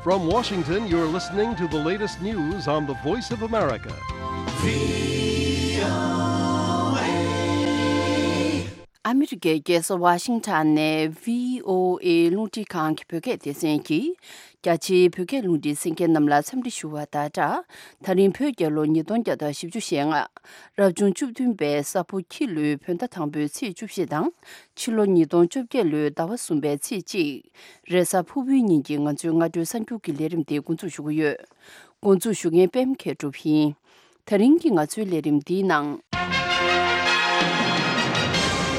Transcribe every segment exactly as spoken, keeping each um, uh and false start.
From Washington, you're listening to the latest news on the Voice of America. ཨ་མི་རི་ཀའི་རྒྱལ་ས་ཝ་ཤིང་ཊོན་ནས་བྷི་ཨོ་ཨེ་རླུང་འཕྲིན་ཁང་གི་བོད་སྐད་སྡེ་ཚན་གྱིས། རྒྱ་ཆེའི་བོད་སྐད་རླུང་འཕྲིན་གསན་མཁན་རྣམས་ལ་འཚམས་འདྲི་ཞུ་བ་དང་སྦྲགས། ད་རིང་བོད་རྒྱལ་ལོ་ཉིས་སྟོང་བརྒྱ་དང་བཞི་བཅུ་ཞེ་ལྔ། རབ་བྱུང་བཅུ་བདུན་པའི་ས་ཕོ་ཁྱི་ལོའི་བོད་ཟླ་དང་པོའི་ཚེས་བཅུ་བཞི་དང་། ཕྱི་ལོ་ཉིས་སྟོང་བཅོ་བརྒྱད་ལོའི་ཟླ་བ་གསུམ་པའི་ཚེས་གཅིག་རེས་གཟའ་ཕུར་བུའི་ཉིན་གྱི་ང་ཚོའི་སྔ་དྲོའི་གསར་འགྱུར་གྱི་ལས་རིམ་དེ་འགོ་འཛུགས་ཞུ་གི་ཡོད། འགོ་འཛུགས་ཞུ་མཁན་པད་མ་མཁས་གྲུབ་ཡིན། ད་རིང་གི་ང་ཚོའི་ལས་རིམ་འདིའི་ནང་།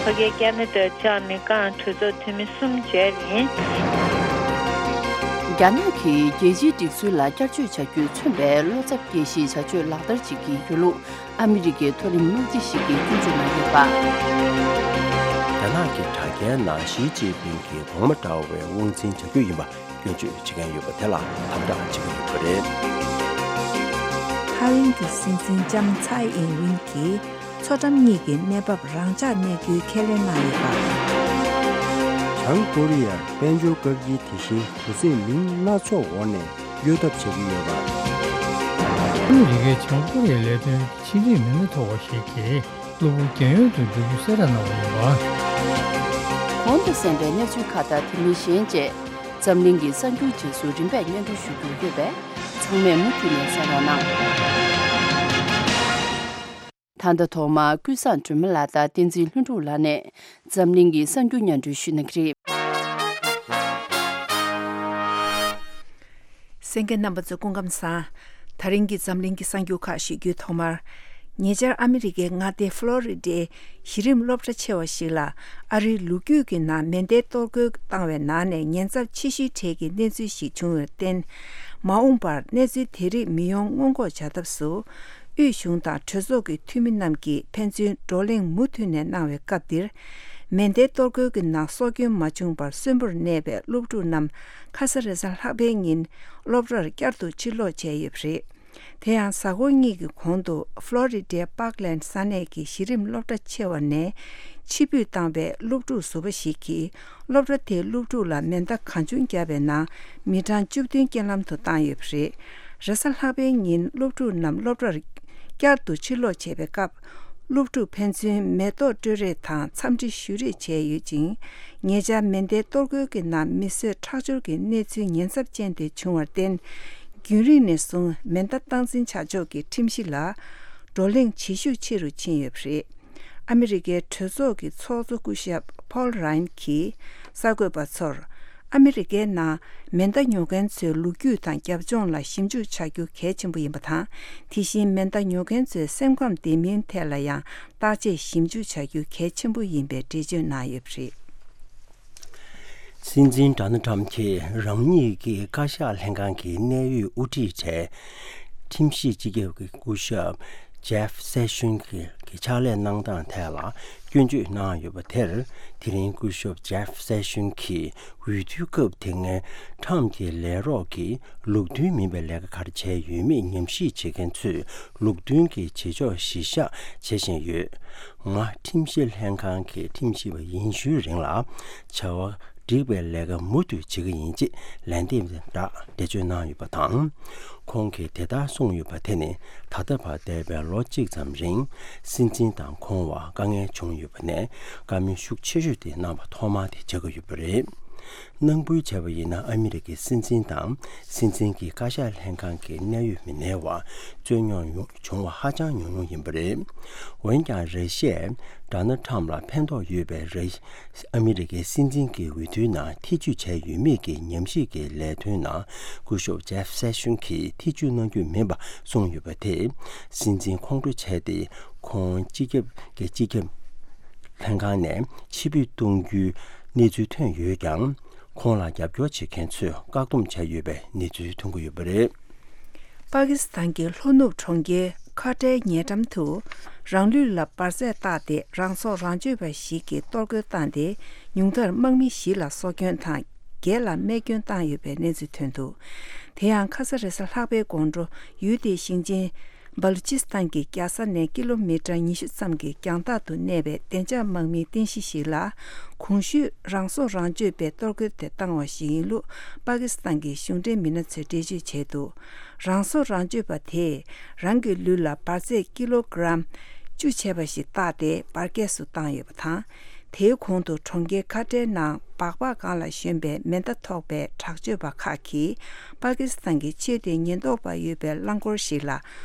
ཕ་གིའི་ཀ་ན་ཌ་བཅར་ནས་ཀང་གྲོས་ཚོགས་འཐུས་མི་གསུམ་མཇལ་ཡིན། རྒྱ་ནག་གིས་རྒྱལ་སྤྱིའི་སྒྲིག་སྲོལ་ལ་བསྐྱར་བཅོས་བྱ་རྒྱུས་མཚོན་པའི་བློ་འཚབ་སྐྱེ་གཞིའི་བྱ་སྤྱོད་ལག་བསྟར་བྱེད་ཀྱི་ཡོད་ལུགས་ཨ་མི་རི་ཀའི་མཐོ་རིམ་དམག་སྤྱི་ཞིག་གིས་སྐྱོན་བརྗོད་གནང་ཡོད་པ། རྒྱ་ནག་གི་དྲ་རྒྱའི་ནང་ཞི་ཅིན་ཕིང་གིས་གོང་མ་འདྲ་བའི་དབང་འཛིན་བྱ་རྒྱུ་ཡིན་པ་སྐྱོན་བརྗོད་བྱེད་མཁན་ཡོད་པ་དེ་ལ་དམ་དྲག་བྱེད་ཀྱི་ཡོད་པ་རེད། ཐའེ་ཝན་གྱི་སྲིད་འཛིན་ལྕམ་ཚའེ་ཨིན་ཝིན་གྱིས་མཚོ་འགྲམ་གཉིས་ཀྱི་གནས་བབ་རང་འཇགས་གནས་རྒྱུའི་ཁས་ལེན་གནང་ཡོད་པ། བྱང་ཀོ་རི་ཡར་དཔལ་འབྱོར་བཀག་སྐྱིལ་དེ་བཞིན་གུ་ཚད་མིང་སྣ་ཚོགས་འོག་ནས་གཡོལ་ཐབས་བྱེད་ཀྱི་ཡོད་པ། ཨ་མི་རི་ཀའི་བྱང་ཀོ་རི་ཡའི་ལས་དོན་གྱི་ཕྱི་འབྲེལ་མི་སྣ་མཐོ་བ་ཞིག་གིས། གློ་བུར་རྒྱལ་ཡོངས་སུ་འགྲོ་རྒྱུ་གསལ་བསྒྲགས་གནང་བ་ཡིན་པ། གོང་དུ་གསན་པའི་གནས་ཚུལ་ཁག་དང་དེ་མིན་གཞན་བཅས་འཛམ་གླིང་གི་གསར་འགྱུར་རྗེས་སུ་རིམ་པས་སྙན་སྒྲོན་ཞུ་རྒྱུ་ཡོད་པས་ཚང་མས་མུ་མཐུད་ནས་གསན་རོགས་གནང་། ད་ལྟ་ཐོག་མར་ཀུན་བཟང་སྒྲོལ་མ་ལགས་དང་བསྟན་འཛིན་ལྷུན་གྲུབ་ལགས་ནས་འཛམ་གླིང་གི་གསར་འགྱུར་སྙན་སྒྲོན་ཞུ་གནང་གི་རེད། གསན་མཁན་རྣམ་པ་ཚོ་སྐུ་ཁམས་བཟང་། ད་རིང་གི་འཛམ་གླིང་གི་གསར་འགྱུར་ཁག་ཞུ་རྒྱུའི་ཐོག་མར། ཉེ་ཆར་ཨ་མི་རི་ཀའི་མངའ་སྡེ་ཧྥ་ལོ་རི་ཌའི་གཞི་རིམ་སློབ་གྲྭ་ཆེ་བ་ཞིག་ལ་ཨ་རིའི་ལོ་རྒྱུས་ཀྱི་ནང་མེ་མདའི་གཏོར་རྒོལ་བཏང་བའི་ནང་ནས་ཉེན་ཚབས་ཆེ་ཤོས་གྲས་ཀྱི་གནས་ཚུལ་ཞིག་བྱུང་བར་བརྟེན། མ་འོངས་པར་གནས་ཚུལ་དེ་རིགས་མི་ཡོང་སྔོན་འགོག་བྱ་ཐབས་སུ། དབུས་གཞུང་དང་གྲོས་ཚོགས་ཀྱི་འཐུས་མི་རྣམས་ཀྱིས་ཕན་ཚུན་བགྲོ་གླེང་མུ་མཐུད་ནས་གནང་བའི་སྐབས་འདིར། མེ་མདའི་གཏོར་རྒོལ་གྱི་ནང་སྲོག་སྐྱོན་མ་བྱུང་བར་གསོན་པོར་གནས་པའི་སློབ་ཕྲུག་རྣམས་ཁ་ས་རེས་གཟའ་ལྷག་པའི་ཉིན་སློབ་གྲྭར་བསྐྱར་དུ་ཕྱིར་ལོག་བྱས་ཡོད་པ་རེད། དེ་ཡང་གཟའ་འཁོར་གཉིས་ཀྱི་གོང་དུ་ཧྥ་ལོ་རི་ཌའི་པཱག་ལེན་ས་གནས་ཀྱི་གཞི་རིམ་སློབ་གྲྭ་ཆེ་བ་ནས་ཕྱིར་འབུད་བཏང་བའི་སློབ་ཕྲུག་ཟུར་པ་ཞིག་གིས། སློབ་གྲྭ་དེའི་སློབ་ཕྲུག་ལ་མེ་མདའ་གང་བྱུང་བརྒྱབ་པའི་ནང་མི་གྲངས་བཅུ་བདུན་རྐྱེན་ལམ་དུ་བཏང་ཡོད་པ་རེད། རེས་གཟའ་ལྷག་པའི་ཉིན་སློབ་ཕྲུག་རྣམས་སློབ་གྲྭར་བསྐྱར་དུ་ཕྱིར་ལོག་བྱས་པའི་སྐབས། སློབ་ཕྲུག་ཕན་ཚུན་མེ་ཏོག་སྤྲོད་རེས་དང་འཚམས་འདྲི་ཞུ་རེས་བྱས་ཡོད་ཅིང་། ཉེ་ཆར་མེ་མདའི་གཏོར་རྒོལ་གྱི་ནང་མི་གསོད་ཁྲག་སྦྱོར་གྱི་གནས་ཚུལ་ཉེན་ཚབས་ཅན་དེ་བྱུང་བར་བརྟེན། རྒྱུན་རིང་ནས་བཟུང་མེ་མདའ་སྟངས་འཛིན་བྱ་ཕྱོགས་ཀྱི་ཁྲིམས་གཞི་ལ་བགྲོ་གླེང་བྱེད་ཤུགས་ཆེ་རུ་ཕྱིན་ཡོད་པ་རེད། ཨ་མི་རི་ཀའི་གྲོས་ཚོགས་ཀྱི་ཚོགས་གཙོ་སྐུ་ཞབས་ཕོལ་རཱན་གྱིས་གསར་འགོད་པ་ཚོར། ཨ་མི་རི་ཀའི་ནང་མེ་མདའ་ཉོ་མཁན་ཚོའི་ལོ་རྒྱུས་དང་རྒྱབ་ལྗོངས་ལ་ཞིབ་འཇུག་བྱ་རྒྱུ་གལ་ཆེན་པོ་ཡིན་པ་དང་། དེ་བཞིན་མེ་མདའ་ཉོ་མཁན་ཚོའི་སེམས་ཁམས་བདེ་མིན་ཐད་ལ་ཡང་བརྟག་དཔྱད་ཞིབ་འཇུག་བྱ་རྒྱུ་གལ་ཆེན་པོ་ཡིན་པའི་འགྲེལ་བརྗོད་གནང་ཡོད་པ་རེད། སྲིད་འཛིན་ཌོ་ནལ་ཊམ་གྱིས་རང་ཉིད་ཀྱི་བཀའ་ཤག་ལྷན་ཁང་གི་གནད་ཡོད་དབུ་ཁྲིད་གྲས། ཁྲིམས་ཞིབ་སྤྱི་ཁྱབ་ཀྱི་སྐུ་ཞབས་ཇེབ་སེ་ཤོན་གྱི་ཕྱག་ལས་གནང་སྟངས་ཐད་ལ་སྐྱོན་བརྗོད་གནང་ཡོད་པ་དེར། དེ་རིང་སྐུ་ཞབས་ཇེབ་སེ་ཤོན་གྱིས་འོས་བསྡུའི་སྐབས་དེ་སྔའི་ཊམ་གྱི་ལས་རོགས་ཀྱིས་ལུགས་མཐུན་མིན་པའི་ལས་ཀ་ག་རེ་བྱས་ཡོད་མེད་ཉམས་ཞིབ་བྱེད་མཁན་ཚོས་ལུགས་མཐུན་གྱི་བྱེད་ཕྱོགས་གཞིར་བཞག་བྱེད་བཞིན་ཡོད། ང་ཁྲིམས་ཞིབ་ལྷན་ཁང་གི་ཁྲིམས་ཞིབ་པ་ཡིན་ཤུལ་རིང་ལ་བྱ་བ་འགྲིག་པའི་ལས་ཀ་མུ་མཐུད་བྱེད་ཀྱི་ཡིན་ཅེས་ལན་འདེབས་རག་འགྲེལ་བརྗོད་གནང་ཡོད་པ་དང་། ཁོང་གིས་དེ་ལྟར་གསུངས་ཡོད་པ་དེ་ནི་ད་ལྟ་བར་འདས་པའི་ལོ་གཅིག་ཙམ་རིང་སྲིད་འཛིན་དང་ཁོང་བར་དཀའ་ངལ་བྱུང་ཡོད་པ་ནས་བཀའ་མོལ་ཤུགས་ཆེ་ཤོས་དེ་གནང་བ་ཐོག་མ་དེ་ཆགས་ཀྱི་ཡོད་པ་རེད། ནང་ཁུལ་བྱས་པ་ཡིན་ན་ཨ་མི་རི་ཀའི་སྲིད་འཛིན་དང་སྲིད་འཛིན་གྱི་བཀའ་ཤག་ལྷན་ཁང་གི་གནད་ཡོད་མི་སྣའི་བར་རྩོད་རྙོག་ཡོང་བྱུང་བ་ཧ་ཅང་ཉུང་ཉུང་ཡིན་པ་རེད། འོན་ཀྱང་ར་ཤི་ཡས་ཌོ་ནལ་ཊམ་ལ་ཕན་ཐོགས་ཡོད་པའི་ར་ཨ་མི་རི་ཀའི་སྲིད་འཛིན་གྱི་འོས་བསྡུའི་ནང་ཐེ་བྱུས་བྱས་ཡོད་མེད་ཀྱི་ཉམས་ཞིབ་ཀྱི་ལས་དོན་ནང་སྐུ་ཞབས་ཇེབ་སེ་ཤོན་གྱིས་ཐེ་བྱུས་གནང་རྒྱུ་མིན་པ་གསུངས་ཡོད་པ་དེས་སྲིད་འཛིན་ཁོང་ཁྲོ་བྱས་ཏེ་ཁོང་སྤྱི་ཁྱབ་ཀྱི་སྤྱི་ཁྱབ་ལྷན་ཁང་ནས་ཕྱིར་འབུད་གཏོང་རྒྱུའི་གནས་ཚུལ་ཐོན་ཡོད་ཀྱང་། ཁོང་ལ་རྒྱབ་སྐྱོར་བྱེད་མཁན་ཚོས་བཀག་སྡོམ་བྱས་ཡོད་པའི་གནས་ཚུལ་ཐོན་གྱི་ཡོད་པ་རེད། པ་ཀི་སི་ཐན་གྱི་ལྷོ་ནུབ་གྲོང་ཁྱེར་ཁ་ཏའི་ཉེ་འགྲམ་དུ་རང་ལུས་ལ་འབར་རྫས་བཏགས་ཏེ་རང་སྲོག་རང་གཅོད་པ་ཞིག་གིས་གཏོར་རྒོལ་བཏང་སྟེ་ཉུང་མཐར་དམག་མི་བཞི་ལ་སྲོག་སྐྱོན་དང་བརྒྱད་ལ་རྨས་སྐྱོན་བཏང་ཡོད་པའི་གནས་ཚུལ་ཐོན་འདུག་དེ་ཡང་ཁ་ས་རེས་གཟའ་ལྷག་པའི་དགོང་དྲོ་ཡུལ་དེའི་ཞིང་ཆེན་ སྦ་ལུ་ཅི་སི་ཐན་གྱི་རྒྱལ་ས་ནས་ཀི་ལོ་མི་ཊར་ཉི་ཤུ་ཙམ་གྱི་རྒྱང་ཐག་ཏུ་གནས་པའི་བདེ་འཇགས་དམག་མིའི་རྟེན་གཞི་ཞིག་ལ། གོང་ཞུས་རང་སྲོག་རང་གཅོད་པས་གཏོར་རྒོལ་དེ་བཏང་བ་ཞིག་ཡིན་ལུགས་པ་ཀི་སི་ཐན་གྱི་གཞུང་འབྲེལ་མི་སྣ་ཚོས་འགྲེལ་བརྗོད་བྱས་འདུག་རང་སྲོག་རང་གཅོད་པ་དེས་རང་གི་ལུས་ལ་འབར་རྫས་ཀི་ལོ་གྲམ་བཅུ་བྱས་པ་ཞིག་བཏགས་ཏེ་འབར་གས་སུ་བཏང་ཡོད་པ་དང་། དེའི་གོང་དུ་གྲོང་ཁྱེར་ཁ་ཏྲའི་ནང་སྦག་སྦག་སྒང་ལ་བཞོན་པའི་མེ་མདའ་ཐོགས་པའི་དྲག་སྤྱོད་པ་ཁག་གིས་པ་ཀི་སི་ཐན་གྱི་ཆོས་དད་ཉེན་རྟོག་པ་ཡོད་པའི་རླངས་འཁོར་ཞིག་ལ་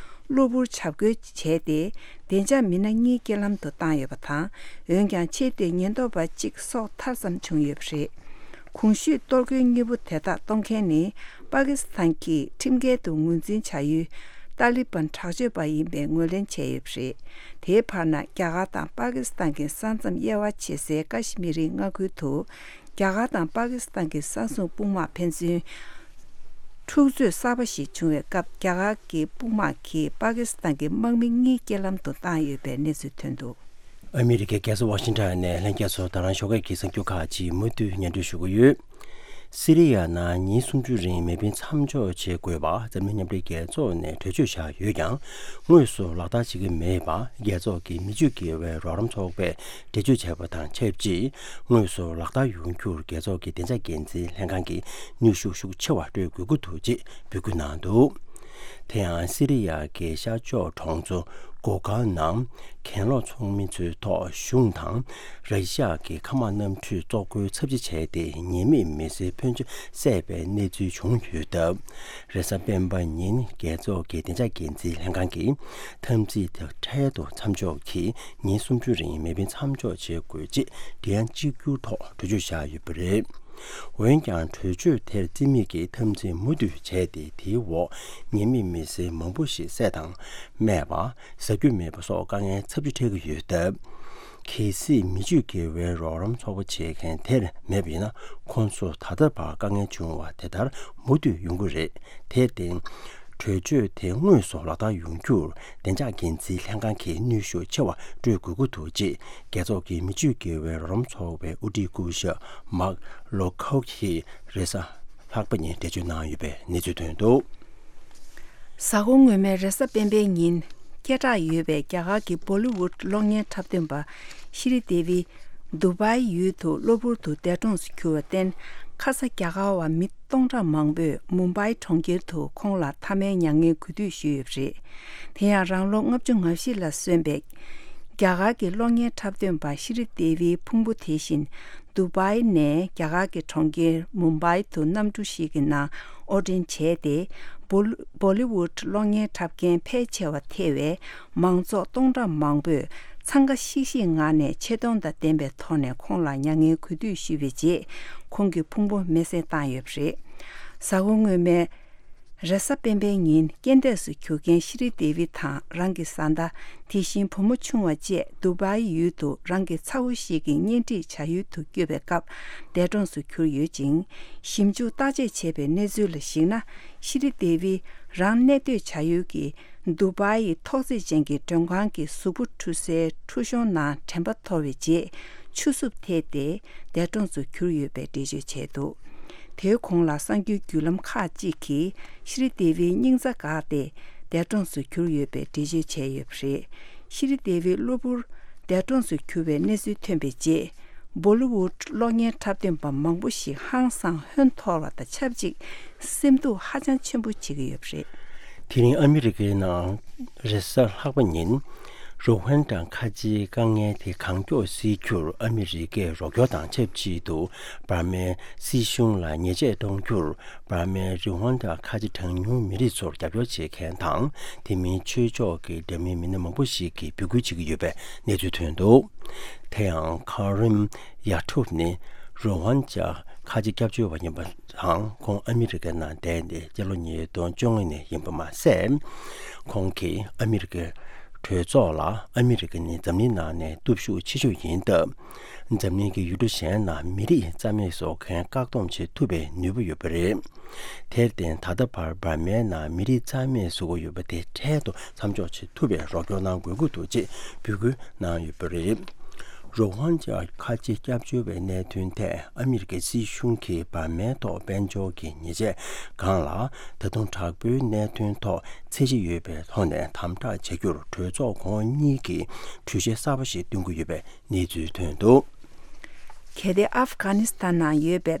གློ་བུར་འཇབ་རྒོལ་བྱས་ཏེ། བདེ་འཇགས་མི་སྣ་གཉིས་རྐྱེན་ལམ་དུ་བཏང་ཡོད་པ་དང་། འོན་ཀྱང་ཆོས་དད་ཉེན་རྟོག་པ་གཅིག་སྲོག་ཐར་ཙམ་བྱུང་ཡོད་པ་རེད། གོང་ཞུས་གཏོར་རྒོལ་གཉིས་པོ་དེ་དག་གཏོང་མཁན་ནི་པ་ཀི་སི་ཐན་གྱི་ཁྲིམས་འགལ་དུ་ངོས་འཛིན་བྱ་ཡུལ་ཏཱ་ལི་བན་དྲག་སྤྱོད་པ་ཡིན་པའི་ངོས་ལེན་བྱས་ཡོད་པ་རེད། དེའི་བར་ན་རྒྱ་གར་དང་པ་ཀི་སི་ཐན་གྱི་ས་མཚམས་དབྱེ་བ་ཕྱེ་སའི་ཀ་ཤི་མི་རིའི་མངའ་ཁུལ་དུ། རྒྱ་གར་དང་པ་ཀི་སི་ཐན་གྱི་ས་སྲུང་དཔུང་དམག་ཕན་ཚུན་འཁྲུག་རྩོད་གསར་པ་ཞིག་བྱུང་བའི་སྐབས། རྒྱ་གར་གྱི་དཔུང་དམག་གིས་པ་ཀི་སི་ཐན་གྱི་དམག་མི་གཉིས་རྐྱེན་ལམ་དུ་བཏང་ཡོད་པའི་གནས་ཚུལ་ཐོན་འདུག་ཨ་མི་རི་ཀའི་རྒྱལ་ས་ཝ་ཤིང་ཊོན་ནས་ལྷན་རྒྱས་ཚོ་ད་རང་ཞོགས་ཀས་ཀྱི་གསར་འགྱུར་ཁག་ཅིག་མུ་མཐུད་སྙན་སྒྲོན་ཞུ་གི་ཡོད། སི་རི་ཡ་ནང་ཉིན་སུམ་ཅུ་རིང་མེ་འཕེན་མཚམས་འཇོག་བྱེད་དགོས་པ་འཛམ་གླིང་མཉམ་འབྲེལ་རྒྱལ་ཚོགས་ནས་གྲོས་ཆོད་བཞག་ཡོད་ཀྱང་། དངོས་སུ་ལག་བསྟར་བྱེད་ཀྱི་མེད་པ། རྒྱལ་ཚོགས་ཀྱི་མི་ཆོས་དགེ་བའི་རོགས་རམ་ཚོགས་པས་འགྲེལ་བརྗོད་བྱས་པ་དང་ཆབས་ཅིག་དངོས་སུ་ལག་བསྟར་ཡོང་རྒྱུར་རྒྱལ་ཚོགས་ཀྱི་བདེ་འཇགས་འགན་འཛིན་ལྷན་ཁང་གིས་ནུས་ཤུགས་ཤུགས་ཆེ་བ་སྤྲོད་དགོས་ཀྱི་འདུག་ཅེས་འབོད་སྐུལ་གནང་འདུག་དེ་ཡང་སི་རི་ཡ་གི་ཤར་ཕྱོགས་གྲོང་ཚོ་གོ་གཱ་ནང་གྱེན་ལོག་ཚོགས་མི་ཚོའི་ཐོག་གཞུང་དང་ར་ཤི་ཡ་གི་མཁའ་དམག་གནམ་གྲུས་བཙོག་འཁོན་ཚབས་ཆེ་བྱས་ཏེ། ཉེས་མེད་མི་སེར་ཕོན་ཆེ་བསད་པའི་གནས་ཚུལ་བྱུང་ཡོད་སྟབས། རེས་གཟའ་སྤེན་པ་ཉིན་རྒྱལ་ཚོགས་ཀྱི་བདེ་འཇགས་འགན་འཛིན་ལྷན་ཁང་གིས་འཐབ་འཛིང་དེ་འཕྲལ་དུ་མཚམས་འཇོག་གིས་ཉིན་སུམ་ཅུ་རིང་མེ་འཕེན་མཚམས་འཇོག་བྱེད་དགོས་ཅེས་སྒྲིག་ཡ་གཅིག་གྱུར་ཐོག་གྲོས་ཆོད་བཞག་ཡོད་པ་རེད། འོན་ཀྱང་གྲོས་ཆོད་དེར་རྩིས་མེད་ཀྱིས་འཐབ་འཛིང་མུ་མཐུད་བྱས་ཏེ། དེའི་འོག་ཉེས་མེད་མི་སེར་མང་པོ་ཞིག་བསད་དང་རྨས་པ། ཟ་རྒྱུ་མེད་པ་སོགས་དཀའ་ངལ་ཚབས་ཆེ་འཕྲད་ཀྱི་ཡོད་སྟབས། གལ་སྲིད་མི་ཆོས་དགེ་བའི་རོགས་རམ་ཚོགས་པ་བྱེད་མཁན་དེར་མེད་པ་ཡིན་ན། ཁོང་ཚོ་ད་ལྟ་བར་དཀའ་ངལ་བྱུང་བ་དེ་ལྟར་མུ་མཐུད་ཡོང་གི་རེད། དེར་བརྟེན། གྲོས་ཆོད་དེ་དངོས་སུ་ལག་བསྟར་ཡོང་རྒྱུར་བདེ་འཇགས་འགན་འཛིན་ལྷན་ཁང་གིས་ནུས་ཤུགས་ཆེ་བ་སྤྲོད་དགོས་ཀྱི་འདུག་ཅེས་རྒྱལ་ཚོགས་ཀྱི་མི་ཆོས་དགེ་བའི་རོགས་རམ་ཚོགས་པའི་དབུ་ཁྲིད་སྐུ་ཞབས་མཱག་ལོ་ཁོག་གིས་རེས་གཟའ་ལྷག་པ་ཉིན་འགྲེལ་བརྗོད་གནང་ཡོད་པའི་གནས་ཚུལ་ཐོན་འདུག་གཟའ་འཁོར་སྔོན་མའི་རེས་གཟའ་སྤེན་པའི་ཉིན། སྐད་གྲགས་ཡོད་པའི་རྒྱ་གར་གྱི་བོ་ལི་ཝུད་གློག་བརྙན་འཁྲབ་སྟོན་པ་ཤི་རི་དེ་བི། དུ་བྷའི་ཡུལ་དུ་གློ་བུར་དུ་འདས་གྲོངས་སུ་གྱུར་བར་བརྟེན། ཁ་ས་རྒྱ་གར་བ་མི་སྟོང་ཕྲག་མང་པོས་མུམ་བྷའི་གྲོང་ཁྱེར་དུ་ཁོང་ལ་མཐའ་མའི་མྱ་ངན་གུས་འདུད་ཞུས་ཡོད་པ་རེད། དེ་ཡང་རང་ལོ་ལྔ་བཅུ་ང་བཞི་ལ་སོན་པའི་རྒྱ་གར་གྱི་གློག་བརྙན་འཁྲབ་སྟོན་པ་ཤི་རི་དེ་བིའི་ཕུང་པོ་དེ་བཞིན། དུ་བྷའི་ནས་རྒྱ་གར་གྱི་གྲོང་ཁྱེར་མུམ་བྷའི་དུ་གནམ་གྲུ་ཞིག་གི་ནང་དབོར་འདྲེན་བྱས་ཏེ། བོ་ལི་བོ་ལི་ཝུད་གློག་བརྙན་འཁྲབ་མཁན་ཕལ་ཆེ་བ་ཐེ་བའི་མང་ཚོགས་སྟོང་ཕྲག་མང་པོས་འཚང་ཁ་ཤིག་ཤིག་ངང་ནས་ཆེ་མཐོང་དང་ལྡན་པའི་ཐོག་ནས་ཁོང་ལ་མྱ་ངན་གུས་འདུད་ཞུས་པའི་རྗེས། ཁོང་གི་ཕུང་པོ་མེ་བསྲེགས་བཏང་ཡོད་པ་རེད། གཟའ་འཁོར་སྔོན་མའི་རེས་གཟའ་སྤེན་པའི་ཉིན། རྐྱེན་འདས་སུ་གྱུར་མཁན་ཤི་རི་དེ་བི་དང་རང་གི་བཟའ་ཟླ། དེ་བཞིན་བུ་མོ་ཆུང་བ་བཅས་དུ་བྷའི་ཡུལ་དུ་རང་གི་ཚ་བོ་ཞིག་གི་གཉེན་སྒྲིག་བྱ་ཡུལ་དུ་བསྐྱོད་པའི་སྐབས་འདས་གྲོངས་སུ་གྱུར་ཡོད་ཅིང་། ཞིབ་འཇུག་བརྟག་དཔྱད་བྱས་པའི་གནས་ཚུལ་ལ་གཞིགས་ན། ཤི་རི་དེ་བི་རང་གནས་སྡོད་བྱ་ཡུལ་གྱི་དུ་བྷའི་ཐོག་བརྩེགས་ཅན་གྱི་མགྲོན་ཁང་གི་གཟུགས་པོ་འཁྲུ་སའི་འཁྲུ་གཞོང་ནང་དྲན་པ་འཐོར་བའི་རྗེས། ཆུ་སྲུབས་ཐེབས་ཏེ་འདས་གྲོངས་སུ་གྱུར་ཡོད་པའི་འགྲེལ་བརྗོད་བྱས་འདུག་དེའི་གོང་ལ་གསར་འགྱུར་བརྒྱུད་ལམ་ཁག་ཅིག་གིས་ཤི་རི་དེ་བིའི་སྙིང་རྩ་འགག་སྟེ་འདས་གྲོངས་སུ་གྱུར་ཡོད་པའི་འགྲེལ་བརྗོད་བྱས་ཡོད་པ་རེད། ཤི་རི་དེ་བི་གློ་བུར་འདས་གྲོངས་སུ་གྱུར་བའི་གནས་ཚུལ་ཐོན་པའི་རྗེས། བོ་ལི་ཝུད་གློག་བརྙན་འཁྲབ་སྟོན་པ་མང་པོ་ཞིག་ཧང་སང་ཧོན་འཐོར་བ་དང་ཆབས་ཅིག་སེམས་སྡུག་ཧ་ཅང་ཆེན་པོ་བྱེད་ཀྱི་ཡོད་པ་རེད། དེ་རིང་ཨ་མི་རི་ཀའི་ནང་རེས་གཟའ་ལྷག་པ་ཉིན། རུ་ཝན་ཌ་ཁ་ཆེའི་དཀའ་ངལ་དེ་གང་མགྱོགས་སེལ་རྒྱུར་ཨ་མི་རི་ཀས་རོགས་སྐྱོར་དང་ཆབས་ཅིག་ཏུ། འབར་མའི་སྲིད་གཞུང་ལ་ཉེས་ཆད་གཏོང་རྒྱུར། འབར་མའི་རུ་ཝན་ཌ་ཁ་ཆེ་གྲངས་ཉུང་མི་རིགས་ཚོར་རྒྱབ་སྐྱོར་བྱེད་མཁན་དང་། དེ་མིན་ཆོས་ཕྱོགས་ཀྱི་འདྲ་མིན་མི་སྣ་མང་པོ་ཞིག་གིས་འབོད་སྐུལ་བྱེད་ཀྱི་ཡོད་པའི་གནས་ཚུལ་ཐོན་འདུག་དེ་ཡང་ཁ་རིམ་ཡ་ཐུབ་ནི་རུ་ཝན་ཌ་ཁ་ཆེ་སྐྱབས་བཅོལ་བ་ཡིན་པ་དང་། ཁོང་ཨ་མི་རི་ཀའི་ནང་བསྡད་ནས་སྤྱི་ལོ་ཉིས་སྟོང་བཅོ་ལྔ་ནས་ཡིན་པ་མ་ཟད། ཁོང་གིས་ཨ་མི་རི་ཀའི་གྲོས་ཚོགས་ལ། ཨ་མི་རི་ཀ་ནི་འཛམ་གླིང་ནང་ནས་སྟོབས་ཤུགས་ཆེ་ཤོས་ཡིན་སྟབས། འཛམ་གླིང་གི་ཡུལ་གྲུ་གཞན་ནང་མི་རིགས་རྩ་མེད་བཟོ་མཁན་བཀག་སྡོམ་བྱེད་ཐུབ་པའི་ནུས་པ་ཡོད་པ་རེད། དེར་བརྟེན། ད་ལྟ་བར་འབར་མའི་ནང་མི་རིགས་རྩ་མེད་བཟོ་གི་ཡོད་པ་དེ་འཕྲལ་དུ་མཚམས་འཇོག་བྱེད་ཐུབ་པའི་རོགས་སྐྱོར་གནང་དགོས་ཀྱི་འདུག་ཅེས་འབོད་སྐུལ་གནང་ཡོད་པ་རེད། རོ་ཧིན་ཇཱ་ཁ་ཆེ་སྐྱབས་བཅོལ་བའི་གནད་དོན་ཐད་ཨ་མི་རི་ཀའི་སྲིད་གཞུང་གིས་འབར་མའི་ཐོག་དཔལ་འབྱོར་གྱི་ཉེས་ཆད་སྒང་ལ་ད་དུང་དྲག་པོའི་གནད་དོན་ཐོག་ཚད་གཞི་ཡོད་པའི་ཐོག་ནས་དམ་དྲག་བྱ་རྒྱུར་གྲོས་ཚོགས་ཁོངས་གཉིས་ཀྱིས་གྲོས་གཞི་གསར་པ་ཞིག་བཏོན་གྱི་ཡོད་པའི་གནས་ཚུལ་ཐོན་འདུག། གལ་ཏེ་ཨབ་གྷ་ནི་སི་ཐན་ནང་ཡོད་པའི།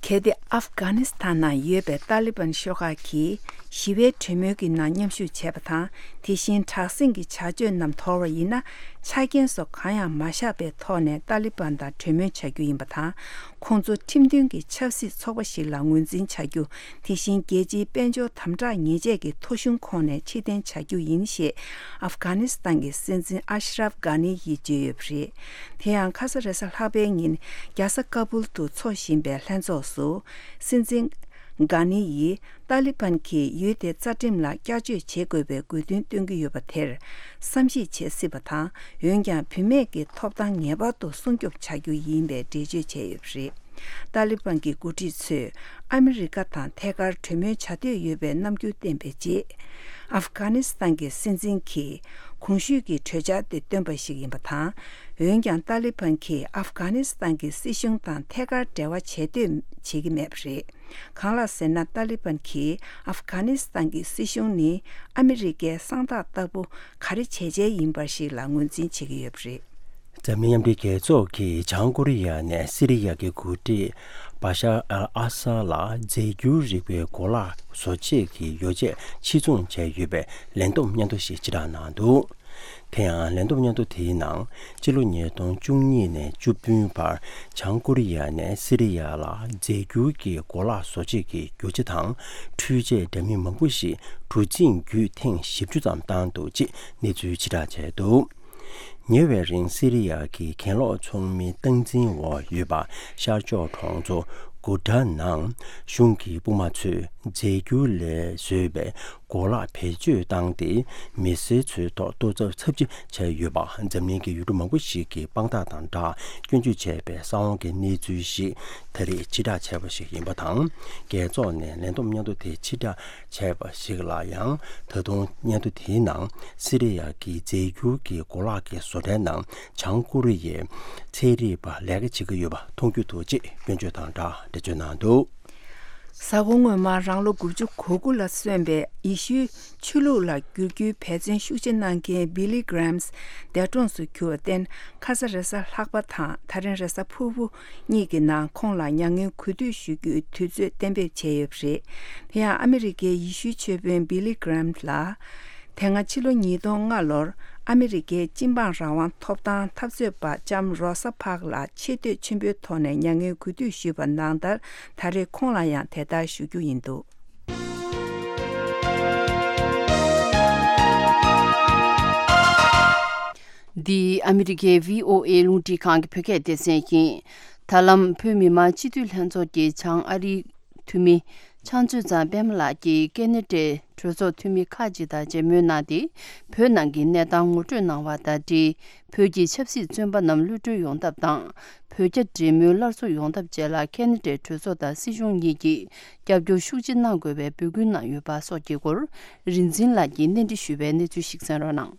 གལ་ཏེ་ཨབ་གྷ་ནི་སི་ཐན་ནང་ཡོད་པའི་ཏཱ་ལི་བན་ཤོག་ཁག་གིས་ཞི་བའི་གྲོས་མོལ་གྱི་ནང་མཉམ་ཞུགས་བྱས་པ་དང་། དེ་བཞིན་དྲག་ཟིང་གི་བྱ་སྤྱོད་རྣམས་དོར་བ་ཡིན་ན། ཆ་རྐྱེན་སོགས་གང་ཡང་མ་བཞག་པའི་ཐོག་ནས་ཏཱ་ལི་བན་དང་གྲོས་མོལ་བྱ་རྒྱུ་ཡིན་པ་དང་། ཁོང་ཚོ་ཁྲིམས་མཐུན་གྱི་ཆབ་སྲིད་ཚོགས་པ་ཞིག་ལ་ངོས་འཛིན་བྱ་རྒྱུ། དེ་བཞིན་རྒྱལ་སྤྱིའི་དཔལ་འབྱོར་དམ་དྲག་ཉེས་ཆད་ཀྱི་ཐོ་གཞུང་ཁོངས་ནས་ཕྱིར་འཐེན་བྱ་རྒྱུ་ཡིན་ཞེས་ཨབ་གྷ་ནི་སི་ཐན་གྱི་སྲིད་འཛིན་ཨ་ཤ་རབ་གྷ་ནི་ཡིས་བརྗོད་ཡོད་པ་རེད། དེ་ཡང་ཁ་ས་རེས་གཟའ་ལྷག་པའི་ཉིན་རྒྱལ་ས་ཀ་བུལ་དུ་འཚོགས་བཞིན་པའི་ལྷན་ཚོགས་སུ། སྲིད་འཛིན་གྷ་ནི་ཡིས་ཏཱ་ལི་བན་གྱིས་ཡུལ་དེའི་རྩ་ཁྲིམས་ལ་བསྐྱར་བཅོས་བྱེད་དགོས་པའི་དགོས་འདུན་བཏོན་གྱི་ཡོད་པ་དེར་བསམ་གཞིག་བྱེད་སྲིད་པ་དང་། འོན་ཀྱང་བུད་མེད་ཀྱི་ཐོབ་ཐང་ངེས་པར་དུ་སྲུང་སྐྱོབ་བྱ་རྒྱུ་ཡིན་པའི་འགྲེལ་བརྗོད་བྱས་ཡོད་པ་རེད། ཏཱ་ལི་བན་གྱི་འགོ་ཁྲིད་ཚོས་ཨ་མི་རི་ཀ་དང་ཐད་ཀར་གྲོས་མོལ་བྱ་འདོད་ཡོད་པའི་རྣམ་འགྱུར་བསྟན་པའི་རྗེས། ཨབ་གྷ་ནི་སི་ཐན་གྱི་སྲིད་འཛིན་གྱིས་གོང་ཞུས་ཀྱི་གྲོས་འཆར་དེ་བཏོན་པ་ཞིག་ཡིན་པ་དང་། འོན་ཀྱང་ཏཱ་ལི་བན་གྱིས་ཨབ་གྷ་ནི་སི་ཐན་གྱི་སྲིད་གཞུང་དང་ཐད་ཀར་འབྲེལ་བ་བྱེད་འདོད་བྱེད་ཀྱི་མེད་པ་རེད། གང་ལགས་ཟེར་ན། ཏཱ་ལི་བན་གྱིས་ཨབ་གྷ་ནི་སི་ཐན་གྱི་སྲིད་གཞུང་ནི་ཨ་མི་རི་ཀའི་གསང་བདག་ལྟ་བུ་ག་རེ་བྱས་བྱས་ཡིན་པ་ཞིག་ལ་ངོས་འཛིན་བྱེད་ཀྱི་ཡོད་པ་རེད། འཛམ་གླིང་མཉམ་འབྲེལ་རྒྱལ་ཚོགས་ཀྱིས་བྱང་ཀོ་རི་ཡ་ནས་སི་རི་ཡ་གི་འགོ་ཁྲིད་བ་ཤར་ཨལ་ཨ་སཱ་ལ་རྫས་འགྱུར་རིག་པའི་གོ་ལག་བཟོ་ཆེད་ཀྱི་ཡོ་བྱད་ཕྱིར་ཚོང་བྱས་ཡོད་པའི་ལས་བསྡོམས་སྙན་ཐོ་ཞིག་ཕྱིར་བསྒྲགས་གནང་འདུག། དེ་ཡང་ལས་བསྡོམས་སྙན་ཐོ་དེའི་ནང་། སྤྱི་ལོ་ཉིས་སྟོང་བཅུ་གཉིས་ནས་བཅུ་བདུན་བར་བྱང་ཀོ་རི་ཡ་ནས་སི་རི་ཡ་ལ་རྫས་འགྱུར་གྱི་གོ་ལག་བཟོ་བྱེད་ཀྱི་རྒྱུ་ཆ་དང་འཕྲུལ་ཆས་འདྲ་མིན་མང་པོ་ཞིག་གྲུ་གཟིངས་བརྒྱུད་ཐེངས་བཞི་བཅུ་ཙམ་བཏང་འདུག་ཅེས་གནས་ཚུལ་ཕྱིར་བསྒྲགས་བྱས་འདུག། ཉེ་བའི་རིང་སི་རི་ཡ་གི་གྱེན་ལོག་ཚོགས་མིའི་སྟངས་འཛིན་འོག་ཡོད་པ་ཤར་ཕྱོགས་གྲོང་ཚོ་གུ་ཌ་ནང་གཞུང་གི་དཔུང་དམག་ཚོས་རྫས་འགྱུར་ལས་བཟོས་པའི་གོ་ལག་བེད་སྤྱོད་བཏང་སྟེ། མི་སེར་ཚོའི་ཐོག་ལྟོ་ཚབས་ཚབས་ཆེ་བྱས་ཡོད་པ། འཛམ་གླིང་གི་ཡུལ་གྲུ་མང་པོ་ཞིག་གིས་དཔང་རྟགས་དང་སྦྲགས་སྐྱོན་བརྗོད་བྱས་པའི་གསང་བ་གི་གནས་ཚུལ་ཞིག་ད་རེས་ཕྱིར་བསྒྲགས་བྱས་པ་ཞིག་ཡིན་པ་དང་། རྒྱལ་ཚོགས་ནས་ལས་བསྡོམས་སྙན་ཐོ་དེ་ཕྱིར་བསྒྲགས་བྱས་པ་ཞིག་ལ་ཡང་། ད་དུང་སྙན་ཐོ་དེའི་ནང་སི་རི་ཡ་གི་རྫས་འགྱུར་གྱི་གོ་ལག་གི་བཟོ་གྲྭའི་ནང་བྱང་ཀོ་རི་ཡའི་ཚན་རིག་པ་ལས་ཀ་བྱེད་ཀྱི་ཡོད་པ་མཐོང་རྒྱུ་འདུག་ཅེས་སྐྱོན་བརྗོད་དང་སྦྲགས་འགྲེལ་བརྗོད་གནང་འདུག། གཟའ་འཁོར་སྔོན་མར་རང་ལོ་དགུ་བཅུ་གོ་དགུ་ལ་སོན་པའི་ཡེ་ཤུའི་ཆོས་ལུགས་ལ་བསྒྱུར་རྒྱུའི་འབད་བརྩོན་ཤུགས་ཆེ་གནང་མཁན་Billy Graham་འདས་གྲོངས་སུ་གྱུར་བར་བརྟེན། ཁ་ས་རེས་གཟའ་ལྷག་པ་དང་ད་རིང་རེས་གཟའ་ཕུར་བུ་གཉིས་ཀྱི་ནང་ཁོང་ལ་མྱ་ངན་གུས་འདུད་ཞུ་རྒྱུའི་དུས་ཚོད་གཏན་འབེབས་བྱས་ཡོད་པ་རེད། དེ་ཡང་ཨ་མི་རི་ཀའི་ཡེ་ཤུའི་ཆོས་དཔོན་Billy Graham་ལ། དེ་སྔ་ཕྱི་ལོ་ཉིས་སྟོང་ལྔ་ལོར་ཨ་མི་རི་ཀའི་སྤྱི་འབངས་རང་དབང་ཐོབ་ཐང་འཐབ་རྩོད་པ་ལྕམ་རོ་ས་པཱག་ལ་ཆེ་བསྟོད་ཆེན་པོའི་ཐོག་ནས་མྱ་ངན་གུས་འདུད་ཞུས་པ་ནང་ལྟར། ད་རེས་ཁོང་ལ་ཡང་དེ་ལྟར་ཞུ་རྒྱུ་ཡིན་འདུག། འདི་ཨ་མི་རི་ཀའི་བྷི་ཨོ་ཨེ་རླུང་འཕྲིན་ཁང་གི་བོད་སྐད་སྡེ་ཚན་ཡིན། ད་ལམ་བོད་མི་མང་སྤྱི་འཐུས་ལྷན་ཚོགས་ཀྱི་བྱང་ཨ་རིའི་འཐུས་མི་ཕྱག་མཛོད་ཚང་པད་མ་ལགས་ཀྱིས་ཀེ་ན་ཌའི་གྲོས་ཚོགས་འཐུས་མི་ཁག་ཅིག་དང་མཇལ་མོལ་གནང་སྟེ། བོད་ནང་གི་གནས་སྟངས་ངོ་སྤྲོད་གནང་བ་དང་འབྲེལ། བོད་ཀྱི་ཆབ་སྲིད་བཙོན་པ་རྣམས་གློད་གྲོལ་ཡོང་ཐབས་དང་། བོད་རྒྱ་འབྲེལ་མོལ་སླར་གསོ་ཡོང་ཐབས་བཅས་ལ་ཀེ་ན་ཌའི་གྲོས་ཚོགས་དང་སྲིད་གཞུང་གཉིས་ཀྱིས་རྒྱབ་སྐྱོར་ཤུགས་ཆེ་གནང་དགོས་པའི་འབོད་སྐུལ་གནང་ཡོད་པ་སོགས་ཀྱི་སྐོར། རིག་འཛིན་ལགས་ཀྱིས་གནས་འདྲི་ཞུས་པའི་གནས་ཚུལ་ཞིག་གསན་རོགས་གནང་།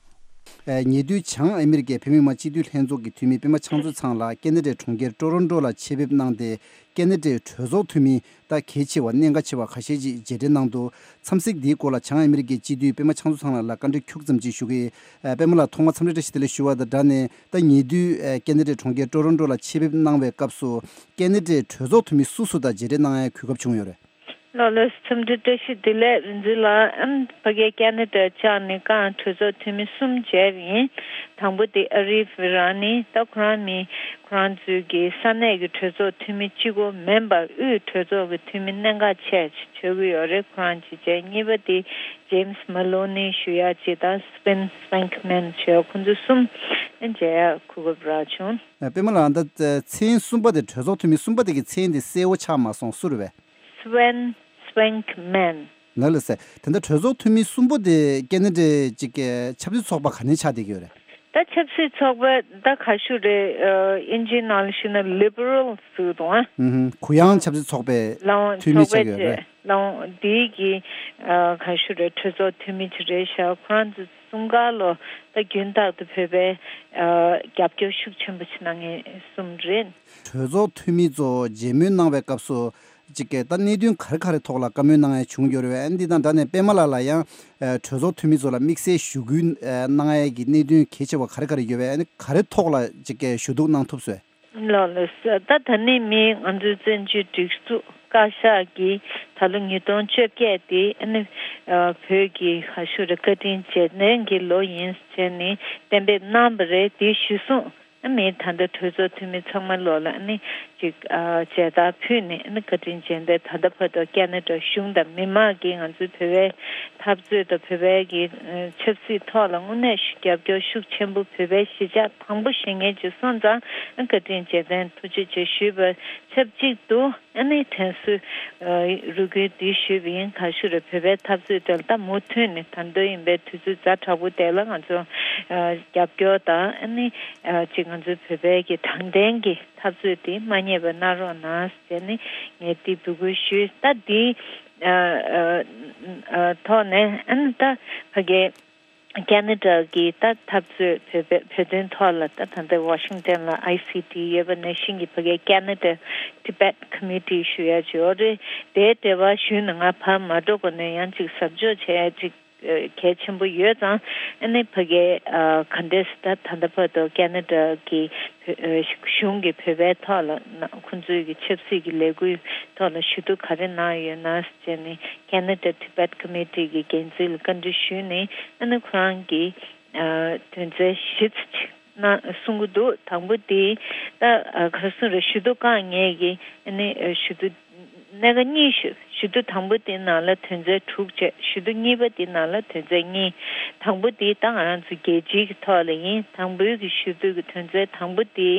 ཉེ་དུས་བྱང་ཨ་མི་རི་ཀའི་བོད་མི་མང་སྤྱི་འཐུས་ལྷན་ཚོགས་ཀྱི་འཐུས་མི་པད་མ་ཕྱག་མཛོད་ཚང་ལགས་ཀེ་ན་ཌའི་གྲོང་ཁྱེར་ཀྲོ་རོན་ཀྲོ་ལ་ཆེད་ཕེབས་གནང་སྟེ། ཀེ་ན་ཌའི་གྲོས་ཚོགས་འཐུས་མི་ད་གལ་ཆེ་བ་གནད་འགག་ཆེ་བ་ཁ་ཤས་ཅིག་མཇལ་འཕྲད་གནང་འདུག། འཚམས་གཟིགས་འདིའི་སྐོར་ལ་བྱང་ཨ་མི་རི་ཀའི་སྤྱི་འཐུས་པད་མ་ཕྱག་མཛོད་ཚང་ལགས་ལ་བཀའ་འདྲི་ཁྱུག་ཙམ་ཅིག་ཞུ་གི། ཨ། པད་མ་ལགས་ཐོག་མར་འཚམས་འདྲི་བཀྲ་ཤིས་བདེ་ལེགས་ཞུ་བ་དང་སྦྲགས་ནས། ད་ཉེ་དུས་ཨ་ཀེ་ན་ཌའི་གྲོང་ཁྱེར་ཀྲོ་རོན་ཀྲོ་ལ་ཆེད་ཕེབས་གནང་བའི་སྐབས་སུ་ཀེ་ན་ཌའི་གྲོས་ཚོགས་འཐུས་མི་སུ་སུ་དང་མཇལ་འཕྲད་གནང་ཡའི་གོ་སྐབས་བྱུང་ཡོད་རེད། ལགས་ལགས། འཚམས་འདྲི་བཀྲ་ཤིས་བདེ་ལེགས། རིག་འཛིན་ལགས། ཨམ། ཕ་གིའི་ཀེ་ན་ཌ་བཅར་ནས་ཀྱང་གྲོས་ཚོགས་འཐུས་མི་གསུམ་མཇལ་བ་ཡིན། དང་པོ་དེ་ཨ་རིབ་རང་ནི་ད་ཁོ་རང་མི་ཁོ་རང་ཚོའི་གི་ས་གནས་ཀྱི་གྲོས་ཚོགས་འཐུས་མི་གཅིག་པོ་མིན་པར་དབུས་གྲོས་ཚོགས་ཀྱི་འཐུས་མི་གནད་འགག་ཆེ་ཆགས་ཡོད་ཀྱི་ཡོད་རེད། ཁོ་རང་གཅིག་བྱས། གཉིས་པ་དེ་James Maloney་ཞུ་ཡག་གཅིག་དང་Sven Schweikman་ཞུ་ཡག་ཁོང་ཚོ་གསུམ་མཇལ་ཡག་གོ་སྐབས་རག་བྱུང་། ཨ། པད་མ་ལགས། ད་མཚན་གསུམ་པ་དེ། གྲོས་ཚོགས་འཐུས་མི་གསུམ་པ་དེ་གི་མཚན་དེ་གསལ་བོ་ཆགས་མ་སོང་། སུ་རེད་པས། Sven Schweikman། ལགས་ལགས་སེ། དེ་འདྲ་གྲོས་ཚོགས་འཐུས་མི་གསུམ་པོ་དེ་ཀེ་ན་ཌའི་ཅིག་གི་ཆབ་སྲིད་ཚོགས་པ་ག་ནས་ཆགས་བསྡད་ཀྱི་ཡོད་རེད། ད་ཆབ་སྲིད་ཚོགས་པ་ད་ག་ཞུ་རེད། ཨ། དབྱིན་ཇིའི་ནང་ལ་ཞུས་ན་Liberal་ཟེར་གྱི་འདུག་ཨ། ཨུ་ཧུམ། གུ་ཡངས་ཆབ་སྲིད་ཚོགས་པའི་ལའང་འཐུས་མི་ཆགས་ཀྱི་ཡོད་རེད། ལའང་འདིའི་གི་ཨ་ག་ཞུ་རེད། གྲོས་ཚོགས་འཐུས་མི་ཅིག་རེད་ཤག་ཁོ་རང་ཚོ་གསུམ་ཀ་ལོ་ད་རྒྱུན་ལྟར་དུ་བོད་པའི་ཨ་རྒྱབ་སྐྱོར་ཤུགས་ཆེན་པོ་ཅིག་གནང་མཁན་གསུམ་རེད། གྲོས་ཚོགས་འཐུས་མི་ཚོ་མཇལ་མོལ་གནང་བའི་སྐབས་སུ་ཅིག་གི་ད་གནད་དོན་ག་རེ་ག་རེ་ཐོག་ལ་བཀའ་མོལ་གནང་ཡ་བྱུང་ཡོད་རེད་པས། འདི་དང་སྦྲགས་ནས་པད་མ་ལགས་ལ་ཡང་ཨ་གྲོས་ཚོགས་འཐུས་མི་ཚོ་ལ་དམིགས་བསལ་ཞུ་སྐུལ་ཨ་གནང་ཡ་གི་གནད་དོན་གལ་ཆེ་བ་ག་རེ་ག་རེ་ཡོད་པས། ག་རེ་ཐོག་ལ་ཅིག་གི་ཞུ་གཏུག་གནང་ཐུབ་སོང་། ལགས་ལགས། ད་ད་ནི་མི་ང་ཚོའི་བཙན་བྱོལ་སྒྲིག་འཛུགས་བཀའ་ཤག་གིས་ད་ལོ་ཉིས་སྟོང་བཅོ་བརྒྱད་དེ་ཨ་ནི་ཨ་བོད་ཀྱི་ག་ཞུ་རེད། བཀའ་དྲིན་རྗེས་དྲན་གྱི་ལོ་ཡིན་ཟེར་ནས་གཏན་འབེབས་གནང་བ་རེད། དེ་གཞིར་བཟུང་ཨ་མི་ད་ལྟ་གྲོས་ཚོགས་འཐུས་མི་ཚང་མ་ལོག་ལ་ཨ་ནི་ཅིག་ཨ་མཇལ་དར་ཕུལ་ནས་ཨ་ནི་བཀའ་དྲིན་རྗེས་དྲན། ད་ལྟ་བར་དུ་ཁེ་ན་ཌ་གཞུང་དང་མི་མང་གིས་ང་ཚོའི་བོད་པའི་འཐབ་རྩོད་དང་བོད་པའི་གི་ཨ་ཆབ་སྲིད་ཐོག་ལ་དངོས་གནས་རྒྱབ་སྐྱོར་ཤུགས་ཆེན་པོ། བོད་པའི་གཞིས་ཆགས་དང་པོ་བཞེངས་མཁན་ཅིག་སོང་ཙང་བཀའ་དྲིན་རྗེས་དྲན་ཐུགས་རྗེ་ཆེ་ཞུས་པ་ཆབས་ཅིག་ཏུ་ཨ་ནི་དྲན་གསོའི་ཨ་རེ་སྐུལ་འདི་ཞུས་པ་ཡིན། ག་ཞུ་རེད། བོད་པའི་འཐབ་རྩོད་དེ་ལ་ད་མུ་མཐུད་ནས་ད་ལྟ་ཡིན་པའི་དུས་ཚོད་ཛ་དྲག་པོ་དེ་ལ་ང་ཚོ་ཨ་རྒྱབ་སྐྱོར་དང་ཨ་ནི་ཨ་ཅིག་ང་ཚོའི་བོད་པའི་གི་དྲང་བདེན་གྱི་འཐབ་རྩོད་དེ་མ་བསྙེལ་བ་གནང་རོགས་གནང་ཟེར་ནས་ངས་འདི་འབོད་སྐུལ་ཞུས། ད་འདི་ཨ་ཨ་ཨ་ཐོག་ནས་ཨ་ནི་ད་ཕ་གི་ཁེ་ན་ཌ་གི་ད་འཐབ་རྩོད་བོད་པའི་བོད་དོན་ཐོག་ལ་ད་ད་ལྟ་ཝ་ཤིང་ཊོན་ལ་ཨའི་སི་ཊི་ཡོད་པ་ནང་བཞིན་གྱི་ཕ་གི་ཁེ་ན་ཌ་ཊི་བེཊ་ཀོ་མི་ཊི་ཞུ་ཡ་ཅིག་ཡོད་རེད། དེའི་འབྲེལ་བ་ཞུས་ནས་ང་ཕར་མ་འགྲོ་གོང་ནས་ཡང་ཅིག་གཟབ་འཇོག་བྱས་ཡ་ཅིག་གལ་ཆེན་པོ་ཡོད་ཙང་། ཨ་ནི་ཕ་གི་ཨ་ག་འདྲས་ད་ད་ལྟ་བར་དུ་ཁེ་ན་ཌ་གི་བོད་ཨ་གཞུང་གི་བོད་པའི་ཐོག་ལ་ན་ཁོང་ཚོའི་གི་ཆབ་སྲིད་ཀྱི་ལས་འགུལ་ཐོག་ལ་ཞུ་གཏུག་ག་རེ་གནང་ཡོད་ན་ཟེར་ནས་ཁེ་ན་ཌ་ཊི་བེཊ་ཀོ་མི་ཊི་གི་འགན་འཛིན་ལ་བཀའ་འདྲི་ཞུས་ནས། ཨ་ནི་ཁོ་རང་གིས་ཨ་དོན་ཚན་བཞི་ཙམ་ཅིག་གནང་གསུང་གི་འདུག་དང་པོ་དེ་ད་ཨ་ག་རེ་ཟེར་རེད། ཞུ་གཏུག་བཀག་ཉེས་ཀྱི་ཨ་ནི་ཨ་ཞུ་གཏུག་གནད་འགག་གཉིས་ཞུ། ཞུ་གཏུག་དང་པོ་དེ་ནང་ལ་དོན་ཚན་དྲུག་བྱས། ཞུ་གཏུག་གཉིས་པ་དེ་ནང་ལ་དོན་ཚན་གཉིས། དང་པོ་དེ་ད་ང་རང་ཚོ་རྒྱལ་སྤྱིའི་གི་ཐོག་ལ་ཡིན། དང་པོའི་གི་ཞུ་གཏུག་གི་དོན་ཚན་དང་པོ་དེ་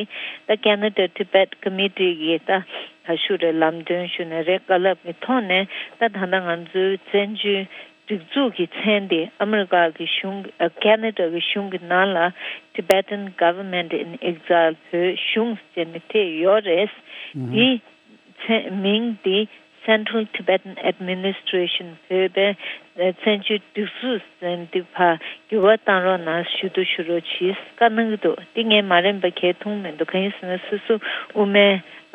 ད་ཁེ་ན་ཌ་ཊི་བེཊ་ཀོ་མི་ཊི་གི་ད་ག་ཞུ་རེད། ལམ་སྟོན་ཞུ་ནི་རེད། བཀའ་སློབ་ཀྱི་ཐོག་ནས་ད་ད་ལྟ་ང་ཚོའི་བཙན་བྱོལ་སྒྲིག་འཛུགས་ཀྱི་མཚན་དེ་ཨ་མི་རི་ཀ་གི་གཞུང་ཨ་ཁེ་ན་ཌ་གི་གཞུང་གི་ནང་ལ་Tibetan Government in Exile བོད་གཞུང་ཟེར་ནས་དེ་ཡོད་རེད། ཨུ་ཧུ། དེ་མཚན་མིང་དེ་Central Tibetan Administration བོད་པའི་ཨ་བཙན་བྱོལ་སྒྲིག་འཛུགས་ཟེར་འདི་ཕར་འགྱུར་བ་བཏང་རོགས་གནང་། ཞུ་གཏུག་ཞུ་རོགས་གྱིས་བཀའ་གནང་གི་འདུག་འདི་ངས་མ་རན་པ་གས་མཐོང་མི་འདུག་གང་ཡིན་ཟེར་ན་སོ་སོ་དབུ་མའི་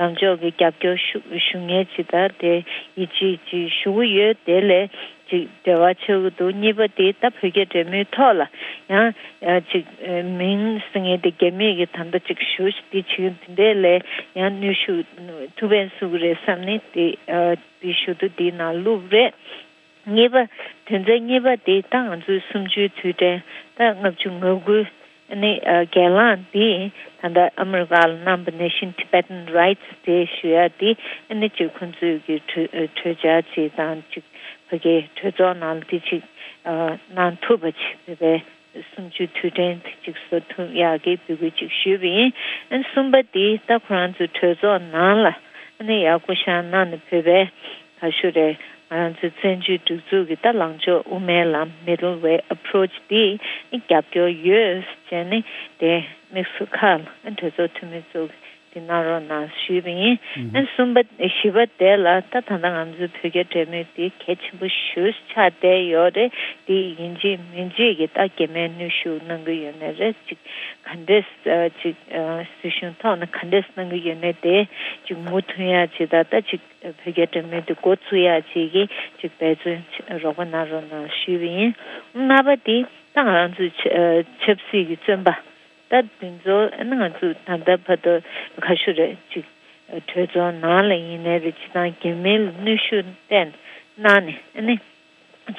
ལངས་ཕྱོགས་ཀྱི་རྒྱབ་སྐྱོར་ཞུ་ཞུ་མཁན་ཅིག་དང་དེ་ཡིད་ཆེས་ཅིག་ཞུ་གི་ཡོད། དེ་ལས་ཅིག་འབྲེལ་བ་ཆགས་ཀྱི་འདུག་གཉིས་པ་དེ་ད་བོད་རྒྱ་འབྲེལ་མོལ་ཐོག་ལ་ཡང་ཨ་ཅིག་ཨ་མིང་ཟེར་མཁན་དེ་རྒྱ་མིས་ཀྱི་ད་ལྟ་ཅིག་ཞུ་ཞིག་དེ་བྱེད་ཀྱི་འདུག་དེ་འདྲས་ལས་ཡང་ནུས་ཤུགས་ཐུགས་ཕན་གསོས་ཀྱི་རེད་བསམ་ནས་དེ་ཨ་དེ་ཞུ་གཏུག་དེའི་ནང་བླུགས་རེད། གཉིས་པ། དོན་ཚན་གཉིས་པ་དེ་ད་ང་ཚོའི་གསུམ་བཅུའི་དུས་དྲན་ད་ལྔ་བཅུ་ང་དགུ་ནི་ཨ་སྒེར་ལངས་འདི་ད་ལྟ་ཨ་མི་རི་ཀ་ལ་གནང་བ་ནང་བཞིན་Tibetan Rights Day ཞུ་ཡ་འདི་ཨ་ནི་ཅིག་ཁོང་ཚོས་ཀྱི་གྲོས་གྲོས་འཆར་ཅིག་དང་ཅིག་ཕ་གིའི་གྲོས་ཚོགས་ནང་ལ་འདི་ཅིག་ཨ་གནང་ཐུབ་པ་ཅིག་བོད་པའི་གསུམ་བཅུའི་དུས་དྲན་དེ་ཅིག་བཟོ་ཐུབ་ཡག་གི་འབོད་སྐུལ་ཅིག་ཞུས་པ་ཡིན། ཨ་ནི་གསུམ་པ་འདི་ད་ཁོ་རང་ཚོའི་གྲོས་ཚོགས་ནང་ལ་ཨ་ནི་ཡར་སྐུ་བཞེངས་གནང་ནས་བོད་པའི་ག་ཞུ་རེད། ང་རང་ཚོའི་བཙན་བྱོལ་སྒྲིག་འཛུགས་ཀྱི་ད་ལངས་ཕྱོགས་དབུ་མའི་ལམ་Middle Way Approach འདི་རྒྱབ་སྐྱོར་ཡོད་ཅེས་ནི་དེ་དམིགས་སུ་ཁག་ལ་གྲོས་ཚོགས་འཐུས་མི་ཚོ་འདི་གནང་རོགས་གནང་ཞུས་པ་ཡིན། ཨ་གསུམ་པ་བཞི་པ་དེ་ལ་ད་ད་ལྟ་ང་ཚོའི་བོད་རྒྱ་འབྲེལ་མོལ་འདི་གལ་ཆེན་པོ་ཞེ་པོ་ཆགས་བསྡད་ཡོད་རེད། འདི་ཡིན་གཅིག་མིན་གཅིག་གི་ད་གེ་མོའི་ནུས་ཤུགས་གནང་གི་ཡོད་ནི་རེད། ཅིག་ག་འདྲས་ཅིག་སྲིད་གཞུང་ཐོག་ནས་ག་འདྲས་གནང་གི་ཡོད་ནི་དེ་ཅིག་མུ་མཐུད་ཡ་ཅིག་ད་ད་ཅིག་བོད་རྒྱ་འབྲེལ་མོལ་དེ་འགོ་བཙུགས་ཡག་ཅིག་གི་ཅིག་འབད་བརྩོན་རོགས་པ་གནང་རོགས་གནང་ཞུས་པ་ཡིན། ལྔ་པ་དེ་ད་ང་རང་ཚོའི་ཆ་ཆབ་སྲིད་ཀྱི་བཙོན་པ་ད་དེ་ཚོ་ཨ་ནི་ང་ཚོ་ད་ལྟ་བར་དུ་ག་ཞུ་རེད་ཅིག་གྲོས་ཚོགས་ནང་ལ་ཡིན་ནའི་རེད། སྤྱི་བཏང་རྒྱ་མི་ལ་གནོན་ཤུགས་བསྟན་གནང་ནས་ཨ་ནི་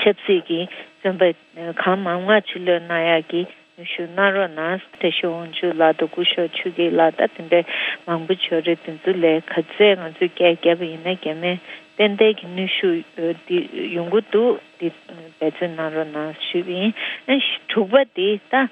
ཆབ་སྲིད་ཀྱི་བཙོན་པ་གང་མང་མང་ཕྱིར་ལོག་གནང་ཡག་གི་ནུས་ཤུགས་གནང་རོགས་གནང་། བཀྲ་ཤིས་དབང་ཕྱུག་ལགས་དང་སྐུ་ཞབས་ཆོས་སྐྱིད་ལགས་ད་དེ་འདྲའི་མང་པོ་ཡོད་རེད། དེ་ཚོ་ལས་ག་ཚད་ང་ཚོས་སྐད་བརྒྱབ་པ་ཡིན་ན་རྒྱ་མི་ཏན་ཏན་གྱི་ནུས་ཤུགས་འདི་ཡོང་གི་འདུག་འདི་འབད་བརྩོན་གནང་རོགས་གནང་ཞུས་པ་ཡིན། ཨ་དྲུག་པ་དེ་ད་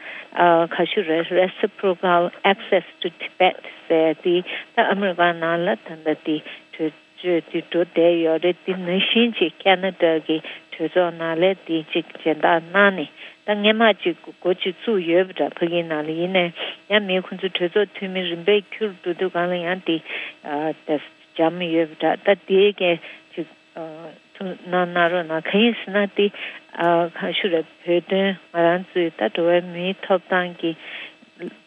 ག་ཞུ་རེད། Reciprocal Access to Tibet ཟེར་དེ་ད་ཨ་མི་རི་ཀ་ནང་ལ་ད་ལྟ་དེ་གྲོས་ཆོད་དེ་འགྲོ་བསྡད་ཡོད་རེད། དེ་ནང་བཞིན་གྱི་ཁེ་ན་ཌ་གི་གྲོས་ཚོགས་ནང་ལ་དེ་གཅིག་སྦྱིན་བདག་གནང་ནས་ད་སྔོན་མ་གཅིག་འགོ་གཅིག་བཙུགས་ཡོད་པ་འདྲ། ཕ་གིའི་ནང་ལ་ཡིན་ནའི་ཡང་མི་ཁོང་ཚོ་གྲོས་ཚོགས་འཐུས་མི་རིམ་པས་འཁྱུར་འགྲོ་དུས་སྒང་ལ་ཡང་དེ་ཨ་ད་འཇམ་ཡོད་པ་འདྲ། ད་དེའི་གི་གཅིག་ཨ་ ཐུགས་སྣང་གནང་རོགས་གནང་། གང་ཡིན་ཟེར་ན་དེ་ཨ་གང་ཞུ་རེད། བོད་དོན་ང་རང་ཚོའི་ད་འགྲོ་བའི་མིའི་ཐོབ་ཐང་གི་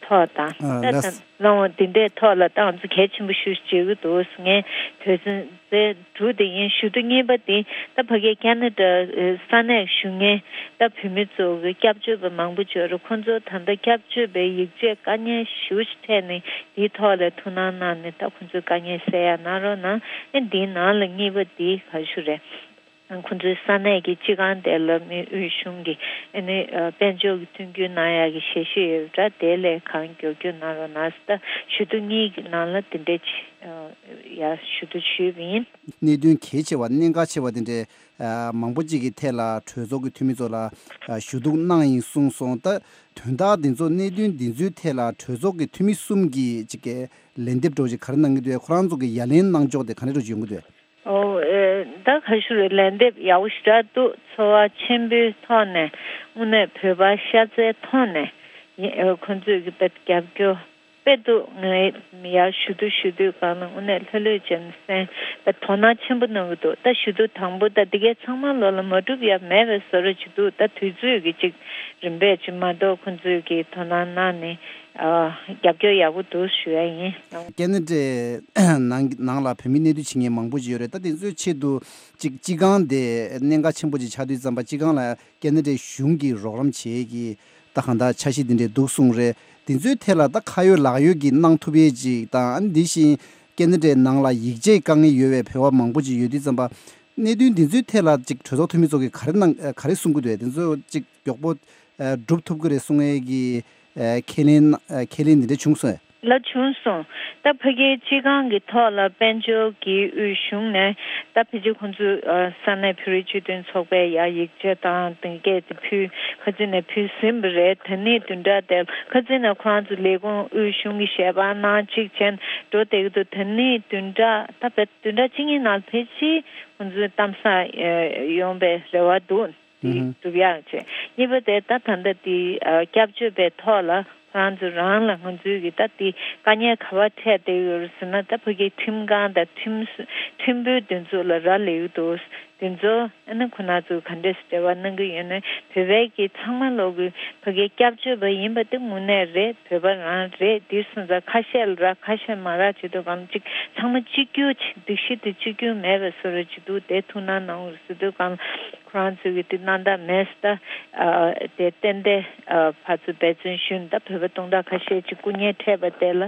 ཐོག་དང་ཨ་ད་ལགས། ད་ལམ་འོང་འདི་འདྲའི་ཐོག་ལ་ད་ང་ཚོ་གལ་ཆེན་པོ་ཞེ་པོ་ཅིག་བརྗོད་ཀྱི་འདུག་ངས་དོན་ཚན་དེ་དྲུག་དེ་ཡིན། ཞུ་གཏུག་གཉིས་པ་དེ་ད་ཕ་གིའི་ཁེ་ན་ཌ་ས་གནས་བཞུགས་མཁན་ད་བོད་མི་ཚོ་གི་སྐྱབས་བཅོལ་བ་མང་པོ་ཅིག་ཡོད་རེད། ཁོང་ཚོ་ད་ལྟ་སྐྱབས་བཅོལ་བའི་ཡིག་ཆའི་དཀའ་ངལ་ཞེ་པོ་ཅིག་འཕྲད་ནས་དེའི་ཐོག་ལ་ཐུགས་སྣང་གནང་ནས་ད་ཁོང་ཚོའི་དཀའ་ངལ་སེལ་ཡག་གནང་རོགས་གནང་། ཨེ་འདིའི་ནང་ལ་གཉིས་པ་དེ་ག་ཞུ་རེད། ཁོང་ཚོའི་ས་གནས་ཀྱི་སྤྱི་ཁང་དེ་ལ་མི་དབུས་གཞུང་གི་ཨ་ནི་དཔལ་འབྱོར་གྱི་མཐུན་འགྱུར་གནང་ཡག་གི་ཞལ་བཞེས་ཡོད་པ་འདྲ། དེ་ལས་གང་མགྱོགས་མགྱོགས་གནང་རོགས་གནང་ཟེར། ད་ཞུ་གཏུག་གཉིས་ཀྱི་ནང་ལ་དེ་འདྲས་ཅིག་ཡར་ཞུ་གཏུག་ཞུས་པ་ཡིན། གནད་དོན་གལ་ཆེ་བ་གནད་འགག་ཆེ་བ་དེ་འདྲས་མང་པོ་ཅིག་གི་ཐད་ལ་གྲོས་ཚོགས་ཀྱི་འཐུས་མི་ཚོ་ལ་ཞུ་གཏུག་གནང་ཡིན་གསུངས་སོང་། ད་དོན་དག་འདི་ཚོ་གནད་དོན་འདི་ཚོའི་ཐད་ལ་གྲོས་ཚོགས་ཀྱི་འཐུས་མི་གསུམ་གྱིས་ཅིག་གི་ལན་འདེབས་འདྲ་བོ་ཅིག་ག་རེ་གནང་གི་འདུག་ཁོ་རང་ཚོ་གི་ཡ་ལན་གནང་ཕྱོགས་དེ་ག་འདྲ་འདྲ་བོ་ཅིག་ཡོང་གི་འདུག་ཨོ། ཨེ། ད་ག་ཞུ་རེད། ལན་འདེབས་ཡག་པོ་ཞེ་དྲག་འདུག་ཚོར་བ་ཆེན་པོའི་ཐོག་ནས་དངོས་གནས་བོད་པ་ཤ་ཚའི་ཐོག་ནས་ཡིན། ཨེ། ཁོང་ཚོས་ཀྱི་དཔེ་རྒྱབ་སྐྱོར་དཔེ་འདུག་ངས་ཡར་ཞུ་གཏུག་ཞུ་དུས་སྒང་ལ་དངོས་གནས་ལྷོད་ལྷོད་བྱས་ནས་གསན། ད་དོ་སྣང་ཆེན་པོ་གནང་གི་འདུག་ད་ཞུ་གཏུག་དང་པོ་ད་འདི་གའི་ཚང་མ་ལོ་ལ་མ་གྲུབ་ཡ་མེད་པའི་བཟོ་འདྲ་ཅིག་འདུག་ད་དུས་ཚོད་ཀྱི་ཅིག་རིམ་པས་ཅིག་མ་གཏོགས་ཁོང་ཚོས་ཀྱི་དོ་སྣང་གནང་ནས། ཨ། རྒྱབ་སྐྱོར་ཡག་པོ་འདུག་ཞུ་ཡ་ཡིན། ཀེ་ན་ཌའི་ནང་ནང་ལ་བོད་མི་གནས་སྡོད་བྱེད་མཁན་མང་པོ་ཅིག་ཡོད་རེད། ད་དེ་ཚོའི་ཆེད་དུ་ཅིག་སྤྱི་ཁང་དེ་གནད་འགག་ཆེན་པོ་ཅིག་ཆགས་དུས་ཙམ་པ་སྤྱི་ཁང་ལ་ཀེ་ན་ཌའི་གཞུང་གིས་རོགས་རམ་བྱེད་ཀྱི་ད་གང་ལྟར་འཆར་གཞི་དེ་འདྲས་འདུག་གསུངས་རེད། དེ་ཚོའི་ཐད་ལ་ད་ཁ་ཡོད་ལག་ཡོད་ཀྱི་གནང་ཐུབ་ཡས་ཅིག་དང་། ཨ་ནི་དེ་བཞིན་ཀེ་ན་ཌའི་ནང་ལ་ཡིག་ཆའི་དཀའ་ངལ་ཡོད་པའི་བོད་པ་མང་པོ་ཅིག་ཡོད་དུས་ཙམ་པ། གནད་དོན་འདི་ཚོའི་ཐད་ལ་ཅིག་གྲོས་ཚོགས་འཐུས་མི་ཚོ་གིས་ག་རེ་གནང་ག་རེ་གསུང་གི་འདུག་དེ་ཚོ་ཅིག་མགྱོགས་པོ་སྒྲུབ་ཐུབ་ཀྱི་རེད་གསུང་ཡས་ཀྱི་ཁས་ལེན་ཁས་ལེན་འདི་འདྲ་བྱུང་སོང་། ལ་བྱུང་སོང་། ད་ཕ་གིའི་སྤྱི་ཁང་གི་ཐོག་ལ་དཔལ་འབྱོར་གྱི་དབུས་གཞུང་ནས་ད་ཕལ་ཆེར་ཁོང་ཚོས་ས་གནས་བོད་རིགས་སྤྱི་མཐུན་ཚོགས་པའི་ཡ་ཡིག་ཆ་དང་དེ་གས་དེ་ཕུལ། ཁ་ཚིག་ནས་ཕུལ་ཟིན་པ་རེད། དེ་ནས་བདུན་ཕྲག་དེ་ཁ་ཚིག་ནས་ཁོ་རང་ཚོ་ལས་ཁུངས་དབུས་གཞུང་གི་ཞལ་པར་གནང་གཅིག་བྱས་འགྲོ་བསྡད་ཀྱི་འདུག་དེ་ནས་བདུན་ཕྲག་ད་བདུན་ཕྲག་གཅིག་གཉིས་ནང་ཕལ་ཆེར་ཁོང་ཚོའི་གཏམ་བཟང་ཡོང་པའི་རེ་བ་འདུག་དེ་སྒྲུབ་ཡག་བྱས། གཉིས་པ་དེ་ད་ད་ལྟ་དེ་སྐྱབས་བཅོལ་བའི་ཐོག་ལ་ཁོ་རང་ཚོ་རང་ལ་ང་ཚོའི་གི་ད་དེ་དཀའ་ངལ་ག་པར་འཕྲད་བསྡད་ཡོད་རེད་ཟེར་ན། ད་ཕ་གིའི་ཁྲིམས་ཁང་དང་ཁྲིམས་ཁྲིམས་དཔོན་དེ་ཚོ་ལ་རག་ལས་ཀྱི་འདུག་དེ་ཚོ་ཨ་ནི་ཁོ་རང་ཚོ་ག་འདྲས་སེ་འབྲེལ་བ་གནང་གི་ཡོད་ན། བོད་པའི་གི་ཚང་མ་ལོག་གི་ཕ་གིའི་སྐྱབས་བཅོལ་བ་ཡིན་པ་དེ་དངོས་གནས་རེད། བོད་པ་རང་རེད། དེ་སོང་ཙང་ཁ་ཤས་ལ་རག་ཁ་ཤས་མ་རག་བྱེད་དུས་གང་ཅིག་ཚང་མ་གཅིག་གྱུར་ཅིག་སྒྲིག་གཞི་དེ་གཅིག་གྱུར་མེད་པའི་བཟོ་འདྲ་ཅིག་འདུག་དེ་ཐུགས་སྣང་གནང་དགོས་ཟེར་དུས་གང་ཁོ་རང་ཚོས་གི་དེ་གནང་ཐབས་མེད་ཟེར། ད་དེ་ཏན་ཏན་ཕར་ཚུར་འབད་བརྩོན་ཞུས་ནས་ད་བོད་པ་སྟོང་ཕྲག་ཁ་ཤས་ཅིག་སྐུ་ངལ་འཕྲད་པ་དེ་ལ་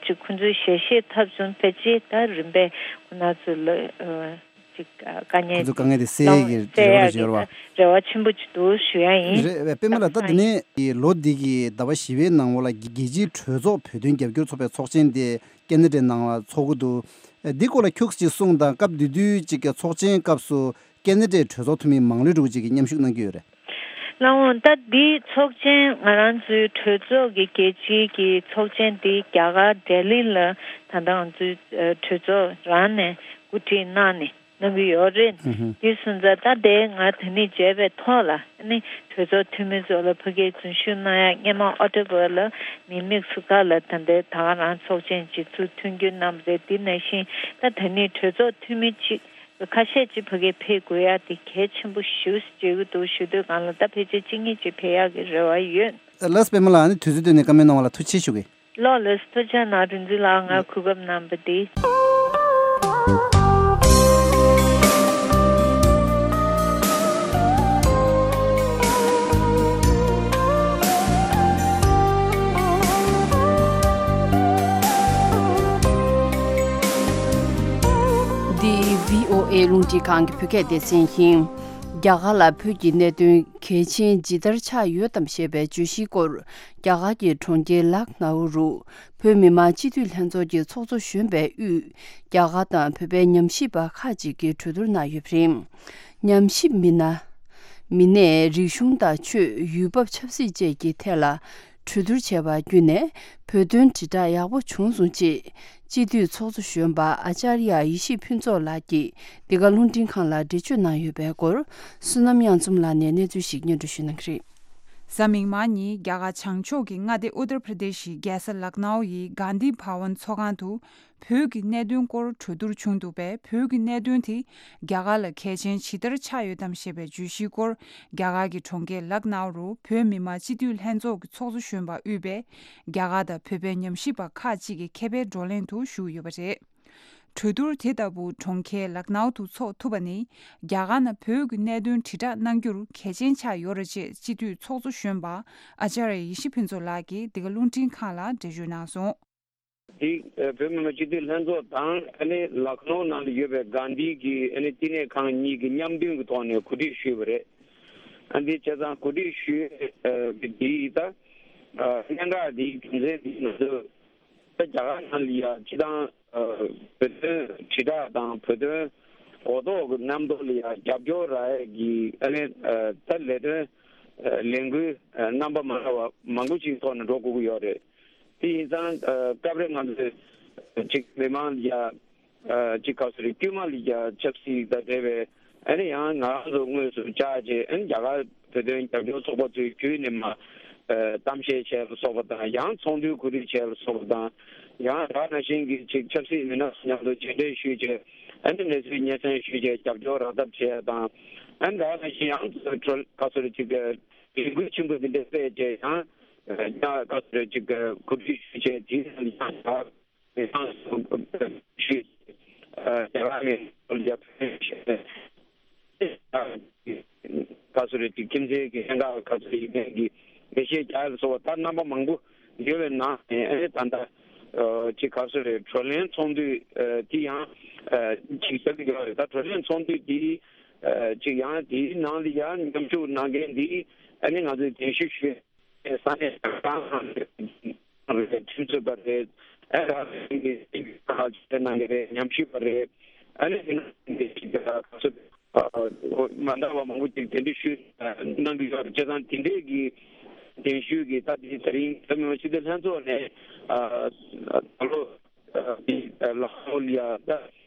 ཅིག་ཁོང་ཚོས་ཞལ་བཞེས་ཐོབ་བྱུང་། ཕལ་ཆེར་ད་རིམ་པས་ཁོ་རང་ཚོ་ལ་ཅིག་དཀའ་ངལ་ཁོང་ཚོ་དཀའ་ངལ་དེ་སེལ་ཡས་ཀྱི་རེ་བ་རེ་བ་ཆེན་པོ་ཅིག་འདུག་ཞུ་ཡ་ཡིན། རེད། པད་མ་ལགས། ད་དེ་ནས་ལོ་འདི་གི་ཟླ་བ་བཞི་པའི་ནང་ལོགས་ལ་རྒྱལ་སྤྱིའི་གྲོས་ཚོགས་བོད་དོན་རྒྱབ་སྐྱོར་ཚོགས་པའི་ཚོགས་ཆེན་དེ་ཀེ་ན་ཌའི་ནང་ལ་ཚོགས་ཀྱི་འདུག་འདི་སྐོར་ལ་ཁྱུག་ཅིག་གསུངས་དང་། སྐབས་དེ་དུས་ཅིག་གི་ཚོགས་ཆེན་སྐབས་སུ་ཀེ་ན་ཌའི་གྲོས་ཚོགས་འཐུས་མི་མང་ལོས་འགྲོ་ཅིག་གིས་མཉམ་ཞུགས་གནང་གི་ཡོད་རེད། ལགས་འོང་། ད་འདི་ཚོགས་ཆེན་ང་རང་ཚོའི་གྲོས་ཚོགས་ཀྱི་རྒྱལ་སྤྱིའི་གི་ཚོགས་ཆེན་འདི་རྒྱ་གར་ལྡི་ལི་ལ་ད་ལྟ་ང་ཚོའི་གྲོས་ཚོགས་རང་ནས་གོ་སྒྲིག་གནང་ནས་གནང་གི་ཡོད་རེད། ཨུ་ཧུ། དེ་སོང་ཙང་ད་དེ་ང་དེ་ནས་མཇལ་བའི་ཐོག་ལ་ཨ་ནི་གྲོས་ཚོགས་འཐུས་མི་ཚོ་ལ་ཕ་གིར་འཛུལ་ཞུགས་གནང་ཡ། སྔོན་མ་ཨོག་ཊོ་བར་ལ་མི་མེག་སི་ཀོ་ལ་ད་ལྟའི་ད་ག་རང་ཚོགས་ཆེན་ཅིག་ཚུར་མཐུན་འགྱུར་གནང་བ་རེད། དེ་ནང་བཞིན་ད་དེ་ནས་གྲོས་ཚོགས་འཐུས་མི་ཅིག་ཁ་ཤས་ཅིག་ཕ་གིར་ཕེབས་དགོས་ཡ་དེ་གལ་ཆེན་པོ་ཞེ་པོ་ཅིག་འདུག་ཞུ་དུས་གང་ལ་ད་ཕལ་ཆེར་གཅིག་གཉིས་ཅིག་ཕེབས་ཡག་གི་རེ་བ་ཡོད། ལགས་སོ། པད་མ་ལགས། ཨ་ནི་དུས་ཚོད་བཏོན་ནས་བཀའ་མོལ་གནང་བ་ལ་ཐུགས་རྗེ་ཆེ་ཞུ་གི། ལགས་ལགས། ཐུགས་རྗེ་གནང་། རིག་འཛིན་ལགས་ང་གོ་སྐབས་གནང་བ་འདི། འདི་བྷི་ཨོ་ཨེ་རླུང་འཕྲིན་ཁང་གི་བོད་སྐད་སྡེ་ཚན་ཡིན། རྒྱ་གར་ལ་བོད་ཀྱི་གནད་དོན་གལ་ཆེན་ཇི་ལྟར་ཆགས་ཡོད་དམ་ཞེས་པའི་བརྗོད་གཞིའི་སྐོར། རྒྱ་གར་གྱི་གྲོང་ཁྱེར་ལག་ནའུ་རུ་བོད་མི་མང་སྤྱི་འཐུས་ལྷན་ཚོགས་ཀྱི་ཚོགས་གཙོ་གཞོན་པའི་དབུས། རྒྱ་གར་དང་བོད་པའི་ཉམས་ཞིབ་པ་ཁག་ཅིག་གིས་གྲོས་བསྡུར་གནང་ཡོད་པ་རེད། ཉམས་ཞིབ་མི་སྣ། མི་སྣས་རིག་གཞུང་དང་ཆོས། ཡུལ་བབ། ཆབ་སྲིད་བཅས་ཀྱི་ཐད་ལ་གྲོས་བསྡུར་བྱས་པ་བརྒྱུད་ནས་བོད་དོན་དྲིལ་བསྒྲགས་ཡག་པོ་བྱུང་སོང་ཅེས་སྤྱི་འཐུས་ཚོགས་གཙོ་གཞོན་པ་ཨ་ཅཱརྱ་ཡེ་ཤེས་ཕུན་ཚོགས་ལགས་ཀྱིས་འདི་ག་རླུང་འཕྲིན་ཁང་ལ་འགྲེལ་བརྗོད་གནང་ཡོད་པའི་སྐོར། བསོད་ནམས་དབྱངས་འཛོམས་ལགས་ནས་གནས་ཚུལ་ཞིག་སྙན་སྒྲོན་ཞུ་གནང་གི་རེད། གཟའ་མིག་དམར་ཉིན་རྒྱ་གར་བྱང་ཕྱོགས་ཀྱི་མངའ་སྡེ་ཨུ་ཏར་པྲ་དེ་ཤི་རྒྱལ་ས་ལག་ནའུ་ཡི་གྷན་དྷི་བྷ་ཝན་ཚོགས་ཁང་དུ། བོད་ཀྱི་གནད་དོན་སྐོར་གྲོས་བསྡུར་བྱུང་འདུག་པས། བོད་ཀྱི་གནད་དོན་དེ་རྒྱ་གར་ལ་གལ་ཆེན་ཇི་ལྟར་ཆགས་ཡོད་དམ་ཞེས་པའི་བརྗོད་གཞིའི་སྐོར། རྒྱ་གར་གྱི་གྲོང་ཁྱེར་ལག་ནའུ་རུ་བོད་མི་མང་སྤྱི་འཐུས་ལྷན་ཚོགས་ཀྱི་ཚོགས་གཙོ་གཞོན་པ་དབུས་པས། རྒྱ་གར་དང་བོད་པའི་ཉམས་ཞིབ་པ་ཁག་ཅིག་གི་མཁས་པའི་བགྲོ་གླེང་དུ་ཞུགས་ཡོད་པ་རེད། གྲོས་བསྡུར་དེ་ལྟ་བུ་གྲོང་ཁྱེར་ལག་ནའུ་དུ་འཚོགས་ཐུབ་པ་ནི། རྒྱ་གར་ནང་བོད་ཀྱི་གནད་དོན་དྲིལ་བསྒྲགས་གནང་རྒྱུར་གལ་ཆེན་ཆགས་ཡོད་རེད་ཅེས་སྤྱི་འཐུས་ཚོགས་གཙོ་གཞོན་པ་ཨ་ཅཱརྱ་ཡེ་ཤེས་ཕུན་ཚོགས་ལགས་ཀྱིས་འདི་ག་རླུང་འཕྲིན་ཁང་ལ་འགྲེལ་བརྗོད་གནང་སོང་། དེ་ཨ་བོད་མི་མང་སྤྱི་འཐུས་ལྷན་ཚོགས་དང་ཨ་ནི་ལག་ནོར་ནང་ལ་ཡོད་པའི་གྷན་དྷི་གི་ཨ་ནི་བསྟི་གནས་ཁང་གཉིས་ཀྱི་མཉམ་འདུས་ཀྱི་ཐོག་ནས་གོ་སྒྲིག་ཞུས་པ་རེད། ཨ་འདི་བྱས་ཙང་གོ་སྒྲིག་ཞུས་ཨ་གི་དེ་ཡིས་ད་ཨ་གནད་འགག་འདིའི་རྒྱུ་མཚན་འདི་ང་ཚོས་ད་རྒྱ་གར་ནང་ལ་ཡ་སྤྱི་བཏང་ཨ་བོད་དོན་དྲིལ་བསྒྲགས་དང་བོད་དོན་གོ་རྟོགས་ཀྱི་རྣམ་རྟོག་ལ་ཡ་རྒྱབ་སྐྱོར་རག་ཡས་ཀྱི་ཨ་ནི་ཨ་ད་ལས་དོན་ཨ་ལས་འགུལ་ཨ་རྣམ་པ་མ་འདྲ་བ་མང་པོ་ཞིག་ཐོག་ནས་འགྲོ་དགོས་ཀྱི་ཡོད་རེད། དེ་ཡིན་ཙང་ཨ་སྐབས་རེ་ང་ཚོས་ཅིག་མི་མང་ལ་ཡ་ཨ་ཅིག་ག་ཚོད་རེད། དཀྱུས་མ་ལ་ཡ་ཆབ་སྲིད་དང་འབྲེལ་བའི་ཨ་ནི་ཡང་ང་རང་ཚོ་དངོས་སུ་བཅར་རྗེས་ཨ་ནི་རྒྱ་གར་བོད་དོན་རྒྱབ་སྐྱོར་ཚོགས་པ་ཚོའི་བརྒྱུད་ནས་མ་ཨ་གཏམ་བཤད་བྱས་ལ་སོགས་པ་དང་། ཡང་ཚོགས་འདུའི་གོ་སྒྲིག་བྱས་ལ་སོགས་པ་དང་། ཡང་ད་ག་ནང་བཞིན་གྱི་ཅིག་ཆབ་སྲིད་མི་སྣ་མཉམ་དུ་མཇལ་འཕྲད་ཞུས་བྱས་ཨ་ནི་གནས་ཚུལ་སྙན་སེང་ཞུས་བྱས་རྒྱབ་སྐྱོར་རག་ཐབས་བྱས་དང་། ཨ་ནི་ད་ག་ནང་བཞིན་ཡང་གྲོས་ག་ཚོད་རེད། ཅིག་ལས་འགུལ་ཆེན་པོ་འདི་འདྲ་སྤེལ་བྱས་ཡང་ཡང་ག་ཚོད་རེད། ཅིག་གོ་སྒྲིག་ཞུས་བྱས་དེའི་ནང་ལ་ཡང་ད། ཞུས། རྒྱ་གར་ནས་རྒྱ་བོད་ག་ཚོད་རེད། ཅིག་ཁྱིམ་མཚེས་ཀྱི་གནད་འགག་ག་ཚོད་ཡིན་མིན་གྱི་འགྲེལ་བཤད་རྒྱག་ཡ་ལ་སོགས་པ་ད་རྣམ་པ་མང་པོ་ཡོད་པའི་ནང་ནས་ཨ་ནི་ད་ལྟ་ཅིག་ག་ཚོད་རེད། བགྲོ་གླེང་ཚོགས་འདུ་དེ་ཡང་ཅིག་ཞུ་གི་ཡོད་རེད། ད་བགྲོ་གླེང་ཚོགས་འདུ་དེ་ཅིག་ཡང་དེའི་ནང་ལ་ཡང་མཉམ་ཞུགས་གནང་མཁན་དེ་ཨ་ནི་ང་ཚོས་གདན་ཞུ་ཞུས། ས་གནས་གང་ཁྲིམས་རྩོད་པ་རེད། ཨ་ར་གི་ཁ་ཆེ་གནང་གི་རེད། ཉམས་ཞིབ་པ་རེད། ཨ་ནི་དེ་ནང་གི་ཅིག་ག་ཚོད་མ་འདྲ་བ་མང་པོ་ཅིག་གདན་འདྲེན་ཞུས་གནང་གི་ཡོད་རེད། བྱས་ཙང་དེ་འདྲས་ཀྱི་གདན་ཞུས་ཀྱི་ད་དེ་ད་རིང་བོད་མི་མང་སྤྱི་འཐུས་ལྷན་ཚོགས་ནས་ད་ལོ་ལག་ལོ་ལ་ཡ་ད།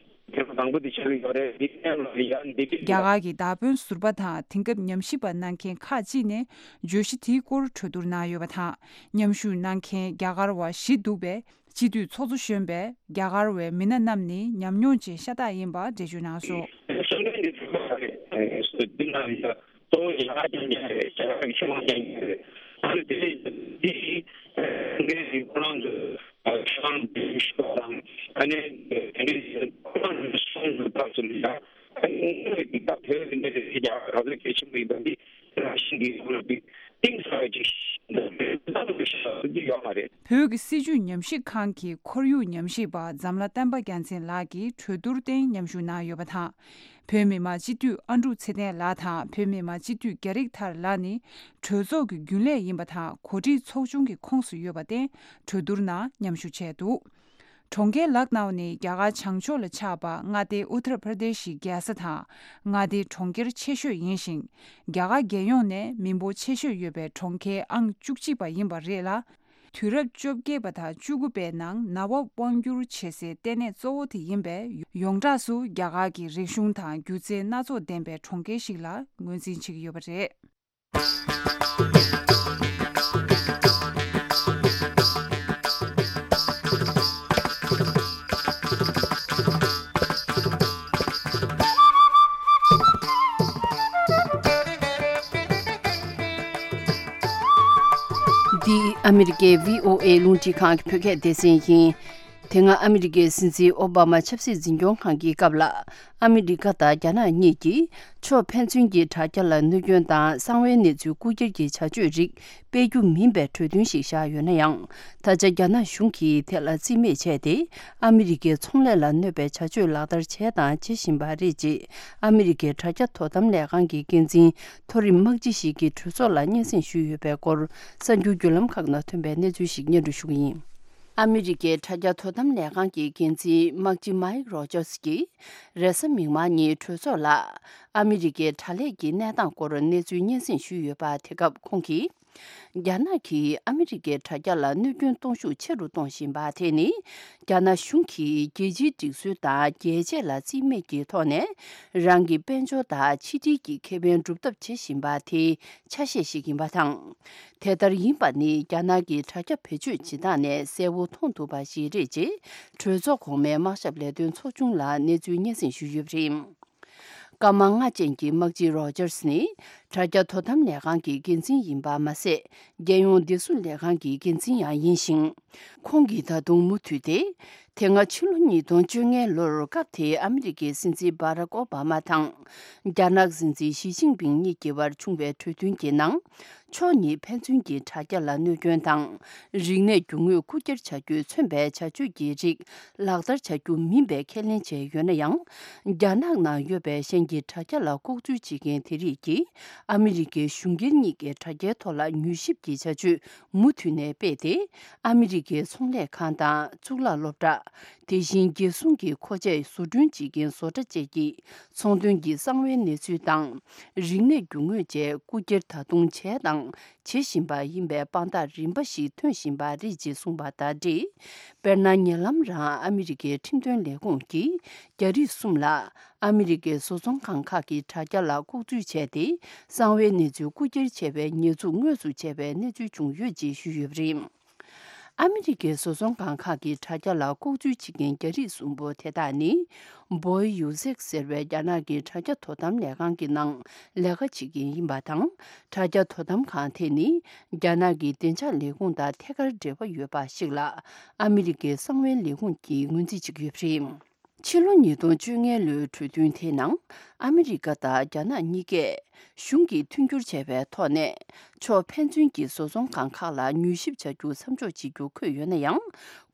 ཐེངས་དང་པོ་དེ་ཆགས་ཀྱི་ཡོད་རེད། འདི་ནས་ལ་ཡ་འདི་རྒྱ་གར་གྱི་མདའ་དཔོན་ཟུར་པ་དང་དེང་སྐབས་ཉམས་ཞིབ་པ་གནང་མཁན་ཁག་ཅིག་ནས་བརྗོད་གཞི་དེའི་སྐོར་གྲོས་བསྡུར་གནང་ཡོད་པ་དང་། མཉམ་ཞུགས་གནང་མཁན་རྒྱ་གར་བ་བཞི་འདུག་པས། སྤྱི་འཐུས་ཚོགས་གཙོ་གཞོན་པས་རྒྱ་གར་བའི་མི་སྣ་རྣམས་ནི་ཉམས་མྱོང་ཅན་ཤ་སྟག་ཡིན་པ་འགྲེལ་བརྗོད་གནང་སོང་། གསུང་འཕྲིན་འདི་ཚོ་ལ་རེད། འདི་ན་ཡ། གཙོ་བོ་ཡང་ཀྱང་ཀྱང་རེད། ཞེ་དྲག་གི་ཤུགས་ཀྱང་ཀྱང་རེད། ཨ་ནི་དེ་ནས་འདི་ཡིན་མཁན་ཡིན་ཁོ་རང་ཚོ་ཤ་རང་འདི་ཤོག་དང་། ཨ་ནི་དེ་འདྲའི་ཁོ་རང་ཚོའི་གསུང་གི་སྐབས་སུ་ཡང་ཨ་ནི་དངོས་ཀྱི་སྐབས་དེ་བས་འདི་འདྲ་ཞིག་ཀྱང་ག་ཚོད་གལ་ཆེན་པོ་ཡིན་པ་འདི་རང་བཞིན་གྱིས་ཁོ་རང་འདི་གཏིང་ཟབ་ཅིག་ལྟ་བུ་ཞིག་ཡོད་མ་རེད། བོད་ཀྱི་སྲིད་བྱུས་ཉམས་ཞིབ་ཁང་གི་ཁོར་ཡུག་ཉམས་ཞིབ་པ་འཛམ་ལྷ་བསྟན་པ་རྒྱལ་མཚན་ལགས་ཀྱིས་གྲོས་བསྡུར་སྟེང་མཉམ་ཞུགས་གནང་ཡོད་པ་དང་། བོད་མི་མང་སྤྱི་འཐུས་ཨ་འབྲུག་ཚེ་བརྟན་ལགས་དང་བོད་མི་མང་སྤྱི་འཐུས་རྒྱ་རིགས་ཐར་ལགས་ནི་གྲོས་ཚོགས་ཀྱི་རྒྱུན་ལས་ཡིན་པ་དང་གོ་སྒྲིག་ཚོགས་ཆུང་གི་ཁོངས་སུ་ཡོད་པར་བརྟེན་གྲོས་བསྡུར་ནང་མཉམ་ཞུགས་བྱས་འདུག། གྲོང་ཁྱེར་ལག་ནའོ་ནི་རྒྱ་གར་བྱང་ཕྱོགས་ལ་ཆགས་པ་མངའ་སྡེ་ཨུ་ཐར་པྲ་དེ་ཤི་རྒྱལ་ས་དང་མངའ་སྡེའི་གྲོང་ཁྱེར་ཆེ་ཤོས་ཡིན་ཞིང་། རྒྱ་གར་རྒྱལ་ཡོངས་ནས་མི་འབོར་ཆེ་ཤོས་ཡོད་པའི་གྲོང་ཁྱེར་ཨང་བཅུ་གཅིག་པ་ཡིན་པ་རེད་ལ། དུས་རབས་བཅོ་བརྒྱད་པ་དང་བཅུ་དགུ་པའི་ནང་ནབ་བབ་དབང་སྒྱུར་བྱེད་སའི་ལྟེ་གནས་གཙོ་བོ་དེ་ཡིན་པས། ཡོངས་གྲགས་སུ་རྒྱ་གར་གྱི་རིག་གཞུང་དང་སྒྱུ་རྩལ་སྣ་ཚོགས་ལྡན་པའི་གྲོང་ཁྱེར་ཞིག་ལ་ངོས་འཛིན་བྱེད་ཀྱི་ཡོད་པ་རེད། འདི་ཨ་མི་རི་ཀའི་བྷི་ཨོ་ཨེ་རླུང་འཕྲིན་ཁང་གི་བོད་སྐད་སྡེ་ཚན་ཡིན། དེ་སྔ་ཨ་མི་རི་ཀའི་སྲིད་འཛིན་ཨོ་བྷ་མ་ཆབ་སྲིད་འཛིན་སྐྱོང་ཁང་གི་སྐབས་ལ། ཨ་མི་རི་ཀ་དང་རྒྱ་ནག་གཉིས་ཀྱིས་ཕྱོགས་ཕན་ཚུན་གྱི་དྲ་རྒྱ་ལ་གནོད་སྐྱོན་དང་གསང་བའི་གནས་ཚུལ་རྐུ་འཁྱེར་གྱི་བྱ་སྤྱོད་རིགས་སྤེལ་རྒྱུ་མིན་པའི་གྲོས་མཐུན་ཞིག་བཞག་ཡོད་ན་ཡང་། ད་ཆ་རྒྱ་ནག་གཞུང་གིས་དེ་ལ་རྩིས་མེད་བྱས་ཏེ། ཨ་མི་རི་ཀའི་ཚོང་ལས་ལ་གནོད་པའི་བྱ་སྤྱོད་ལག་བསྟར་བྱས་དང་བྱེད་བཞིན་པ་རེད་ཅེས། ཨ་མི་རི་ཀའི་དྲ་རྒྱ་དོ་དམ་ལས་ཁང་གི་འགན་འཛིན་མཐོ་རིམ་དམག་སྤྱི་ཞིག་གིས་གྲོས་ཚོགས་ལ་སྙན་སེང་ཞུས་ཡོད་པའི་སྐོར། གསར་འགྱུར་བརྒྱུད་ལམ་ཁག་ནང་ཐོན་པའི་གནས་ཚུལ་ཞིག་སྙན་སྒྲོན་ཞུ་གི་ཡིན། ཨ་མི་རི་ཀའི་དྲ་རྒྱ་དོ་དམ་ལས་ཁང་གི་འགན་འཛིན་དམག་སྤྱི་མཱིག་རོ་ཇར་སི་ཀྱིས། རེས་གཟའ་མིག་དམར་ཉིན་གྲོས་ཚོགས་ལ་ཨ་མི་རི་ཀའི་དྲ་ལས་ཀྱི་གནས་སྟངས་སྐོར་གནས་ཚུལ་སྙན་སེང་ཞུས་ཡོད་པ། དེ་སྐབས་ཁོང་གིས། རྒྱ་ནག་གིས་ཨ་མི་རི་ཀའི་དྲ་རྒྱ་ལ་གནོད་སྐྱོན་གཏོང་ཤུགས་ཆེ་རུ་གཏོང་བཞིན་པ་དེ་ནི། རྒྱ་ནག་གཞུང་གིས་རྒྱལ་སྤྱིའི་སྒྲིག་སྲོལ་དང་རྒྱལ་གཅེས་ལ་རྩིས་མེད་ཀྱི་ཐོག་ནས། རང་གི་དཔལ་འབྱོར་དང་ཕྱི་འབྲེལ་གྱི་ཁེ་ཕན་སྒྲུབ་ཐབས་བྱེད་བཞིན་པ་དེའི་ཆ་ཤས་ཤིག་ཡིན་པ་དང་། དེ་ལྟར་ཡིན་པ་ནི། རྒྱ་ནག་གི་དྲ་རྒྱ་བེད་སྤྱོད་བྱེད་སྟངས་ནས་གསལ་བོ་མཐོང་ཐུབ་པ་ཞིག་རེད། ཅེས་གྲོས་ཚོགས་གོང་མའི་དམག་ཞབས་ལས་དོན་ཚོགས་ཆུང་ལ་གནས་ཚུལ་སྙན་སེང་ཞུས་ཡོད་པ་རེད། སྐར་མ་ལྔ་ཅན་གྱི་དམག་སྤྱི་རོ་ཇར་སི་ནི། དྲ་རྒྱ་དོ་དམ་ལས་ཁང་གི་འགན་འཛིན་ཡིན་པ་མ་ཟད། རྒྱལ་ཡོངས་བདེ་སྲུང་ལས་ཁང་གི་འགན་འཛིན་ཡང་ཡིན་ཞིང་། ཁོང་གིས་ད་དུང་མུ་མཐུད་དེ། དེ་སྔ་ཕྱི་ལོ་ཉིས་སྟོང་བཅོ་ལྔའི་ལོར། སྐབས་དེའི་ཨ་མི་རི་ཀའི་སྲིད་འཛིན་བྷ་རག་ཨོ་བྷ་མ་དང་། རྒྱ་ནག་སྲིད་འཛིན་ཞི་ཅིན་ཕིང་གཉིས་ཀྱི་བར་བྱུང་བའི་གྲོས་མཐུན་གྱི་ནང་། ཕྱོགས་གཉིས་ཕན་ཚུན་གྱི་དྲ་རྒྱ་ལ་གནོད་སྐྱོན་དང་། རིག་གནས་རྒྱུ་དངོས་རྐུ་འཁྱེར་བྱ་རྒྱུས་མཚོན་པའི་བྱ་སྤྱོད་ཀྱི་རིགས་ལག་བསྟར་བྱ་རྒྱུ་མིན་པའི་ཁས་ལེན་བྱས་ཡོད་ན་ཡང་། རྒྱ་ནག་ནང་ཡོད་པའི་གཞན་གྱི་དྲ་རྒྱ་ལ་ལྐོག་འཛུལ་བྱེད་མཁན་དེ་རིགས་ཀྱིས། ཨ་མི་རི་ཀའི་གཞུང་སྒེར་གཉིས་ཀའི་དྲ་རྒྱའི་ཐོག་ལ་མྱུལ་ཞིབ་ཀྱི་བྱ་སྤྱོད་མུ་མཐུད་ནས་སྤེལ་ཏེ། ཨ་མི་རི་ཀའི་ཚོང་ལས་ཁང་དང་། གཙུག་ལག་སློབ་གྲྭ། དེ་བཞིན་རྒྱལ་སྲུང་གི་མཁོ་ཆས་བཟོ་སྐྲུན་བྱེད་མཁན་བཟོ་གྲྭ་བཅས་ཀྱི་ཚོང་དོན་གྱི་གསང་བའི་གནས་ཚུལ་དང་། རིག་གནས་རྒྱུ་དངོས་བཅས་རྐུ་འཁྱེར་ད་དུང་བྱས་དང་བྱེད་བཞིན་པ་ཡིན་པའི་དཔང་རྟགས་རིམ་པ་ཞིག་ཐོན་བཞིན་པ་རེད་ཅེས་གསུངས་པ་དང་འབྲེལ། དཔེར་ན། ཉེ་ལམ་རང་ཨ་མི་རི་ཀའི་ཁྲིམས་དོན་ལས་ཁུངས་ཀྱིས་རྒྱ་རིགས་གསུམ་ལ། ཨ་མི་རི་ཀའི་བཟོ་ཚོང་ཁང་ཁག་གི་དྲ་རྒྱ་ལ་ལྐོག་འཛུལ་བྱས་ཏེ། གསང་བའི་གནས་ཚུལ་རྐུ་འཁྱེར་བྱས་པའི་ཉེས་འཛུགས་དངོས་སུ་བྱས་པའི་གནས་ཚུལ་བྱུང་ཡོད་ཅེས་ཞུས་ཡོད་པ་རེད། ཨ་མི་རི་ཀའི་བཟོ་ཚོང་ཁང་ཁག་གི་དྲ་རྒྱ་ལ་ལྐོག་འཛུལ་བྱེད་མཁན་རྒྱ་རིགས་གསུམ་པོ་དེ་དག་ནི། བོའེ་ཡུ་སེག་ཟེར་བའི་རྒྱ་ནག་གི་དྲ་རྒྱ་དོ་དམ་ལས་ཁང་གི་ནང་ལས་ཀ་བྱེད་མཁན་ཡིན་པ་དང་། དྲ་རྒྱ་དོ་དམ་ཁང་དེ་ནི། རྒྱ་ནག་གི་བདེ་འཇགས་ལས་ཁུངས་དང་ཐད་ཀར་འབྲེལ་བ་ཡོད་པ་ཞིག་ལ། ཨ་མི་རི་ཀའི་གསང་བའི་ལས་ཁུངས་ཀྱིས་ངོས་འཛིན་བྱེད་ཀྱི་ཡོད་པ་རེད། ཕྱི་ལོ་ཉིས་སྟོང་བཅོ་ལྔའི་ལོའི་གྲོས་མཐུན་དེའི་ནང་། ཨ་མི་རི་ཀ་དང་རྒྱ་ནག་གཉིས་ཀས་གཞུང་གིས་མཐུན་འགྱུར་བྱས་པའི་ཐོག་ནས། ཕྱོགས་ཕན་ཚུན་གྱི་བཟོ་ཚོང་ཁང་ཁག་ལ་མྱུལ་ཞིབ་བྱ་རྒྱུ་མཚམས་འཇོག་བྱེད་རྒྱུ་འཁོད་ཡོད་ན་ཡང་།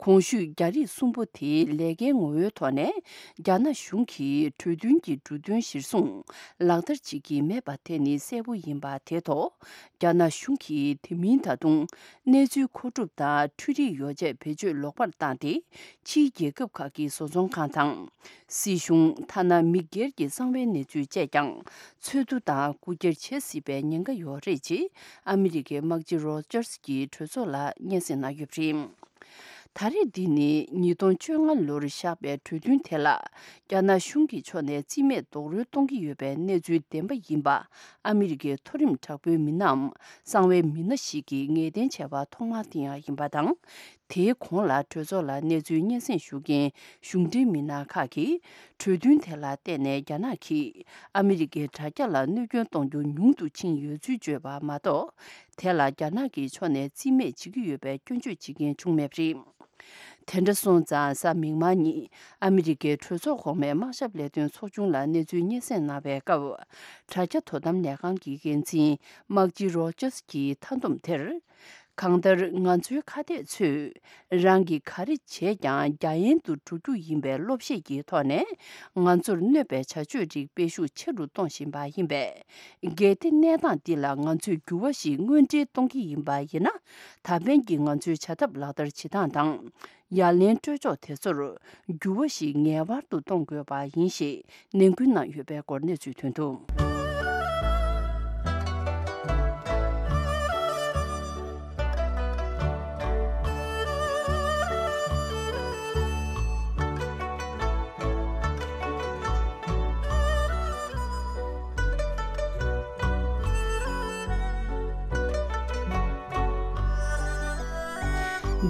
གོང་ཞུས་རྒྱ་རིགས་གསུམ་པོ་དེའི་ལས་ཀའི་ངོ་བོའི་ཐོག་ནས། རྒྱ་ནག་གཞུང་གིས་གྲོས་མཐུན་གྱི་འབྲུ་དོན་གཞིར་བཟུང་ལག་བསྟར་བྱེད་ཀྱི་མེད་པ་དེ་ནི་གསལ་པོ་ཡིན་པ་དེ་ཐོག་རྒྱ་ནག་གཞུང་གིས་དེ་མིན་ད་དུང་གནས་ཚུལ་མཁོ་སྒྲུབ་དང་འཕྲུལ་རིག་ཡོ་བྱད་བེད་སྤྱོད་ལོག་པར་བཏང་སྟེ། ཕྱིའི་རྒྱལ་ཁབ་ཁག་གི་བཟོ་ཚོང་ཁང་དང་། སྲིད་གཞུང་། ཐ་ན་མི་སྒེར་གྱི་གསང་བའི་གནས་ཚུལ་བཅས་ཀྱང་འཚོལ་བསྡུ་དང་རྐུ་འཁྱེར་བྱེད་སྲིད་པའི་ཉེན་ཁ་ཡོད་རེད་ཅེས་ཨ་མི་རི་ཀའི་དམག་སྤྱི་རོ་ཇར་སི་གྱིས་གྲོས་ཚོགས་ལ་སྙན་སེང་གནང་ཡོད་པ་རེད། ད་རེས་འདི་ནི་ཉིས་སྟོང་བཅོ་ལྔ་ལོར་བཞག་པའི་གྲོས་མཐུན་དེ་ལ། རྒྱ་ནག་གཞུང་གི་ཕྱོགས་ནས་རྩིས་མེད་རྡོག་རོལ་གཏོང་གི་ཡོད་པའི་གནས་ཚུལ་བདེན་པ་ཡིན་པ། ཨ་མི་རི་ཀའི་མཐོ་རིམ་དྲག་པོའི་མི་སྣའམ་གསང་བའི་མི་སྣ་ཞིག་གིས་ངེས་གཏན་བྱས་པ་ཐོག་མ་དེ་ཡང་ཡིན་པ་དང་། དེའི་གོང་ལ་གྲོས་ཚོགས་ལ་གནས་ཚུལ་སྙན་སེང་ཞུ་མཁན་གཞུང་འབྲེལ་མི་སྣ་ཁག་གིས། གྲོས་མཐུན་དེ་ལ་བརྟེན་ནས་རྒྱ་ནག་གིས་ཨ་མི་རི་ཀའི་དྲ་རྒྱ་ལ་གནོད་སྐྱོན་གཏོང་རྒྱུ་ཉུང་དུ་ཕྱིན་ཡོད་ཚུལ་བརྗོད་པ་མ་གཏོགས། དེ་ལ་རྒྱ་ནག་གི་ཕྱོགས་ནས་རྩིས་མེད་བྱེད་ཀྱི་ཡོད་པའི་སྐྱོན་བརྗོད་བྱེད་མཁན་བྱུང་མེད་པ་རེད། དེ་འདྲ་སོང་ཙང་། གཟའ་མིག་དམར་ཉིན་ཨ་མི་རི་ཀའི་གྲོས་ཚོགས་གོང་མའི་དམག་ཞབས་ལས་དོན་ཚོགས་ཆུང་ལ་གནས་ཚུལ་སྙན་སེང་གནང་བའི་སྐབས། དྲ་རྒྱ་དོ་དམ་ལས་ཁང་གི་འགན་འཛིན་དམག་སྤྱི་རོ་ཇར་སི་གྱིས་མཐའ་བསྡོམས་དེར། གང་ལྟར། ང་ཚོའི་ཁ་གཏད་ཚོས་རང་གིས་ག་རེ་བྱས་ཀྱང་རྒྱ་ཡན་དུ་འགྲོ་རྒྱུ་ཡིན་པའི་བློ་བཤད་ཀྱི་ཐོག་ནས། ང་ཚོར་གནོད་པའི་བྱ་སྤྱོད་རིགས་སྤེལ་ཤུགས་ཆེ་རུ་གཏོང་བཞིན་པ་ཡིན་པས། གལ་ཏེ་གནས་སྟངས་འདི་ལ་ང་ཚོས་འགྱུར་བ་ཞིག་དངོས་འབྲེལ་གཏོང་གི་ཡིན་པ་ཡིན་ན། ད་ཕན་གྱི་ང་ཚོའི་བྱ་ཐབས་ལག་བསྟར་བྱེད་སྟངས་དང་། ཡ་ལན་སྤྲོད་ཕྱོགས་དེ་ཚོར་འགྱུར་བ་ཞིག་ངེས་པར་དུ་གཏོང་དགོས་པ་ཡིན་ཞེས་ནན་སྐུལ་གནང་ཡོད་པའི་སྐོར་གནས་ཚུལ་ཐོན་འདུག།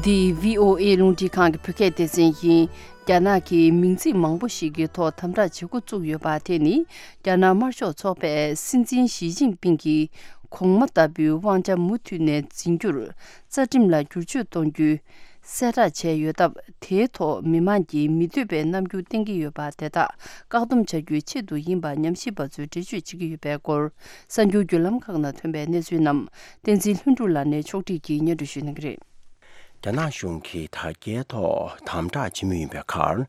འདི་བྷི་ཨོ་ཨེ་རླུང་འཕྲིན་ཁང་གི་བོད་སྐད་སྡེ་ཚན་ཡིན། རྒྱ་ནག་གིས་མིང་ཚིག་མང་པོ་ཞིག་གི་ཐོག་དམ་དྲག་བྱེད་འགོ་བཙུགས་ཡོད་པ་དེ་ནི། རྒྱ་ནག་དམར་ཤོག་ཚོགས་པས་སྲིད་འཛིན་ཞི་ཅིན་ཕིང་གིས་གོང་མ་ལྟ་བུའི་དབང་ཆ་མུ་མཐུད་ནས་འཛིན་རྒྱུར། རྩ་ཁྲིམས་ལ་བསྒྱུར་བཅོས་གཏོང་རྒྱུའི་གསལ་བསྒྲགས་བྱས་ཡོད་སྟབས། དེའི་ཐོག་མི་མང་གིས་མི་འདོད་པའི་རྣམ་འགྱུར་བསྟན་གྱི་ཡོད་པ་དེ་དག་བཀག་སྡོམ་བྱ་རྒྱུའི་ཆེད་དུ་ཡིན་པ་ཉམས་ཞིབ་པ་ཚོས་འགྲེལ་བརྗོད་བྱེད་ཀྱི་ཡོད་པའི་སྐོར། གསར་འགྱུར་བརྒྱུད་ལམ་ཁག་ནང་ཐོན་པའི་གནས་ཚུལ་རྣམས། བསྟན་འཛིན་ལྷུན་གྲུབ་ལགས་ནས་ཕྱོགས་སྒྲིག་གིས་སྙན་སྒྲོན་ཞུ་གནང་གི་རེད། རྒྱ་ནག་གཞུང་གིས་དྲ་རྒྱའི་ཐོག་དམ་དྲག་བྱེད་མུས་ཡིན་པའི་ཁར།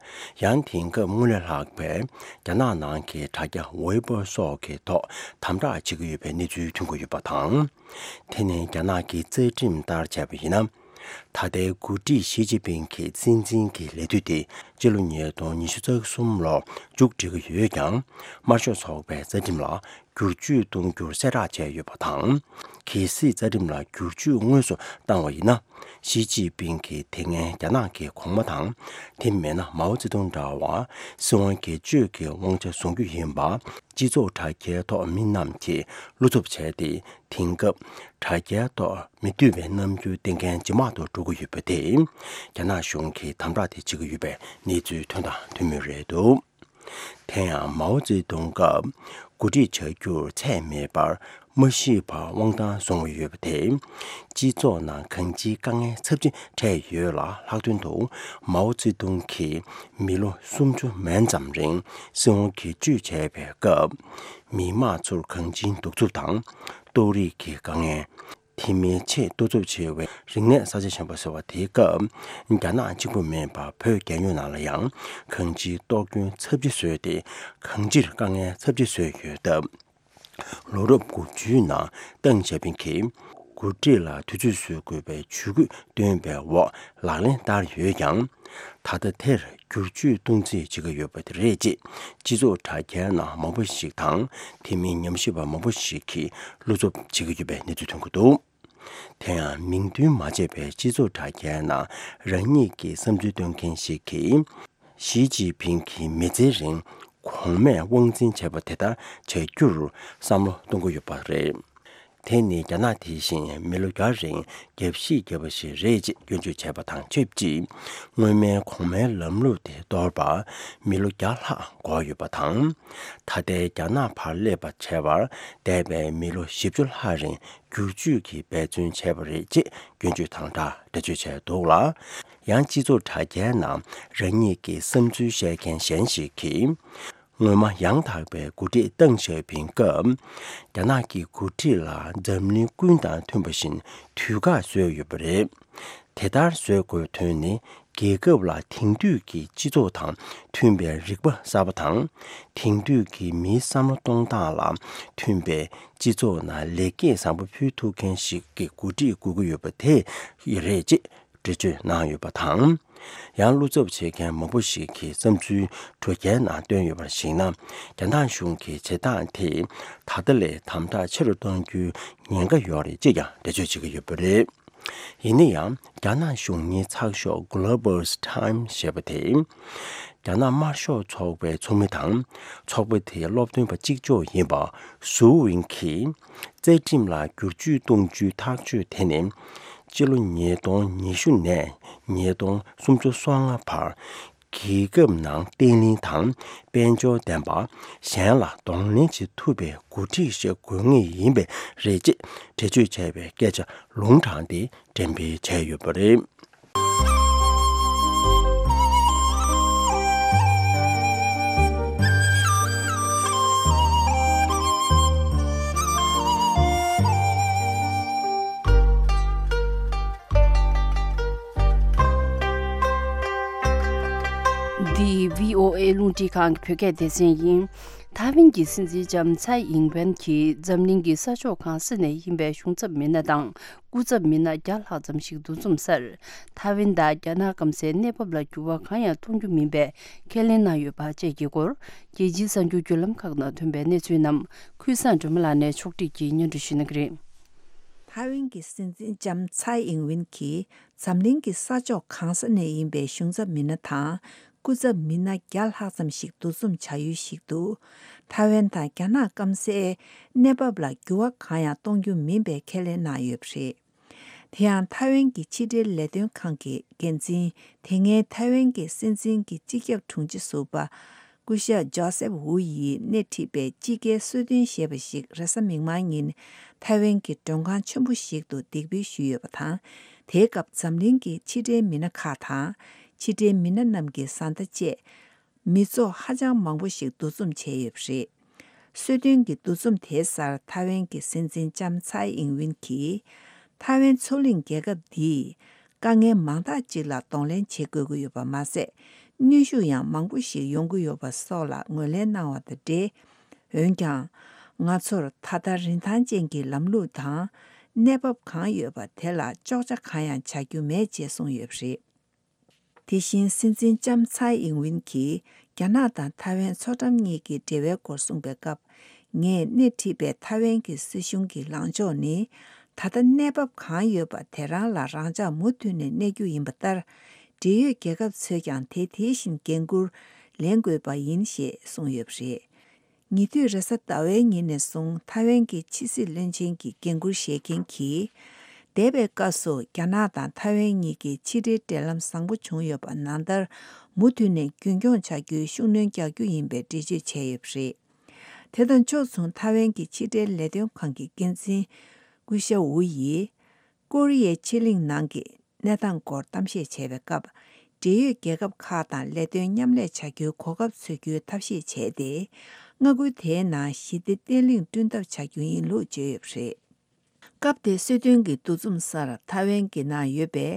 ཡང་དེང་སྐབས་སྔོན་ལས་ལྷག་པའི་རྒྱ་ནག་ནང་གི་དྲ་རྒྱ་ཝེ་པོ་སོགས་ཀྱི་ཐོག་དམ་དྲག་བྱེད་ཀྱི་ཡོད་པའི་གནས་ཚུལ་ཐོན་གྱི་ཡོད་པ་དང་། དེ་ནི་རྒྱ་ནག་གི་རྩ་ཁྲིམས་ལྟར་བྱས་པ་ཡིན་ན། ད་ལྟའི་འགོ་ཁྲིད་ཞི་ཅིན་ཕིང་གི་སྲིད་འཛིན་གྱི་ལས་དུས་དེ་ སྤྱི་ལོ་ཉིས་སྟོང་ཉི་ཤུ་རྩ་གསུམ་ལོར་མཇུག་སྒྲིལ་གྱི་ཡོད་ཀྱང་། དམར་ཤོག་ཚོགས་པའི་རྩ་ཁྲིམས་ལ་བསྒྱུར་བཅོས་གཏོང་རྒྱུར་གསལ་བསྒྲགས་བྱས་ཡོད་པ་དང་། གལ་སྲིད་རྩ་ཁྲིམས་ལ་བསྒྱུར་བཅོས་དངོས་སུ་བཏང་བ་ཡིན་ན། ཞི་ཅིན་ཕིང་གིས་དེ་སྔའི་རྒྱ་ནག་གི་གོང་མ་དང་། དེ་མིན་ན་མའོ་ཙེ་ཏུང་འདྲ་བར་སྲིད་དབང་སྒེར་གཅོད་ཀྱི་དབང་ཆ་བཟུང་རྒྱུ་ཡིན་པ། སྤྱི་ཚོགས་དྲ་རྒྱའི་ཐོག་མི་རྣམས་ཀྱིས་བློ་འཚབ་བྱས་ཏེ། དེང་སྐབས་དྲ་རྒྱའི་ཐོག་མི་འདོད་པའི་རྣམ་འགྱུར་བསྟན་མཁན་ཇེ་མང་དུ་འགྲོ་གི་ཡོད་པ་དེས། རྒྱ་ནག་གཞུང་གིས་དམ་དྲག་དེ་བྱེད་ཀྱི་ཡོད་པའི་གནས་ཚུལ་ཐོན་དང་ཐོན་མུས་རེད་འདུག་དེ་ཡང་མའོ་ཙེ་ཏུང་སྐབས་འགོ་ཁྲིད་བྱ་རྒྱུར་ཚད་མེད་པར་མ་ཤི་བར་དབང་ཐང་བཟུང་བ་ཡོད་པ་དེས། སྤྱི་ཚོགས་ནང་གང་ཅིའི་དཀའ་ངལ་ཚབས་ཆེན་འཕྲད་ཡོད་ལ། ལྷག་དོན་དུ་མའོ་ཙེ་ཏུང་གིས་མི་ལོ་སུམ་ཅུ་མན་ཙམ་རིང་སྲིད་དབང་སྒེར་གཅོད་བྱས་པའི་སྐབས། མི་དམངས་ཚོར་གང་ཅིའི་གདུག་རྩུབ་དང་། ལྟོགས་རིགས་ཀྱི་དཀའ་ངལ། དེ་མིན་ཆེས་གཏོར་ཚབས་ཆེ་བའི་རིག་གནས་གསར་བརྗེ་ཆེན་པོ་ཟེར་བ་དེའི་སྐབས། རྒྱ་ནག་གཅིག་པུ་མིན་པར་བོད་རྒྱལ་ཡོངས་ནང་ལ་ཡང་གང་ཅིའི་གཏོར་སྐྱོན་ཚབས་ཆེ་བཟོས་ཏེ། གང་ཅིར་དཀའ་ངལ་ཚབས་ཆེ་བཟོས་ཡོད་སྟབས། ལོ་རབས་དགུ་བཅུའི་ནང་ཏེང་ཞའོ་ཕིང་གིས་འགོ་ཁྲིད་ལ་དུས་ཚོད་བཟོ་དགོས་པའི་ཇུས་འགོད་བཏོན་པའི་འོག་ལག་ལེན་བསྟར་ཡོད་ཀྱང་། ད་ལྟ་དེར་བསྒྱུར་བཅོས་གཏོང་རྩིས་བྱེད་ཀྱི་ཡོད་པ་དེ་རེད་ཅེས་སྤྱི་ཚོགས་དྲ་རྒྱའི་ནང་མང་པོ་ཞིག་དང་། དེ་མིན་ཉམས་ཞིབ་པ་མང་པོ་ཞིག་གིས་བློ་འཚབ་བྱེད་ཀྱི་ཡོད་པའི་གནས་ཚུལ་ཐོན་གྱི་འདུག་དེ་ཡང་མིང་འདོན་མ་བྱས་པའི་སྤྱི་ཚོགས་དྲ་རྒྱའི་ནང་རང་ཉིད་ཀྱི་བསམ་ཚུལ་སྟོན་མཁན་ཞིག་གིས། ཞི་ཅིན་ཕིང་གིས་མི་ཚེ་རིང་གོང་མས་དབང་འཛིན་བྱས་པ་དེ་ལྟར་བྱ་རྒྱུར་བསམ་བློ་གཏོང་གི་ཡོད་པ་རེད། དེ་ནི་རྒྱ་ནག་དེ་བཞིན་མི་ལོ་བརྒྱ་རིང་རྒྱབ་བཤིག་བརྒྱབ་པ་ཞིག་རེད་ཅེས་སྐྱོན་བརྗོད་བྱས་པ་དང་ཆབས་ཅིག་སྔོན་མའི་གོང་མའི་ལམ་ལུགས་དེ་གཏོར་བར་མི་ལོ་བརྒྱ་ལྷག་འགོར་ཡོད་པ་དང་། ད་ལྟའི་རྒྱ་ནག་བར་སླེབས་པ་བྱས་པར་འདས་པའི་མི་ལོ་བཞི་བཅུ་ལྷག་རིང་བསྒྱུར་བཅོས་ཀྱིས་འབད་བརྩོན་བྱས་པ་རེད་ཅེས་སྐྱོན་བརྗོད་དང་སྦྲགས་འགྲེལ་བརྗོད་བྱས་འདུག་ལ། ཡང་སྤྱི་ཚོགས་དྲ་རྒྱའི་ནང་རང་ཉིད་ཀྱི་བསམ་ཚུལ་བཤད་མཁན་གཞན་ཞིག་གིས། སྔོན་མ་ཡང་དག་པའི་འགོ་ཁྲིད་ཏེང་ཞའོ་ཕིང་སྐབས། རྒྱ་ནག་གི་འགོ་ཁྲིད་ལ་འཛམ་གླིང་ཀུན་དང་མཐུན་པ་བཞིན་དུས་བཀག་བཟོས་ཡོད་པ་རེད། དེ་ལྟར་བཟོ་དགོས་དོན་ནི། རྒྱལ་ཁབ་ལ་དེང་དུས་ཀྱི་སྤྱི་ཚོགས་དང་མཐུན་པའི་རིག་པ་གསར་པ་དང་། དེང་དུས་ཀྱི་མིའི་བསམ་བློ་གཏོང་སྟངས་ལ་མཐུན་པའི་སྤྱི་ཚོགས་ནང་ལེགས་སྐྱེས་བཟང་པོ་ཕུལ་ཐུབ་མཁན་ཞིག་གི་འགོ་ཁྲིད་དགོས་ཀྱི་ཡོད་པ་དེ་རེད་ཅེས་འགྲེལ་བརྗོད་གནང་ཡོད་པ་དང་། ཡང་བློ་འཚབ་བྱེད་མཁན་མང་པོ་ཞིག་གིས་བསམ་ཚུལ་དྲ་རྒྱའི་ནང་བཏོན་ཡོད་པར་གཞིགས་ན། རྒྱ་ནག་གཞུང་གིས་བྱེད་སྟངས་དེ་ད་ལྟ་ལས་དམ་དྲག་ཆེ་རུ་གཏོང་རྒྱུའི་ཉེན་ཁ་ཡོད་རེད་ཅེས་ཀྱང་འགྲེལ་བརྗོད་བྱེད་ཀྱི་ཡོད་པ་རེད། ཡིན་ན་ཡང་རྒྱ་ནག་གཞུང་གཉེར་ཚགས་ཤོག་Global Times ཞེས་པ་དེ། རྒྱ་ནག་དམར་ཤོག་ཚོགས་པའི་ཚོགས་མི་དང་། ཚོགས་པ་དེའི་སློབ་སྟོན་པ་གཅིག་ལྕོགས་ཡིན་པ་སུའུ་ཝིན་གྱིས། རྩ་ཁྲིམས་ལ་བསྒྱུར་བཅོས་གཏོང་རྒྱུའི་ཐག་གཅོད་དེ་ནི། སྤྱི་ལོ་ཉིས་སྟོང་ཉི་ཤུ་ནས་ཉིས་སྟོང་སུམ་ཅུ་སོ་ལྔ་བར། རྒྱལ་ཁབ་ནང་བརྟན་ལྷིང་དང་དཔལ་འབྱོར་ལྡན་པ། གཞན་ལ་གདོང་ལེན་བྱེད་ཐུབ་པའི་འགོ་ཁྲིད་ཞིག་དགོས་ངེས་ཡིན་པས་རེད་ཅེས་འགྲེལ་བརྗོད་བྱས་པའི་སྐད་ཆ་ལུང་དྲངས་ཏེ་འགྲེམས་སྤེལ་བྱས་ཡོད་པ་རེད། འདི་བྷི་ཨོ་ཨེ་རླུང་འཕྲིན་ཁང་གི་བོད་སྐད་སྡེ་ཚན་ཡིན། ཐའེ་ཝན་གྱི་སྲིད་འཛིན་ལྕམ་ཚའེ་ཨིང་ཝེན་གྱིས་འཛམ་གླིང་གི་ས་ཕྱོགས་གང་ས་ནས་ཡིན་པའི་གཞུང་ཚབ་མི་སྣ་དང་། སྐུ་ཚབ་མི་སྣ་བརྒྱ་ལྷག་ཙམ་ཞིག་འདུ་འཛོམས་སར། ཐའེ་ཝན་དང་རྒྱ་ནག་སྐམ་སའི་གནས་བབ་ལ་འགྱུར་བ་གང་ཡང་གཏོང་རྒྱུ་མིན་པའི་ཁས་ལེན་གནང་ཡོད་པ་བཅས་ཀྱི་སྐོར། རྒྱལ་སྤྱིའི་གསར་འགྱུར་བརྒྱུད་ལམ་ཁག་ནང་ཐོན་པའི་གནས་ཚུལ་རྣམས་ཁུལ་བཟང་སྒྲོལ་མ་ལགས་ནས་ཕྱོགས་སྒྲིག་གིས་སྙན་སྒྲོན་ཞུ་གནང་གི་རེད། ཐའེ་ཝན་གྱི་སྲིད་འཛིན་ལྕམ་ཚའེ་ཨིང་ཝེན་གྱིས་འཛམ་གླིང་གི་ས་ཕྱོགས་གང་ས་ནས་ཡིན་པའི་གཞུང་ཚབ་མི་སྣ་དང་སྐུ་ཚབ་མི་སྣ་བརྒྱ་ལྷག་ཙམ་ཞིག་འདུ་འཛོམས་བྱ་ཡུལ་ཞིག་ཏུ། ཐའེ་ཝན་དང་རྒྱ་ནག་སྐམ་སའི་གནས་བབ་ལ་འགྱུར་བ་གང་ཡང་གཏོང་རྒྱུ་མིན་པའི་ཁས་ལེན་གནང་ཡོད་པ་རེད། དེ་ཡང་ཐའེ་ཝན་གྱི་ཕྱི་འབྲེལ་ལས་དོན་ཁང་གི་འགན་འཛིན། དེ་སྔའི་ཐའེ་ཝན་གྱི་སྲིད་འཛིན་གྱི་སྤྱི་ཁྱབ་དྲུང་ཆེ་ཟུར་པ་སྐུ་ཞབས་ཇོ་སེབ་ཝུ་ཡིས་སྣེ་ཁྲིད་པའི་དཔྱིད་ཀའི་གསོལ་སྟོན་ཞེས་པ་ཞིག་རེས་གཟའ་མིག་དམར་ཉིན་ཐའེ་ཝན་གྱི་མགྲོན་ཁང་ཆེན་པོ་ཞིག་ཏུ་འདེགས་འབུལ་ཞུས་ཡོད་པ་དང་། དེའི་སྐབས་འཛམ་གླིང་གི་ཕྱི་འབྲེལ་མི་སྣ་ཁག་དང་། ཕྱི་འབྲེལ་མི་སྣ་རྣམས་ཀྱི་བཟའ་ཟླ་བཅས། མི་ཚོགས་ཧ་ཅང་མང་པོ་ཞིག་འདུ་འཛོམས་བྱས་ཡོད་པ་རེད། གསོལ་སྟོན་གྱི་འདུ་འཛོམས་དེའི་སར་ཐའེ་ཝན་གྱི་སྲིད་འཛིན་ལྕམ་ཚའེ་ཨིང་ཝེན་གྱིས། ཐའེ་ཝན་མཚོ་གླིང་རྒྱལ་ཁབ་འདིས་དཀའ་ངལ་མང་དག་ཅིག་ལ་གདོང་ལེན་བྱེད་དགོས་ཀྱི་ཡོད་པ་མ་ཟད། གནོན་ཤུགས་ཡང་མང་པོ་ཞིག་ཡོང་གི་ཡོད་པ་སོགས་ལ་ངོས་ལེན་གནང་བ་དང་འབྲེལ། འོན་ཀྱང་། ང་ཚོར་ད་ལྟ་རིན་ཐང་ཅན་གྱི་ལམ་ལུགས་དང་གནས་བབ་གང་ཡོད་པ་དེ་ལ་གཅོག་ཆ་གང་ཡང་བྱ་རྒྱུ་མེད་ཅེས་གསུངས་ཡོད་པ་རེད། དེ་བཞིན་སྲིད་འཛིན་ལྕམ་ཚའེ་ཨིང་ཝིན་གྱིས་རྒྱ་ནག་དང་ཐའེ་ཝན་མཚོ་འགྲམ་གཉིས་ཀྱི་འབྲེལ་བའི་སྐོར་གསུངས་པའི་སྐབས། ངས་སྣེ་ཁྲིད་པའི་ཐའེ་ཝན་གྱི་སྲིད་གཞུང་གི་ལངས་ཕྱོགས་ནི། ད་ལྟ་གནས་བབ་གང་ཡོད་པ་དེ་རང་ལ་རང་འཇགས་མུ་མཐུད་ནས་གནས་རྒྱུ་ཡིན་པ་ལྟར། འབྲེལ་ཡོད་རྒྱལ་ཁབ་ཚོས་ཀྱང་དེ་དེ་བཞིན་འགན་འཁུར་ལེན་དགོས་པ་ཡིན་ཞེས་གསུངས་ཡོད་པ་རེད། ཉེ་དུས་རེས་གཟའ་ཟླ་བའི་ཉིན་ནས་བཟུང་ཐའེ་ཝན་གྱི་ཕྱི་སྲིད་བློན་ཆེན་གྱི་འགན་འཁུར་བཞེས་མཁན་གྱིས། འདས་པའི་སྐབས་སུ་རྒྱ་ནག་དང་ཐའེ་ཝན་གཉིས་ཀྱི་ཕྱི་འབྲེལ་འབྲེལ་ལམ་བཟང་པོ་བྱུང་ཡོད་པ་ནང་ལྟར། མུ་མཐུད་ནས་རྒྱུན་འཁྱོངས་བྱ་རྒྱུའི་ཤུགས་སྣོན་རྒྱག་རྒྱུ་ཡིན་པའི་འགྲེལ་བརྗོད་བྱས་ཡོད་པ་རེད། དེ་དང་ཕྱོགས་མཚུངས་ཐའེ་ཝན་གྱི་ཕྱི་འབྲེལ་ལས་དོན་ཁང་གི་འགན་འཛིན་སྐུ་ཞབས་ཝུ་ཡིས། ཀོ་རི་ཡའི་ཕྱེད་གླིང་ནང་གི་གནས་སྟངས་སྐོར་གཏམ་བཤད་བྱས་པའི་སྐབས། འབྲེལ་ཡོད་རྒྱལ་ཁབ་ཁག་དང་ལས་དོན་མཉམ་ལས་བྱ་རྒྱུའི་གོ་སྐབས་འཚོལ་རྒྱུའི་ཐབས་ཤེས་བྱས་ཏེ། མངའ་ཁུལ་དེའི་ནང་ཞི་བདེ་བརྟན་ལྷིང་བསྐྲུན་ཐབས་བྱ་རྒྱུ་ཡིན་ལུགས་བརྗོད་ཡོད་པ་རེད། སྐབས་དེའི་གསོལ་སྟོན་གྱི་འདུ་འཛོམས་སར་ཐའེ་ཝན་གྱི་ནང་ཡོད་པའི་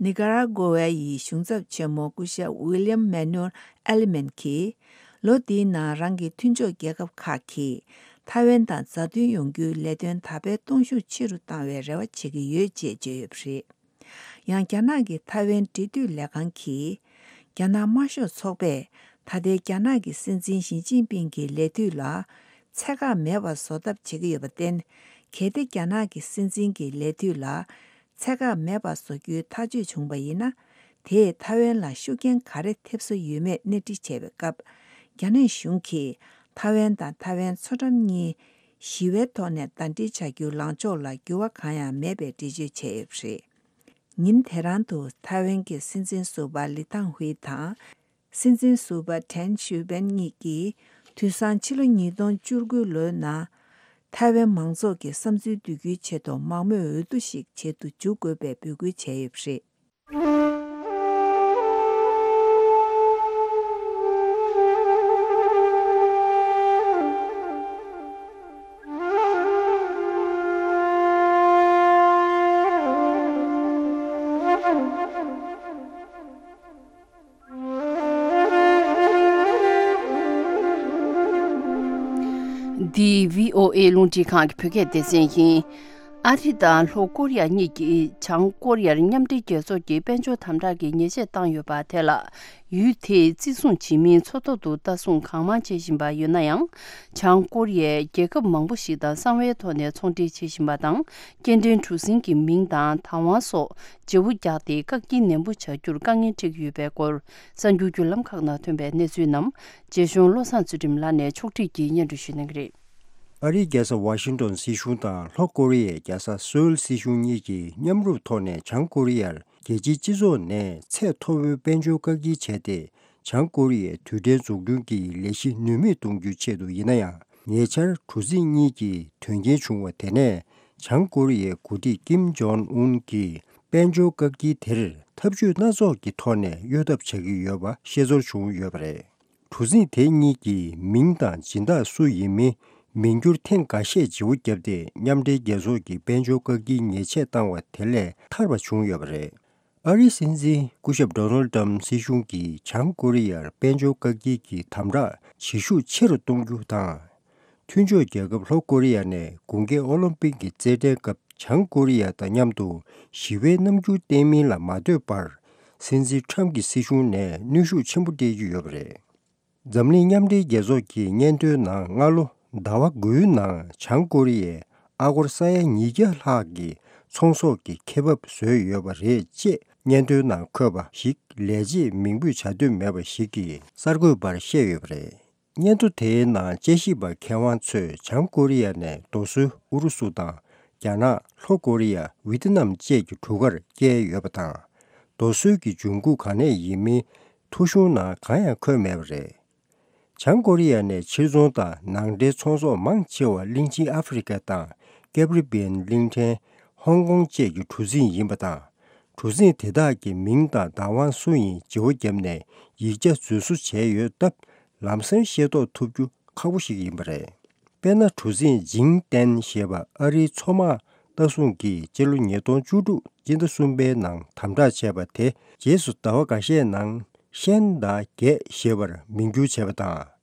ནི་ཀ་ར་གོ་ཝ་ཡི་གཞུང་ཚབ་ཆེན་མོ་སྐུ་ཞབས་ཝི་ལི་ཡམ་མེ་ནུ་ཨེ་ལི་མན་གྱིས། ལོ་འདིའི་ནང་རང་གི་མཐུན་ཕྱོགས་རྒྱལ་ཁབ་ཁག་གིས་ཐའེ་ཝན་དང་མཛའ་མཐུན་ཡོང་རྒྱུའི་ལས་དོན་དར་སྤེལ་གཏོང་ཤུགས་ཆེ་རུ་བཏང་བའི་རེ་བ་བྱེད་ཀྱི་ཡོད་ཅེས་བརྗོད་ཡོད་པ་རེད། ཡང་རྒྱ་ནག་གི་ཐའེ་ཝན་འབྲེལ་མཐུད་ལས་ཁང་གིས། རྒྱ་ནག་དམར་ཤོག་ཚོགས་པས་ད་ལྟའི་རྒྱ་ནག་གི་སྲིད་འཛིན་ཞི་ཅིན་ཕིང་གི་ལས་དུས་ལ་ཚད་བཀག་མེད་པར་བཟོ་ཐབས་བྱེད་ཀྱི་ཡོད་པར་བརྟེན། གལ་ཏེ་རྒྱ་ནག་གི་སྲིད་འཛིན་གྱི་ལས་དུས་ལ་ཚད་བཀག་མེད་པར་བཟོ་རྒྱུའི་ཐག་གཅོད་བྱུང་བ་ཡིན་ན། དེས་ཐའེ་ཝན་ལ་ཤུགས་རྐྱེན་ག་རེ་ཐེབས་ས་ཡོད་མེད་གནས་འདྲི་བྱས་པའི་སྐབས། རྒྱ་ནག་གཞུང་གིས་ཐའེ་ཝན་དང་ཐའེ་ཝན་མཚོ་འགྲམ་གཉིས་ཞི་བའི་ཐོག་ནས་ཟླ་སྒྲིལ་བྱ་རྒྱུའི་ལངས་ཕྱོགས་ལ་འགྱུར་བ་གང་ཡང་མེད་པའི་འགྲེལ་བརྗོད་བྱས་ཡོད་པ་རེད། ཉིན་དེ་རང་དུ་ཐའེ་ཝན་གྱི་སྲིད་འཛིན་ཟུར་པ་ལི་ཐང་ཧུའེ་དང་། སྲིད་འཛིན་ཟུར་པ་ཏྲན་ཞུ་ཝེན་གཉིས་ཀྱིས་དུས་སང་ཕྱི་ལོ་ཉིས་སྟོང་བཅུ་དགུ་ལོའི་ནང་། ཐའེ་ཝན་མང་ཚོགས་ཀྱི་བསམ་ཚུལ་བསྡུ་རྒྱུའི་ཆེད་དུ་མང་མོས་འོས་བསྡུ་ཞིག་བྱེད་དུ་འཇུག་དགོས་པའི་འབོད་སྐུལ་བྱས་ཡོད་པ་རེད། འདི་བྷི་ཨོ་ཨེ་རླུང་འཕྲིན་ཁང་གི་བོད་སྐད་སྡེ་ཚན་ཡིན། ཨ་རི་དང་ལྷོ་ཀོ་རི་ཡ་གཉིས་ཀྱིས་བྱང་ཀོ་རི་ཡར་མཉམ་འབྲེལ་རྒྱལ་ཚོགས་ཀྱི་དཔལ་འབྱོར་དམ་དྲག་གི་ཉེས་ཆད་བཏང་ཡོད་པ་དེ་ལ། ཡུལ་དེས་བརྩི་སྲུང་བྱེད་མིན་མཚོ་ཐོག་ཏུ་ལྟ་སྲུང་གང་མང་བྱེད་བཞིན་པ་ཡོད་ན་ཡང་། བྱང་ཀོ་རི་ཡས་རྒྱལ་ཁབ་མང་པོ་ཞིག་དང་གསང་བའི་ཐོག་ནས་ཚོང་འབྲེལ་བྱེད་བཞིན་པ་དང་། སྐྱེ་ཕྲེང་གྲུ་གཟིངས་ཀྱི་མིང་དང་བདག་དབང་སོགས་བརྗེ་བོ་རྒྱག་སྟེ་བཀག་སྐྱིལ་ནན་པོ་བྱ་རྒྱུར་དཀའ་ངལ་འཕྲད་ཀྱི་ཡོད་པའི་སྐོར། གསར་འགྱུར་བརྒྱུད་ལམ་ཁག་ནང་ཐོན་པའི་གནས་ཚུལ་རྣམས་རྗེ་གཞུང་བློ་བཟང་ཚུལ་ཁྲིམས་ལགས་ནས་ཕྱོགས་སྒྲིག་གིས་སྙན་སྒྲོན་ཞུ་གནང་གི་རེད། ཨ་རིའི་རྒྱལ་ས་ཝ་ཤིང་ཏོན་སྲིད་གཞུང་དང་ལྷོ་ཀོ་རི་ཡའི་རྒྱལ་ས་སོའུལ་སྲིད་གཞུང་གཉིས་ཀྱིས་མཉམ་རུབ་ཐོག་ནས་བྱང་ཀོ་རི་ཡར་རྒྱལ་སྤྱིའི་སྤྱི་ཚོགས་ནས་ཚད་མཐོ་བོའི་དཔལ་འབྱོར་བཀག་སྐྱིལ་བྱས་ཏེ། བྱང་ཀོ་རི་ཡའི་དུས་དྲན་འཛུགས་སྐྲུན་གྱི་ལས་གཞི་ནུས་མེད་གཏོང་རྒྱུའི་ཆེད་དུ་ཡིན་ན་ཡང་། ཉེ་ཆར་གྲུ་གཟིངས་གཉིས་ཀྱི་དོན་རྐྱེན་བྱུང་བ་དེ་ནས་བྱང་ཀོ་རི་ཡའི་འགོ་ཁྲིད་ཀིམ་ཇོང་ཨུན་གྱིས་དཔལ་འབྱོར་བཀག་སྐྱིལ་དེར་འཐབ་ཇུས་སྣ་ཚོགས་ཀྱི་ཐོག་ནས་གཡོལ་ཐབས་བྱ་གི་ཡོད་པ་ཤེས་ཚོར་བྱུང་ཡོད་པ་རེད། གྲུ་གཟིངས་དེ་གཉིས་ཀྱི་མིང་དང་སྦྱིན་བདག་སུ་ཡིན་མིན་མིང་བསྒྱུར་ཐེངས་འགའ་ཤས་བརྗེ་བོ་བརྒྱབ་སྟེ། མཉམ་འབྲེལ་རྒྱལ་ཚོགས་ཀྱིས་དཔལ་འབྱོར་བཀག་སྐྱིལ་ཉེས་ཆད་བཏང་བ་དེ་ལས་ཐར་བ་བྱུང་ཡོད་པ་རེད། ཨ་རིའི་སྲིད་འཛིན་སྐུ་ཞབས་ཌོ་ནལ་ཏྲམ་སྲིད་གཞུང་གིས་བྱང་ཀོ་རི་ཡར་དཔལ་འབྱོར་བཀག་སྐྱིལ་གྱི་དམ་དྲག་བྱེད་ཤུགས་ཆེ་རུ་གཏོང་རྒྱུ་དང་། མཐུན་ཕྱོགས་རྒྱལ་ཁབ་ལྷོ་ཀོ་རི་ཡ་ནས་དགུན་ཁའི་ཨོ་ལིམ་པིག་གི་རྩེད་འགྲན་སྐབས་བྱང་ཀོ་རི་ཡ་དང་མཉམ་དུ་ཞི་བའི་རྣམ་འགྱུར་བསྟན་མིན་ལ་མ་ལྟོས་པར། སྲིད་འཛིན་ཁྲམ་གྱི་སྲིད་གཞུང་ནས་གནོན་ཤུགས་ཆེན་པོ་སྤྲད་ཀྱི་ཡོད་པ་རེད། འཛམ་གླིང་མཉམ་འབྲེལ་རྒྱལ་ཚོགས་ཀྱི་སྙན་ཐོའི་ནང་སྔ་ལོ་ཟླ་བ་དགུའི་ནང་བྱང་ཀོ་རི་ཡས་ཨ་སྒོར་ས་ཡ་ཉིས་བརྒྱ་ལྷག་གི་ཚོང་ཟོག་གི་ཁེ་འབབ་བཟོས་ཡོད་པ་རེད་ཅེས་སྙན་ཐོའི་ནང་འཁོད་པ་ཞིག་ལས་བྱེད་མིང་འབོད་བྱ་འདོད་མེད་པ་ཞིག་གིས་གསར་འགོད་པར་བཤད་ཡོད་པ་རེད། སྙན་ཐོ་དེའི་ནང་དཔྱད་ཞིབ་པ་མཁས་དབང་ཚོས་བྱང་ཀོ་རི་ཡ་ནས་རྡོ་སོལ་ཨུ་རུ་སུ་དང་རྒྱ་ནག་ལྷོ་ཀོ་རི་ཡ་ཝི་ཏི་ནམ་བཅས་ཀྱི་གྲུ་ཁར་བསྐྱལ་ཡོད་པ་དང་། རྡོ་སོལ་གྱི་འབྱུང་ཁུངས་གང་ནས་ཡིན་མིན་ཐོ་གཞུང་ནང་གང་ཡང་འཁོད་མེད་པ་རེད། བྱང་ཀོ་རི་ཡ་ནས་ཕྱིར་ཚོང་དང་ནང་འདྲེན་ཚོང་ཟོག་མང་ཆེ་བ་གླིང་ཆེན་ཨ་ཧྥེ་རི་ཁ་དང་ཀེབ་རི་བི་ཡན་གླིང་ཕྲན། ཧོང་ཀོང་བཅས་ཀྱི་གྲུ་གཟིངས་ཡིན་པ་དང་། གྲུ་གཟིངས་དེ་དག་གི་མིང་དང་བདག་དབང་སུ་ཡིན་བརྗེ་བོ་བརྒྱབ་ནས་ཡིག་ཆ་རྫུན་བཟོ་བྱས་ཡོད་སྟབས། ལམ་སང་ཤེས་རྟོགས་ཐུབ་རྒྱུ་ཁག་པོ་ཞིག་ཡིན་པ་རེད། དཔེར་ན། གྲུ་གཟིངས་ཇིང་ཏན་ཞེས་པ་ཨ་རིའི་མཚོ་དམག་ལྟ་སྲུང་གིས་སྤྱི་ལོ་ཉིས་སྟོང་བཅུ་དྲུག་སྤྱི་ཟླ་གསུམ་པའི་ནང་དམ་དྲག་བྱས་པ་དེ། རྗེས་སུ་ཟླ་བ་འགའ་ཤས་ནང་ཤན་དང་རྒྱས་ཞེས་པར་མིང་བསྒྱུར་བྱས་པ་དང་།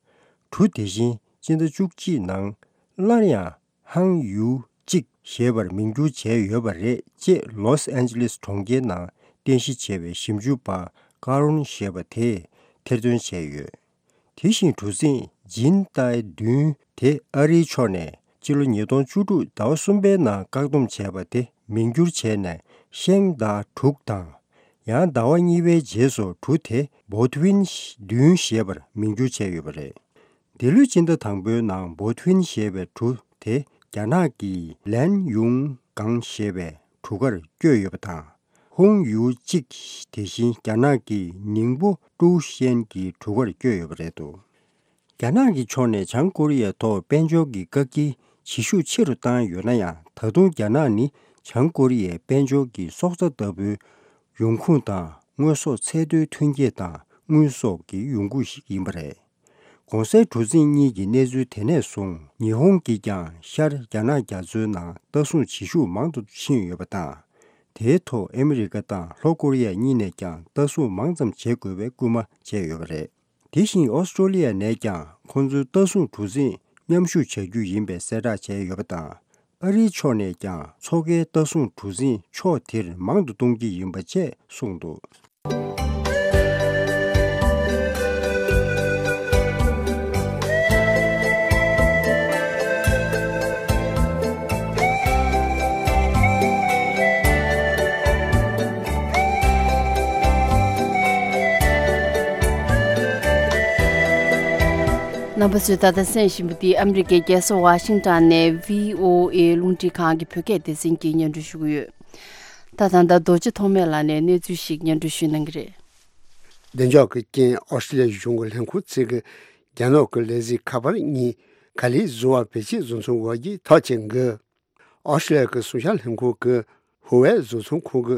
གྲུ་དེ་བཞིན་སྤྱི་ཟླ་བཅུ་གཅིག་ནང་སླར་ཡང་ཧང་ཡུའུ་གཅིག་ཞེས་པར་མིང་བསྒྱུར་བྱས་ཡོད་པ་རེད་ཅེས། ལོས་ཨན་ཇི་ལེས་གྲོང་ཁྱེར་ནང་རྟེན་གཞི་བྱས་པའི་ཞིབ་འཇུག་པ་ ཀ་རོན་ཞེས་པ་དེས་ཐེར་འདོན་བྱས་ཡོད། དེ་བཞིན་གྲུ་གཟིངས་ཇིན་ཏའེ་བདུན་དེ་ཨ་རིའི་ཕྱོགས་ནས་ཕྱི་ལོ་ཉིས་སྟོང་བཅུ་དྲུག་ཟླ་བ་གསུམ་པའི་ནང་བཀག་སྡོམ་བྱས་པ་དེ་མིང་བསྒྱུར་བྱས་ནས་ཤེང་ཏཱ་དྲུག་དང་། ཡང་ཟླ་བ་གཉིས་པའི་རྗེས་སུ་གྲུ་དེ་བོ་ཐུ་ཝིན་བདུན་ཞེས་པར་མིང་བསྒྱུར་བྱས་ཡོད་པ་རེད། འདི་ལོའི་སྤྱི་ཟླ་དང་པོའི་ནང་བོ་ཐུ་ཝིན་ཞེས་པའི་གྲུ་དེ་རྒྱ་ནག་གི་ལན་ཡུང་གང་ཞེས་པའི་གྲུ་ཁར་བསྐྱོད་ཡོད་པ་དང་། ཧུང་ཡུའུ་ཅིག་དེ་བཞིན་རྒྱ་ནག་གི་ནིང་པོ་ཀྲུའུ་ཤན་གྱི་གྲུ་ཁར་བསྐྱོད་ཡོད་པ་རེད་འདུག་རྒྱ་ནག་གི་ཕྱོགས་ནས་བྱང་ཀོ་རི་ཡའི་ཐོག་དཔལ་འབྱོར་གྱི་བཀག་སྐྱིལ་བྱེད་ཤུགས་ཆེ་རུ་བཏང་ཡོད་ན་ཡང་། ད་དུང་རྒྱ་ནག་ནི་བྱང་ཀོ་རི་ཡའི་དཔལ་འབྱོར་གྱི་སྲོག་རྩ་ལྟ་བུའི་ཡོང་ཁུངས་དང་། དངོས་ཟོག་ཚད་མཐོའི་ཐོན་སྐྱེད་དང་དངུལ་སོགས་ཀྱི་ཡོང་ཁུངས་ཤིག་ཡིན་པ་རེད། གོང་གསལ་གྲུ་གཟིངས་གཉིས་ཀྱི་གནས་ཚུལ་དེ་ནས་བཟུང་། ཉི་ཧོང་གིས་ཀྱང་ཤར་རྒྱ་ནག་རྒྱ་མཚོའི་ནང་ལྟ་སྲུང་བྱེད་ཤུགས་མང་དུ་ཕྱིན་ཡོད་པ་དང་། དེའི་ཐོག་ཨ་མི་རི་ཀ་དང་ལྷོ་ཀོ་རི་ཡ་གཉིས་ནས་ཀྱང་ལྟ་སྲུང་མང་ཙམ་བྱེད་དགོས་པའི་སྐུལ་མ་བྱས་ཡོད་པ་རེད། དེ་བཞིན་ཨོ་སི་ཀྲོ་ལི་ཡ་ནས་ཀྱང་ཁོང་ཚོའི་ལྟ་སྲུང་གྲུ་གཟིངས་མཉམ་ཞུགས་བྱ་རྒྱུ་ཡིན་པའི་གསལ་བསྒྲགས་བྱས་ཡོད་པ་དང་། ཨ་རིའི་ཕྱོགས་ནས་ཀྱང་མཚོ་ཁའི་ལྟ་སྲུང་གྲུ་གཟིངས་ཕྱོགས་དེར་མང་དུ་གཏོང་གི་ཡིན་པ་བཅས་གསུངས་འདུག་རྣམ་པ་ཚོས་ད་ལྟ་གསན་བཞིན་པ་འདི་ཨ་མི་རི་ཀའི་རྒྱལ་ས་ཝ་ཤིང་ཊོན་ནས་བྷི་ཨོ་ཨེ་རླུང་འཕྲིན་ཁང་གི་བོད་སྐད་སྡེ་ཚན་གྱི་སྙན་སྒྲོན་ཞུ་གི་ཡོད། ད་ད་ལྟ་རྡོ་རྗེ་ཐོགས་མེད་ལགས་ནས་གནས་ཚུལ་ཞིག་སྙན་སྒྲོན་ཞུ་གནང་གི་རེད། བདེ་འཇགས་ཀྱི་རྐྱེན་ཨོ་སི་ཀྲི་ལི་ཡའི་གཞུང་གི་ལས་ཁུངས་བཅས་ཀྱིས་རྒྱ་ནག་གི་ལས་འཛིན་ཁ་པར་གཉིས་ག་ལེར་བཟོ་བ་བེད་སྤྱོད་བཟོ་ཚུལ་འོག་གི་ཐག་བཅད་འགོད། ཨོ་སི་ཀྲི་ལི་ཡ་གི་སུང་ཤ་ལྷན་ཁང་གི་ཧུ་ཝེ་བཟོ་ཚོང་ཁང་གི་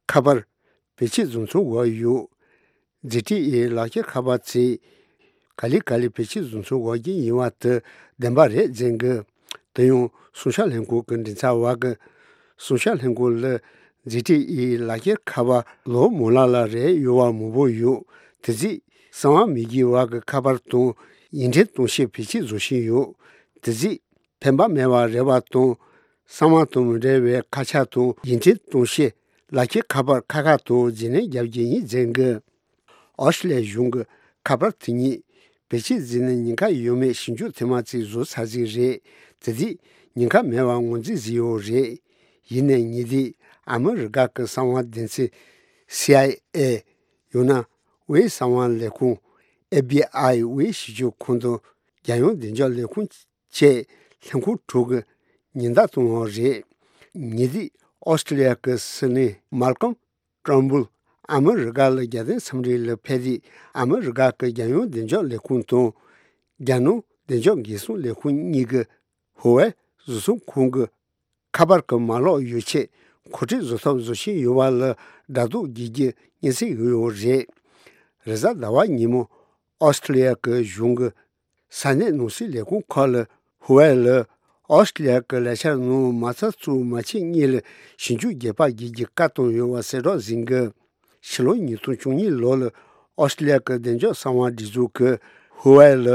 ཁ་པར་བེད་སྤྱོད་བཟོ་ཚུལ་འོག་ཡོད། ཛི་ཊི་ཨེ་ལག་ཁྱེར་ཁ་པར་ཚོས་ག་ལེ་ག་ལེ་བེད་སྤྱོད་བཟོ་ཚུལ་འོག་གི་ཡིན་པ་དེ་བདེན་པ་རེད་ཟེར་གི། དེ་ཡང་སུང་ཤ་ལྷན་ཁང་གི་མགྲིན་ཚབ་པ་གིས་སུང་ཤ་ལྷན་ཁང་ལ་ཛི་ཊི་ཨེ་ལག་ཁྱེར་ཁ་པར་ལོ་མང་ལ་ལ་རེད་ཡོད་པ་མང་པོ་ཡོད། དེ་ཚོས་གསང་བ་མེད་ཀྱི་བར་གྱི་ཁ་པར་དང་ཡིག་འཕྲིན་གཏོང་བྱེད་བེད་སྤྱོད་བཟོ་བཞིན་ཡོད། དེ་ཚོས་ཕན་པ་མེད་པ་རེད་པ་དང་། གསང་བ་དང་མི་འབྲེལ་བའི་ཁ་ཆ་དང་ཡིག་འཕྲིན་གཏོང་བྱེད་ལག་ཁྱེར་ཁ་པར་ཁག་ཁག་ཏུ་རྗེས་ལེན་རྒྱབ་ཀྱི་ཡིན་ཟེར་གི། ཨོ་སི་ཀྲི་ལི་ཡའི་གཞུང་གི་ཁ་པར་དེ་ཉིད་བེད་སྤྱོད་བཟོས་ནས་ཉེན་ཁ་ཡོད་མེད་ཞིབ་འཇུག་ཐེངས་མ་གཅིག་བཟོས་ཚར་ཟིག་རེད། དེ་དུས་ཉེན་ཁ་མེད་པར་ངོས་འཛིན་བཟོས་ཡོད་རེད། ཡིན་ནའི་ཉེ་དུས་ཨ་མི་རི་ཀ་གི་གསང་བ་སྡེ་ཚན་སི་ཨའི་ཨེ། ཡང་ན་དབུས་གསང་བ་ལས་ཁུངས་ཨེཕ་བྷི་ཨའི་དབུས་ཞིབ་དཔྱོད་ཁང་དང་རྒྱལ་ཡོངས་བདེ་འཇགས་ལས་ཁུངས་བཅས་ལྷན་ཁང་དྲུག་གིས་ཉེན་བརྡ་བཏང་བ་རེད། ཉེ་དུས་ཨོ་སི་ཀྲི་ལི་ཡ་གི་སྲིད་བློན་མཱལ་ཀོམ་ཊར་ནྦུལ་ཨ་མི་རི་ཀ་ལ་རྒྱལ་བསྟན་འཚམས་འདྲི་ལ་ཕེབས་དུས། ཨ་མི་རི་ཀ་གི་རྒྱལ་ཡོངས་བདེ་འཇགས་ལས་ཁུངས་དང་རྒྱ་ནག་བདེ་འཇགས་འགན་སྲུང་ལས་ཁུངས་གཉིས་ཀྱིས་ཧུ་ཝེ་བཟོ་ཚོང་ཁང་གི་ཁ་པར་གྱི་མ་ལག་ཡོ་ཆས་མཁོ་སྤྲོད་བཟོ་ཐབས་བཟོ་བཞིན་ཡོད་པ་ལ་སྒྲ་རྡོག་རྒྱག་རྒྱུའི་སྙན་སེང་ཡོད་ཡོད་རེད། རེས་གཟའ་ཟླ་བ་ཉིན་མོ་ཨོ་སི་ཀྲི་ལི་ཡ་གི་གཞུང་གི་ས་གནས་ནང་སྲིད་ལས་ཁུངས་ཁག་ལ་ཧུ་ཝེ་ལ་ཨོ་སི་ཀྲི་ལི་ཡ་གི་ལས་འཆར་ནང་མ་རྩ་གཙོ་བོ་མ་ཕྱི་གཉིས་ལ་ཞིབ་འཇུག་རྒྱག་པར་བརྒྱུད་རྒྱུའི་བཀའ་བཏང་ཡོད་པ་གསལ་བསྒྲགས་ཟིན་གི། ཕྱི་ལོ་ཉིས་སྟོང་བཅུ་གཉིས་ལོ་ལ་ཨོ་སི་ཀྲི་ལི་ཡ་གི་བདེ་འཇགས་གསང་བ་སྒྲིག་འཛུགས་ཀྱིས་ཧུ་ཝེ་ལ་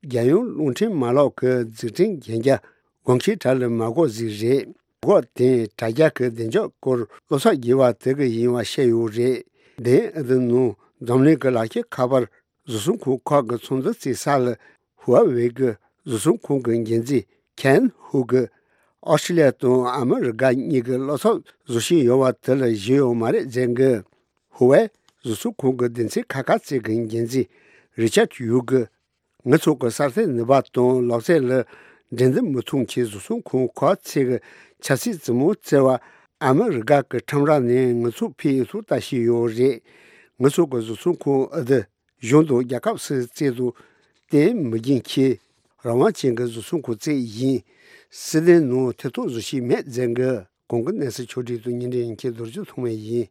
རྒྱལ་ཡོངས་རླུང་འཕྲིན་མ་ལག་གི་འཛུགས་སྐྲུན་གན་རྒྱ་དགོངས་འཆར་གྲས་ལ་མ་འགོད་ཟིག་རེད། འགོད་དེ་དྲ་རྒྱ་གི་བདེ་འཇགས་སྐོར་སློབ་གསོ་རྒྱས་པ་དེ་གི་ཡིན་པ་བཤད་ཡོད་རེད། དེ་ཨ་དི་ནང་འཛམ་གླིང་གི་ལག་ཁྱེར་ཁ་པར་བཟོ་ཚོང་ཁང་ཁག་གི་ཚོང་རྫས་བཙལ་ས་ལ་ཧུ་ཝེ་གི་བཟོ་ཚོང་ཁང་གི་འགན་འཛིན་ཁན་ཧུ་གིས་ཨོ་སི་ཀྲི་ལི་ཡ་དང་ཨ་མི་རི་ཀ་གཉིས་ཀྱིས་བློ་འཚབ་བཟོ་བཞིན་ཡོད་པ་དེ་ལ་གཞི་ཡོད་མ་རེད་ཟེར་གི། ཧུ་ཝེ་བཟོ་ཚོང་ཁང་གི་སྡེ་ཚན་ཁག་ཁག་ཅིག་གི་འགན་འཛིན་རི་ཅར་ཡུ་གིས། ང་ཚོ་གི་གསར་གཏོད་ནུས་པ་དང་ལག་རྩལ་ལ་འགྲན་བསྡུར་མི་ཐུབ་མཁན་བཟོ་ཚོང་ཁང་ཁག་ཅིག་གི་ཆབ་སྲིད་བཙུན་མོ་བཙལ་བར་ཨ་མི་རི་ཀ་གི་ཁྲོམ་ར་ནས་ང་ཚོ་ཕེབས་ཐུགས་ལྟ་བཞིན་ཡོད་རེད། ང་ཚོ་གི་བཟོ་ཚོང་ཁང་ཨ་དི་གཞུང་དང་རྒྱལ་ཁབ་སུ་བཙལ་དུ་བརྟེན་མི་རྒྱུན་ཁྱེད་རང་དབང་ཅན་གྱི་བཟོ་ཚོང་ཁང་བཙལ་ཡིན། སྲིད་དོན་ནང་ཐེ་གཏོགས་བཟོ་བཞིན་མེད་ཟེར་གི། གོང་གི་གནས་ཚུལ་ཕྱོགས་སྒྲིག་དང་སྙན་སྒྲོན་མཁན་རྡོ་རྗེ་ཐོགས་མེད་ཡིན།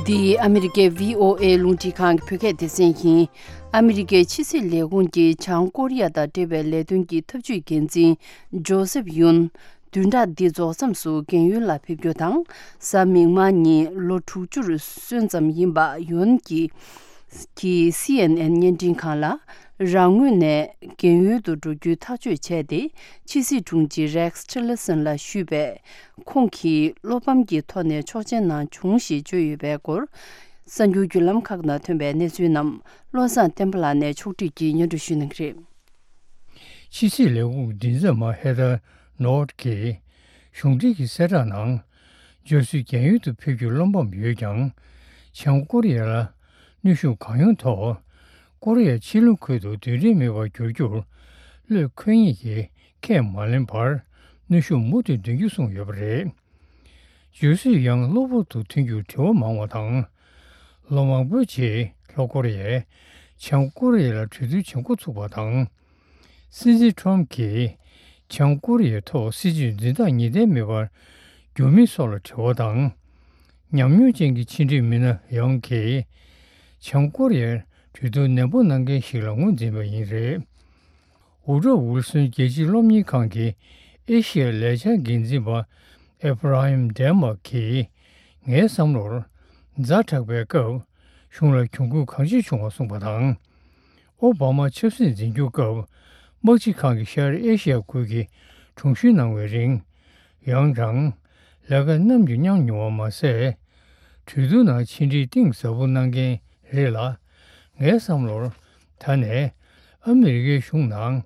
འདི་ཨ་མི་རི་ཀའི་བྷི་ཨོ་ཨེ་རླུང་འཕྲིན་ཁང་གི་བོད་སྐད་སྡེ་ཚན་ཡིན། ཨ་མི་རི་ཀའི་ཕྱི་སྲིད་ལས་ཁུངས་ཀྱི་བྱང་ཀོ་རི་ཡ་དང་འབྲེལ་བའི་ལས་དོན་གྱི་ཐབས་ཇུས་འགན་འཛིན་ཇོ་སེབ་ཡུན། བདུན་ཕྲག་འདི་རྫོགས་མཚམས་སུ་རྒན་ཡོལ་ལ་ཕེབས་རྒྱུ་དང་། གཟའ་མིག་དམར་ཉིན་ལོ་དྲུག་ཅུར་སོན་ཙམ་ཡིན་པ་ཡོན་གྱི་གི་སི་ཨེན་ཨེན་བརྙན་འཕྲིན་ཁང་ལ། རང་ངོས་ནས་རྒན་ཡོལ་དུ་འགྲོ་རྒྱུའི་ཐག་གཅོད་བྱས་ཏེ། ཕྱི་སྲིད་དྲུང་ཆེ་རེགས་ཊི་ལར་སན་ལ་ཞུས་པས། ཁོང་གིས་བློ་ཕམ་གྱི་ཐོག་ནས་ཆོག་མཆན་གནང་བྱུང་ཞེས་བརྗོད་ཡོད་པའི་སྐོར། གསར་འགྱུར་བརྒྱུད་ལམ་ཁག་ནང་ཐོན་པའི་གནས་ཚུལ་རྣམས་བློ་བཟང་བསྟན་པ་ལགས་ནས་ཕྱོགས་སྒྲིག་གིས་སྙན་སྒྲོན་ཞུ་གནང་གི་རེད། ཕྱི་སྲིད་ལས་ཁུངས་མགྲིན་ཚབ་མ་ཧེ་ཐར་ནོར་གྱིས། གཞུང་འབྲེལ་གྱི་གསལ་བསྒྲགས་ནང་། རྒྱ་སུའི་རྒན་ཡོལ་དུ་ཕེབས་རྒྱུར་བློ་ཕམ་ཡོད་ཀྱང་། བྱང་ཀོ་རི་ཡ་ལ་གནོན་ཤུགས་གང་ཡོང་ཐོག་ཀོ་རི་ཡ་ཕྱེད་ལུང་ཁུལ་དུ་རྡུལ་ཕྲན་མེད་པར་འགྱུར་རྒྱུར། བློས་འཁེལ་ངེས་ཀྱི་ཁས་མ་ལེན་བར། གནོན་ཤུགས་མུ་མཐུད་འདོན་རྒྱུ་གསུངས་ཡོད་པ་རེད། རྒྱ་སུས་ཡང་གློ་བུར་དུ་ཐོན་རྒྱུར་དྲི་བ་མང་བ་དང་། ལོ་མང་པོའི་རྗེས་ལྷོ་ཀོ་རི་ཡས་བྱང་ཀོ་རི་ཡ་ལ་གྲོས་བསྡུར་བྱེད་འགོ་ཚུགས་པ་དང་། སྲིད་འཛིན་ཁྲོམ་གྱིས་བྱང་ཀོ་རི་ཡའི་ཐོག་སྲིད་ཇུས་འཛིན་སྟངས་ངེས་གཏན་མེད་པར་གྱུར་མིན་སོགས་ལ་དྲི་བ་དང་། ཉམས་མྱོང་ཅན་གྱི་ཕྱི་འབྲེལ་མི་སྣ་ཡང་གིས་བྱང་ཀོ་རི་ཡར་གྲོས་བསྡུར་ནན་པོ་གནང་མཁན་ཞིག་ལ་ངོས་འཛིན་པ་ཡིན་རེད། ཝུ་ཌོ་ཝིལ་སོན་རྒྱལ་སྤྱིའི་སློབ་གཉེར་ཁང་གི་ཨེ་ཤི་ཡ་ལས་འཆར་འགན་འཛིན་པ་ཨེབ་ར་ཧིམ་ཌེན་མཱར་གྱིས། ངའི་བསམ་བློར། ཛ་དྲག་པའི་སྐབས་གཞུང་ལ་གྱོང་གུད་གང་ཆེ་བྱུང་བ་གསུངས་པ་དང་། ཨོ་བྷ་མ་ཆབ་སྲིད་འཛིན་སྐྱོང་སྐབས་དམག་སྤྱི་ཁང་གི་ཤར་ཨེ་ཤི་ཡ་ཁུལ་གྱི་དྲུང་ཞུ་གནང་བའི་རིང་། ཡང་ཀྲང་ལས་ཀ་ནམ་རྒྱུན་མྱངས་མྱོང་བ་མ་ཟད། གྲོས་བསྡུར་ནང་ཕྱི་འབྲེལ་གཏིང་ཟབ་པོ་གནང་མཁན་རེད་ལ། ངའི་བསམ་བློར་ད་ནས་ཨ་མི་རི་ཀའི་གཞུང་ནང་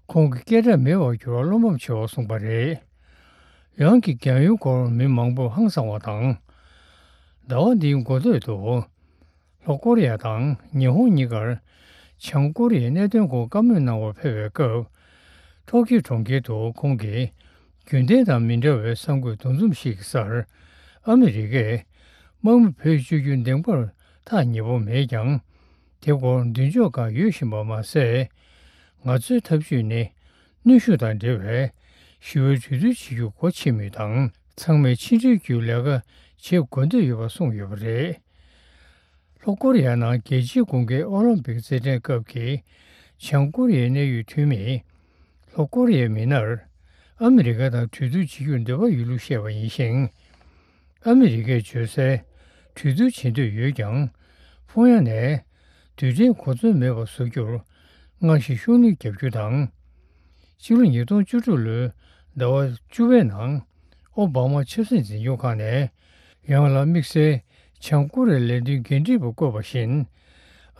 ཁོང་གི་སྐད་གྲགས་མེད་པར་གྱུར་བར་བློ་ཕམ་ཆེ་བ་གསུངས་པ་རེད། ཡང་གི་རྒན་ཡོལ་སྐོར་མི་མང་པོས་ཧང་སངས་པ་དང་། ཟླ་བ་འདིའི་འགོ་སྟོད་དུ། ལྷོ་ཀོ་རི་ཡ་དང་ཉི་ཧོང་གཉིས་ཀར་བྱང་ཀོ་རི་ཡའི་གནད་དོན་སྐོར་བཀའ་མོལ་གནང་བར་ཕེབས་པའི་སྐབས། ཊོ་ཀིའོ་གྲོང་ཁྱེར་དུ་ཁོང་གིས་རྒྱུན་ལྡན་དང་མི་འདྲ་བའི་གསར་འགོད་འདུ་འཛོམས་ཤིག་གི་སར། ཨ་མི་རི་ཀས་དམག་མི་བེད་སྤྱོད་རྒྱུ་འདིང་པར་ཐག་ཉེ་པོ་མེད་ཀྱང་། དེ་སྐོར་མདུན་ལྕོག་སྒང་ཡོད་བཞིན་པ་མ་ཟད། ང་ཚོའི་ཐབས་ཇུས་ནི། གནོན་ཤུགས་དང་འབྲེལ་བའི་ཞི་བའི་གྲོས་བསྡུར་བྱེད་རྒྱུ་སྒོ་ཕྱེ་མུས་དང་། ཚང་མས་ཕྱི་འབྲེལ་གྱི་ལས་ཀ་བྱེད་དགོས་འདོད་ཡོད་པ་གསུངས་ཡོད་པ་རེད། ལྷོ་ཀོ་རི་ཡ་ནང་རྒྱལ་སྤྱིའི་དགུན་ཁའི་ཨོ་ལིམ་པིག་རྩེད་འགྲན་སྐབས་ཀྱི་བྱང་ཀོ་རི་ཡའི་གནད་ཡོད་འཐུས་མིས། ལྷོ་ཀོ་རི་ཡའི་མི་སྣར་ཨ་མི་རི་ཀ་དང་གྲོས་བསྡུར་བྱེད་རྒྱུར་འདོད་པ་ཡོད་ལུགས་བཤད་པ་ཡིན་ཞིང་། ཨ་མི་རི་ཀས་བརྗོད་གསལ། གྲོས་བསྡུར་བྱེད་འདོད་ཡོད་ཀྱང་། ཕུང་ཡ་ནས་རྡུལ་ཕྲན་གོ་མཚོན་མེད་པར་བཟོ་རྒྱུར་སྔར་བཞིན་ཤུགས་སྣོན་རྒྱག་རྒྱུ་དང་། ཕྱི་ལོ་ཉིས་སྟོང་བཅུ་དྲུག་ལོའི་ཟླ་བ་བཅུ་པའི་ནང་ཨོ་བྷ་མ་ཆབ་སྲིད་འཛིན་སྐྱོང་ཁང་ནས་ཡང་ལ་དམིགས་བསལ་བྱང་ཀོ་རི་ཡའི་ལས་དོན་འགན་འཁྲི་པ་བསྐོས་པ་བཞིན།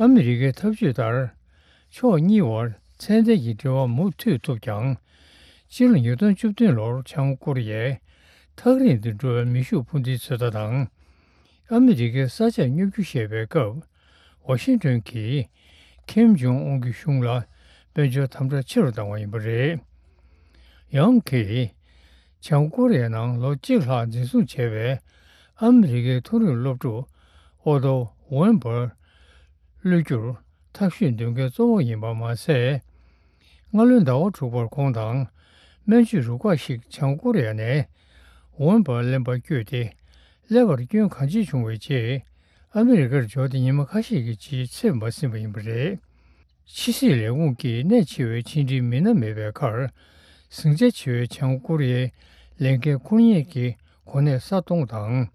ཨ་མི་རི་ཀའི་ཐབས་ཇུས་ལྟར། ཕྱོགས་གཉིས་བར་ཚད་ལྡན་གྱི་འབྲེལ་བ་མུ་མཐུད་ཐུབ་ཀྱང་། ཕྱི་ལོ་ཉིས་སྟོང་བཅུ་བདུན་ལོར་བྱང་ཀོ་རི་ཡས་ཐག་རིང་དུ་འགྲོ་བའི་མེ་ཤུགས་འཕུར་མདེལ་ཚོད་ལྟ་དང་། ཨ་མི་རི་ཀའི་ས་ཆར་སྙོབ་རྒྱུ་བཤད་པའི་སྐབས། ཝ་ཤིང་ཏོན་གྱིས་ཁེམ་ཇོང་ཨུན་གྱི་གཞུང་ལ་དཔལ་འབྱོར་དམ་དྲག་ཆེ་རུ་བཏང་བ་ཡིན་པ་རེད། ཡང་གིས། བྱང་ཀོ་རི་ཡའི་ནང་ལོ་གཅིག་ལྷག་འཛིན་བཟུང་བྱས་པའི་ཨ་མི་རི་ཀའི་མཐོ་རིམ་སློབ་ཕྲུག་ཨོ་ཏོ་ཝེན་པར་གློད་རྒྱུར་ཐབས་ཤེས་འདོན་མཁན་གཙོ་བོ་ཡིན་པ་མ་ཟད། སྔ་ལོའི་ཟླ་བ་དྲུག་པར་ཁོང་དང་སྨན་བཅོས་རུ་ཁག་ཞིག་བྱང་ཀོ་རི་ཡ་ནས་ཝེན་པར་ལེན་པར་བསྐྱོད་དེ། ཀླད་པར་སྐྱོན་གང་ཆེ་བྱུང་བའི་རྗེས། ཨ་མི་རི་ཀར་འབྱོར་ཏེ་ཉི་མ་ཁ་ཤས་ཀྱི་རྗེས་ཚེ་མ་ཟིན་པ་ཡིན་པ་རེད། ཕྱི་སྲིད་ལས་ཁུངས་ཀྱིས་གནད་ཆེ་བའི་ཕྱི་འབྲེལ་མི་སྣ་མེད་པའི་ཁར། ཟིང་ཆ་ཆེ་བའི་བྱང་ཀོ་རི་ཡའི་ལས་འགན་འཁུར་མཁན་གྱི་གོ་གནས་ས་སྟོང་དང་།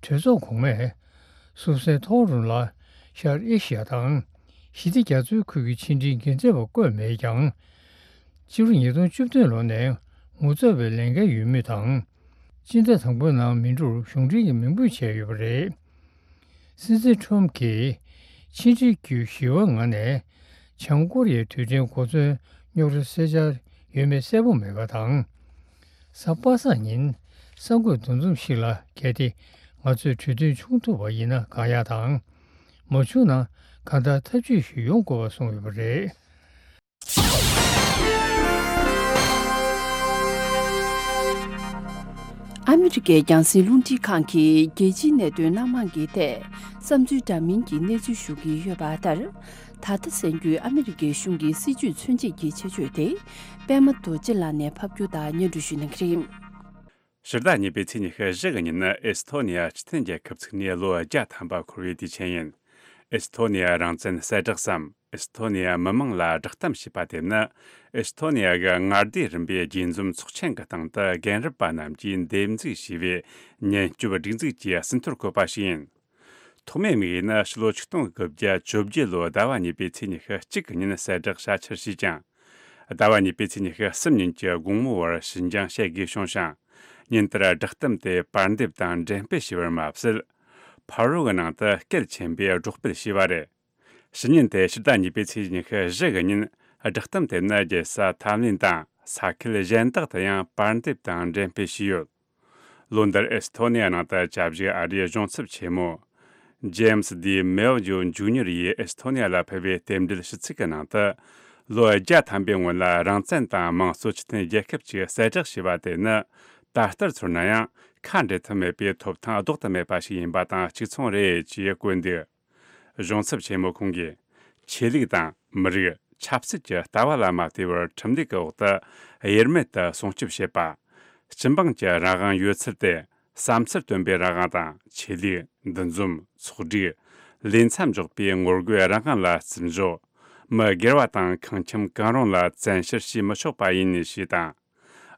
གྲོས་ཚོགས་གོང་མས་སུབ་སེ་ཐོག་རུ་ལ་ཤར་ཨེ་ཤི་ཡ་དང་ཞི་བདེ་རྒྱ་མཚོའི་ཁུལ་གྱི་ཕྱི་འབྲེལ་འགན་འཛིན་པ་བསྐོས་མེད་ཀྱང་། སྤྱི་ལོ་ཉིས་སྟོང་བཅུ་བདུན་ལོ་ནས་ངོ་ཚབ་པའི་ལས་འགན་ཡོད་མུས་དང་། སྤྱི་ཟླ་དང་པོའི་ནང་མི་འགྲུར་གཞུང་འབྲེལ་གྱི་མིང་འབོད་བྱས་ཡོད་པ་རེད། སྲིད་འཛིན་ཁྲོམ་གྱིས་ཕྱི་འབྲེལ་བརྒྱུད་ཞི་བའི་ངང་ནས་བྱང་ཀོ་རི་ཡའི་རྡུལ་ཕྲན་གོ་མཚོན་རྙོག་དྲ་སེལ་འཆར་ཡོད་མེད་གསལ་པོ་མེད་པ་དང་། གཟའ་པ་སངས་ཉིན་གསར་འགོད་འདུ་འཛོམས་ཤིག་ལ་གལ་ཏེ་ང་ཚོས་གྲོས་མཐུན་བྱུང་ཐུབ་པ་ཡིན་ན་གང་ཡག་དང་། མ་བྱུང་ན་གང་ལྟར་ཐབས་ཇུས་ཤིག་ཡོང་དགོས་པ་གསུངས་ཡོད་པ་རེད། ཨ་མི་རི་ཀའི་རྒྱང་སྲིང་རླུང་འཕྲིན་ཁང་གིས་རྒྱལ་སྤྱིའི་གནད་དོན་སྣ་མང་གི་ཐད་བསམ་ཚུལ་འདྲ་མིན་གྱི་གནས་ཚུལ་ཞུ་གི་ཡོད་པ་ལྟར། ད་ལྟ་གསན་རྒྱུའི་ཨ་མི་རི་ཀའི་གཞུང་གི་སྲིད་ཇུས་མཚོན་བྱེད་ཀྱི་ཆེད་བརྗོད་དེ། པད་མ་རྡོ་རྗེ་ལགས་ནས་ཕབ་སྒྱུར་དང་སྙན་སྒྲོན་ཞུ་གནང་གི་རེད། ཕྱི་ཟླ་གཉིས་པའི་ཚེས་ཉི་ཤུ་བཞི་གི་ཉིན་ནི་ཨེ་སི་ཐོ་ནི་ཡ་སྤྱི་མཐུན་རྒྱལ་ཁབ་ཚུགས་ནས་ལོ་བརྒྱ་ཐམ་པ་འཁོར་བའི་དུས་ཆེན་ཡིན། ཨེ་སི་ཐོ་ནི་ཡ་རང་བཙན་གསལ་བསྒྲགས་སམ། ཨེས་ཐོ་ནི་ཡ་མི་མང་ལ་བསྒྲགས་གཏམ་བྱས་པ་དེ་ནི། ཨེས་ཐོ་ནི་ཡ་གི་མངའ་སྡེ་རིམ་པའི་རྒྱས་འཛོམས་ཚོགས་ཆེན་གྱི་སྟེང་དུ་རྒན་རབས་པ་རྣམས་ཀྱིས་འདེམས་འཛུགས་བྱས་པའི་ཉེན་སྐྱོབ་སྒྲིག་འཛུགས་ཀྱི་ཟིན་ཐོར་བཀོད་པ་ཞིག་ཡིན། ཐོག་མའི་དམིགས་ཡུལ་ནི་ཕྱི་ལོ་ཆིག་སྟོང་དགུ་བརྒྱ་བཅོ་བརྒྱད་ལོའི་ཟླ་བ་གཉིས་པའི་ཚེས་ཉི་ཤུ་གཅིག་གི་ཉིན་གསལ་བསྒྲགས་བྱ་འཆར་བྱས་ཀྱང་། ཟླ་བ་གཉིས་པའི་ཚེས་ཉི་ཤུ་གསུམ་ཉིན་གྱི་དགོང་མོའི་བར་ཕྱི་འགྱངས་བྱེད་དགོས་བྱུང་ཞིང་། ཉིན་དེར་བསྒྲགས་གཏམ་དེ་པར་འདེབས་དང་འགྲེམས་སྤེལ་བྱས་པར་མ་ཟད། ཕ་རོལ་གྱི་ནང་དུ་གལ་ཆེན་པོས་སྒྲོག་སྤེལ་བྱས་པ་རེད། ཕྱི་ཉིན་དེ་ཕྱི་ཟླ་གཉིས་པའི་ཚེས་ཉི་ཤུ་བཞི་གི་ཉིན་བསྒྲགས་གཏམ་དེ་ནི་རྒྱལ་ས་ཐམ་ལིན་དང་ས་ཁུལ་གཞན་དག་ཏུ་ཡང་པར་འདེབས་དང་འགྲེམས་སྤེལ་བྱས་ཡོད། ལོ་འདིར་ཨེ་སི་ཐོ་ནི་ཡ་ནང་དུ་བཅའ་བཞུགས་ཨ་རིའི་གཞུང་ཚབ་ཆེན་མོ། ཇེམ་སི་ཌི་མེལ་ཇོ་ཇུ་ཉེར་ཡིས་ཨེ་སི་ཐོ་ནི་ཡ་ལ་ཕུལ་བའི་རྟེན་འབྲེལ་ཞུ་ཚིག་གི་ནང་དུ། ལོ་བརྒྱ་ཐམ་པའི་སྔོན་ལ་རང་བཙན་དང་དམངས་གཙོ་སྤྱི་མཐུན་རྒྱལ་ཁབ་ཅིག་གསལ་བསྒྲགས་བྱས་པ་དེ་ནི། ད་ལྟར་ཚོར་ན་ཡང་ཁ་འབྲལ་ཐབས་མེད་པའི་ཐོབ་ཐང་ལྡོག་ཏུ་མེད་པ་ཞིག་ཡིན་པ་དང་གཅིག་མཚུངས་རེད་ཅེས་བཀོད་འདུག་གཞུང་ཚབ་ཆེན་མོ་ཁོང་གིས། ཆོས་ལུགས་དང་མི་རིགས་ཆབ་སྲིད་ཀྱི་ལྟ་བ་ལ་མ་ལྟོས་པར་ཁྲིམས་སྒྲིག་གི་འོག་ཏུ་དབྱེར་མེད་དུ་སྲུང་སྐྱོབ་བྱེད་པ། སྤྱི་འབངས་ཀྱི་རང་དབང་ཡོད་ཚུལ་ཏེ། བསམ་ཚུལ་སྟོན་པའི་རང་དབང་དང་། ཆོས་ལུགས། འདུ་འཛོམས། ཚོགས་སྒྲིག་ལས་མཚམས་འཇོག་པའི་ངོ་རྒོལ་རང་དབང་ལ་བརྩི་འཇོག་མི་སྒེར་བ་དང་ཁང་ཁྱིམ་གང་རུང་ལ་བཙན་བཤེར་བྱེད་མི་ཆོག་པ་ཡིན་ཞེས་དང་།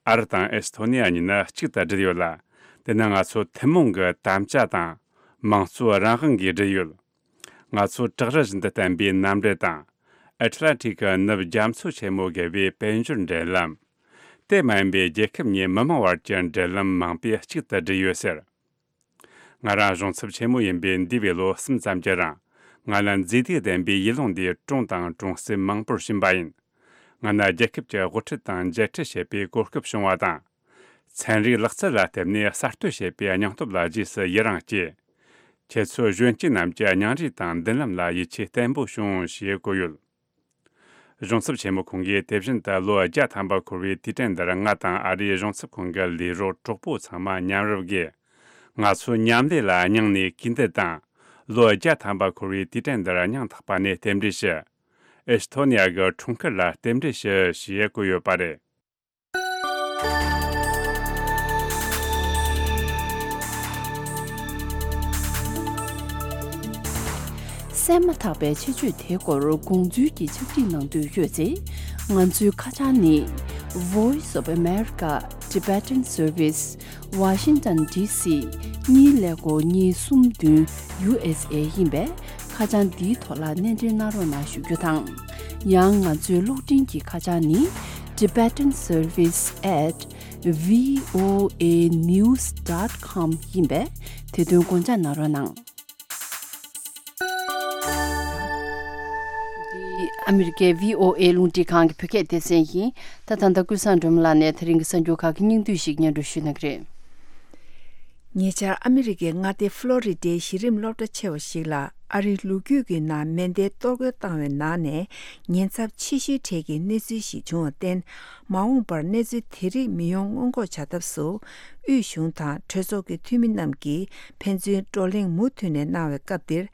ཨ་རི་དང་ཨེ་སི་ཐོ་ནི་ཡ་གཉིས་ནི་གཅིག་ཏུ་སྦྲེལ་ཡོད་ལ། དེ་ནི་ང་ཚོ་ཐུན་མོང་གི་དམ་བཅའ་དང་། དམངས་གཙོའི་རང་དབང་གིས་སྦྲེལ་ཡོད། ང་ཚོ་བྲག་རི་བཞིན་དུ་བརྟན་པའི་མནའ་འབྲེལ་དང་། ཨེ་ཊ་ལན་ཊིག་གི་ནུབ་རྒྱ་མཚོ་ཆེན་མོ་བརྒལ་བའི་དཔལ་འབྱོར་འབྲེལ་ལམ། དེ་མ་ཡིན་པའི་རྒྱལ་ཁབ་གཉིས་མི་མང་བར་གྱི་འབྲེལ་ལམ་མང་པོས་གཅིག་ཏུ་སྦྲེལ་ཡོད་ཟེར། ང་རང་གཞུང་ཚབ་ཆེན་མོ་ཡིན་པའི་འདས་པའི་ལོ་གསུམ་ཙམ་གྱི་རིང་། ང་ལ་མཛེས་སྡུག་ལྡན་པའི་ཡུལ་ལུང་འདིའི་གྲོང་དང་གྲོང་གསེབ་མང་པོར་ཕྱིན་པ་ཡིན། ང་ནི་རྒྱལ་ཁབ་ཀྱི་དབུ་ཁྲིད་དང་མཇལ་འཕྲད་བྱེད་པའི་གོ་སྐབས་བྱུང་བ་དང་། ཚན་རིག་ལག་རྩལ་ལ་བརྟེན་ནས་གསར་གཏོད་བྱེད་པའི་སྙིང་སྟོབས་ལ་རྗེས་སུ་ཡི་རང་སྐྱེས། ཁྱེད་ཚོ་གཞོན་སྐྱེས་རྣམས་ཀྱི་སྙིང་རུས་དང་མདུན་ལམ་ལ་ཡིད་ཆེས་བརྟན་པོ་བྱུང་ཞེས་བཀོད་ཡོད། གཞུང་ཚབ་ཆེན་མོ་ཁོང་གིས་དེ་བཞིན་དུ་ལོ་བརྒྱ་ཐམ་པ་འཁོར་བའི་དུས་དྲན་འདིར་ང་དང་ཨ་རིའི་གཞུང་ཚབ་ཁང་གི་ལས་རོགས་གྲོགས་པོ་ཚང་མ་མཉམ་རུབ་ཀྱིས། ང་ཚོའི་མཉམ་ལས་ལ་སྙིང་ནས་གུས་འདུད་དང་། ལོ་བརྒྱ་ཐམ་པ་འཁོར་བའི་དུས་དྲན་འདིར་སྙིང་ཐག་པ་ནས་རྟེན་འབྲེལ་ཞུ། ཨེ་སི་ཐོ་ནི་ཡ་གི་འཁྲུངས་སྐར་ལ་རྟེན་འབྲེལ་ཞུ་ཞེས་བཀོད་ཡོད་པ་རེད། གསན་མ་ཐག་པའི་ཆེད་བརྗོད་དེའི་སྐོར་དགོངས་ཚུལ་གྱི་ཕྱག་བྲིས་གནང་འདོད་ཡོད་ཚེ། ང་ཚོའི་ཁ་བྱང་ནི། Voice of America Tibetan Service Washington D C གཉིས་ཀླད་ཀོར་གཉིས་གསུམ་བདུན་U S A ཡིན་པས། ཁ་བྱང་འདིའི་ཐོག་ལ་གནས་འབྲེལ་གནང་རོགས་གནང་ཞུ་རྒྱུ་དང་། ཡང་ང་ཚོའི་གློག་འཕྲིན་གྱི་ཁ་བྱང་ནི། Tibetan Service at V O A news dot com ཡིན་པས། དེ་དོན་དགོངས་འཇགས་གནང་རོགས་གནང་། འདི་ཨ་མི་རི་ཀའི་V O A རླུང་འཕྲིན་ཁང་གི་བོད་སྐད་སྡེ་ཚན་ཡིན། ད་ད་ལྟ་ཀུན་བཟང་སྒྲོལ་མ་ལགས་ནས་དེ་རིང་གི་གསར་འགྱུར་ཁག་གི་སྙིང་བསྡུས་ཤིག་སྙན་སྒྲོན་ཞུ་གནང་གི་རེད། ཉེ་ཆར་ཨ་མི་རི་ཀའི་མངའ་སྡེ་ཧྥ་ལོ་རི་ཌའི་གཞི་རིམ་སློབ་གྲྭ་ཆེ་བ་ཞིག་ལ་ཨ་རིའི་ལོ་རྒྱུས་ཀྱི་ནང་མེ་མདའི་གཏོར་རྒོལ་བཏང་བའི་ནང་ནས་ཉེན་ཚབས་ཆེ་ཤོས་གྲས་ཀྱི་གནས་ཚུལ་ཞིག་བྱུང་བར་བརྟེན། མ་འོངས་པར་གནས་ཚུལ་དེ་རིགས་མི་ཡོང་སྔོན་འགོག་བྱ་ཐབས་སུ། དབུས་གཞུང་དང་གྲོས་ཚོགས་ཀྱི་འཐུས་མི་རྣམས་ཀྱིས་ཕན་ཚུན་བགྲོ་གླེང་མུ་མཐུད་ནས་གནང་བའི་སྐབས་འདིར།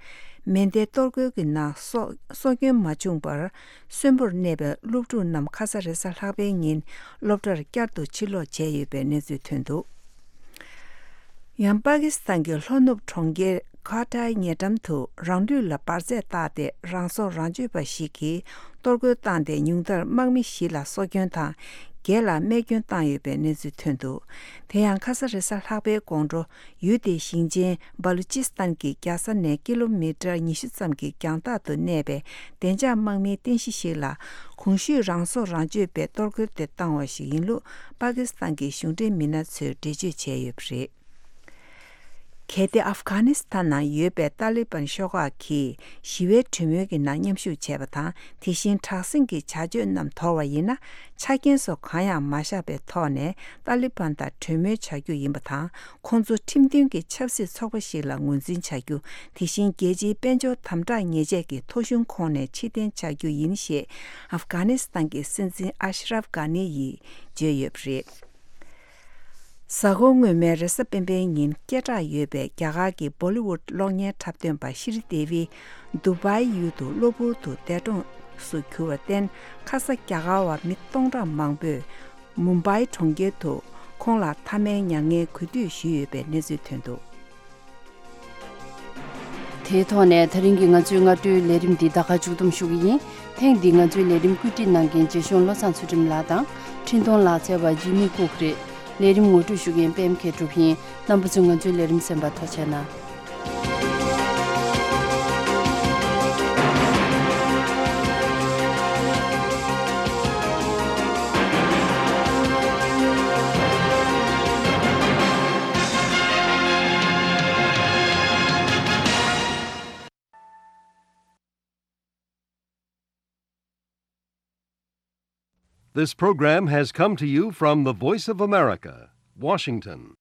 མེ་མདའི་གཏོར་རྒོལ་གྱི་ནང་སྲོག་སྲོག་སྐྱོན་མ་བྱུང་བར། གསོན་པོར་གནས་པའི་སློབ་ཕྲུག་རྣམས་ཁ་ས་རེས་གཟའ་ལྷག་པའི་ཉིན་སློབ་གྲྭར་བསྐྱར་དུ་ཕྱིར་ལོག་བྱས་ཡོད་པའི་གནས་ཚུལ་ཐོན་འདུག་ཡང་པ་ཀི་སི་ཐན་གྱི་ལྷོ་ནུབ་གྲོང་ཁྱེར་ཁ་ཏའི་ཉེ་འགྲམ་དུ་རང་ལུས་ལ་འབར་རྫས་བཏགས་ཏེ་རང་སྲོག་རང་གཅོད་པ་ཞིག་གིས་གཏོར་རྒོལ་བཏང་སྟེ་ཉུང་མཐར་དམག་མི་བཞི་ལ་སྲོག་སྐྱོན་དང་བརྒྱད་ལ་རྨས་སྐྱོན་བཏང་ཡོད་པའི་གནས་ཚུལ་ཐོན་འདུག་དེ་ཡང་ཁ་ས་རེས་གཟའ་ལྷག་པའི་དགོང་དྲོ། ཡུལ་དེའི་ཞིང་ཆེན་སྦ་ལུ་ཅི་སི་ཐན་གྱི་རྒྱལ་ས་ནས་ཀི་ལོ་མི་ཊར་ཉི་ཤུ་ཙམ་གྱི་རྒྱང་ཐག་ཏུ་གནས་པའི་བདེ་འཇགས་དམག་མིའི་རྟེན་གཞི་ཞིག་ལ་གོང་ཞུས་རང་སྲོག་རང་གཅོད་པས་གཏོར་རྒོལ་དེ་བཏང་བ་ཞིག་ཡིན་ལུགས་པ་ཀི་སི་ཐན་གྱི་གཞུང་འབྲེལ་མི་སྣ་ཚོས་འགྲེལ་བརྗོད་བྱས་ཡོད་པ་རེད། གལ་ཏེ་ཨབ་གྷ་ནི་སི་ཐན་ནང་ཡོད་པའི་ཏཱ་ལི་བན་ཤོག་ཁག་གིས་ཞི་བའི་གྲོས་མོལ་གྱི་ནང་མཉམ་ཞུགས་བྱས་པ་དང་། དེ་བཞིན་དྲག་ཟིང་གི་བྱ་སྤྱོད་རྣམས་དོར་བ་ཡིན་ན། ཆ་རྐྱེན་སོགས་གང་ཡང་མ་བཞག་པའི་ཐོག་ནས་ཏཱ་ལི་བན་དང་གྲོས་མོལ་བྱ་རྒྱུ་ཡིན་པ་དང་། ཁོང་ཚོ་ཁྲིམས་མཐུན་གྱི་ཆབ་སྲིད་ཚོགས་པ་ཞིག་ལ་ངོས་འཛིན་བྱ་རྒྱུ། དེ་བཞིན་རྒྱལ་སྤྱིའི་དཔལ་འབྱོར་དམ་དྲག་ཉེས་ཆད་ཀྱི་ཐོ་གཞུང་ཁོངས་ནས་ཕྱིར་འཐེན་བྱ་རྒྱུ་ཡིན་ཞེས་ཨབ་གྷ་ནི་སི་ཐན་གྱི་སྲིད་འཛིན་ཨ་ཤ་རབ་གྷ་ནི་ཡིས་བརྗོད་ཡོད་པ་རེད། གཟའ་འཁོར་སྔོན་མའི་རེས་གཟའ་སྤེན་པའི་ཉིན་སྐད་གྲགས་ཡོད་པའི་རྒྱ་གར་གྱི་བོ་ལི་ཝུཌ་གློག་བརྙན་འཁྲབ་སྟོན་པ་ཤི་རི་དེ་ཝི་དུ་བྷའི་ཡུལ་དུ་གློ་བུར་དུ་འདས་གྲོངས་སུ་གྱུར་བར་བརྟེན། ཁ་ས་རྒྱ་གར་བ་མི་སྟོང་ཕྲག་མང་པོས་མུམ་བྷའི་གྲོང་ཁྱེར་དུ་ཁོང་ལ་མཐའ་མའི་མྱ་ངན་གུས་འདུད་ཞུས་ཡོད་པའི་གནས་ཚུལ་ཐོན་འདུག་དེའི་ཐོག་ནས་ད་རིང་གི་ང་ཚོའི་སྔ་དྲོའི་ལས་རིམ་འདི་ད་ག་མཇུག་བསྡོམས་ཞུ་གི་ཡིན། ཐེངས་འདིའི་ང་ཚོའི་ལས་རིམ་བཀོད་སྒྲིག་གནང་མཁན་རྗེ་གཞུང་བློ་བཟང་ཚུལ་ཁྲིམས་ལགས་དང་། འཕྲིན་གཏོང་ལག་རྩལ་བ་ཇི་མི་ཀུག་རེད། ལས་རིམ་ངོ་སྤྲོད་ཞུ་མཁན་པད་མ་མཁས་གྲུབ་ཡིན། རྣམ་པ་ཚོས་ང་ཚོའི་ལས་རིམ་གསན་པར་ཐུགས་རྗེ་གནང་། This program has come to you from the Voice of America, Washington.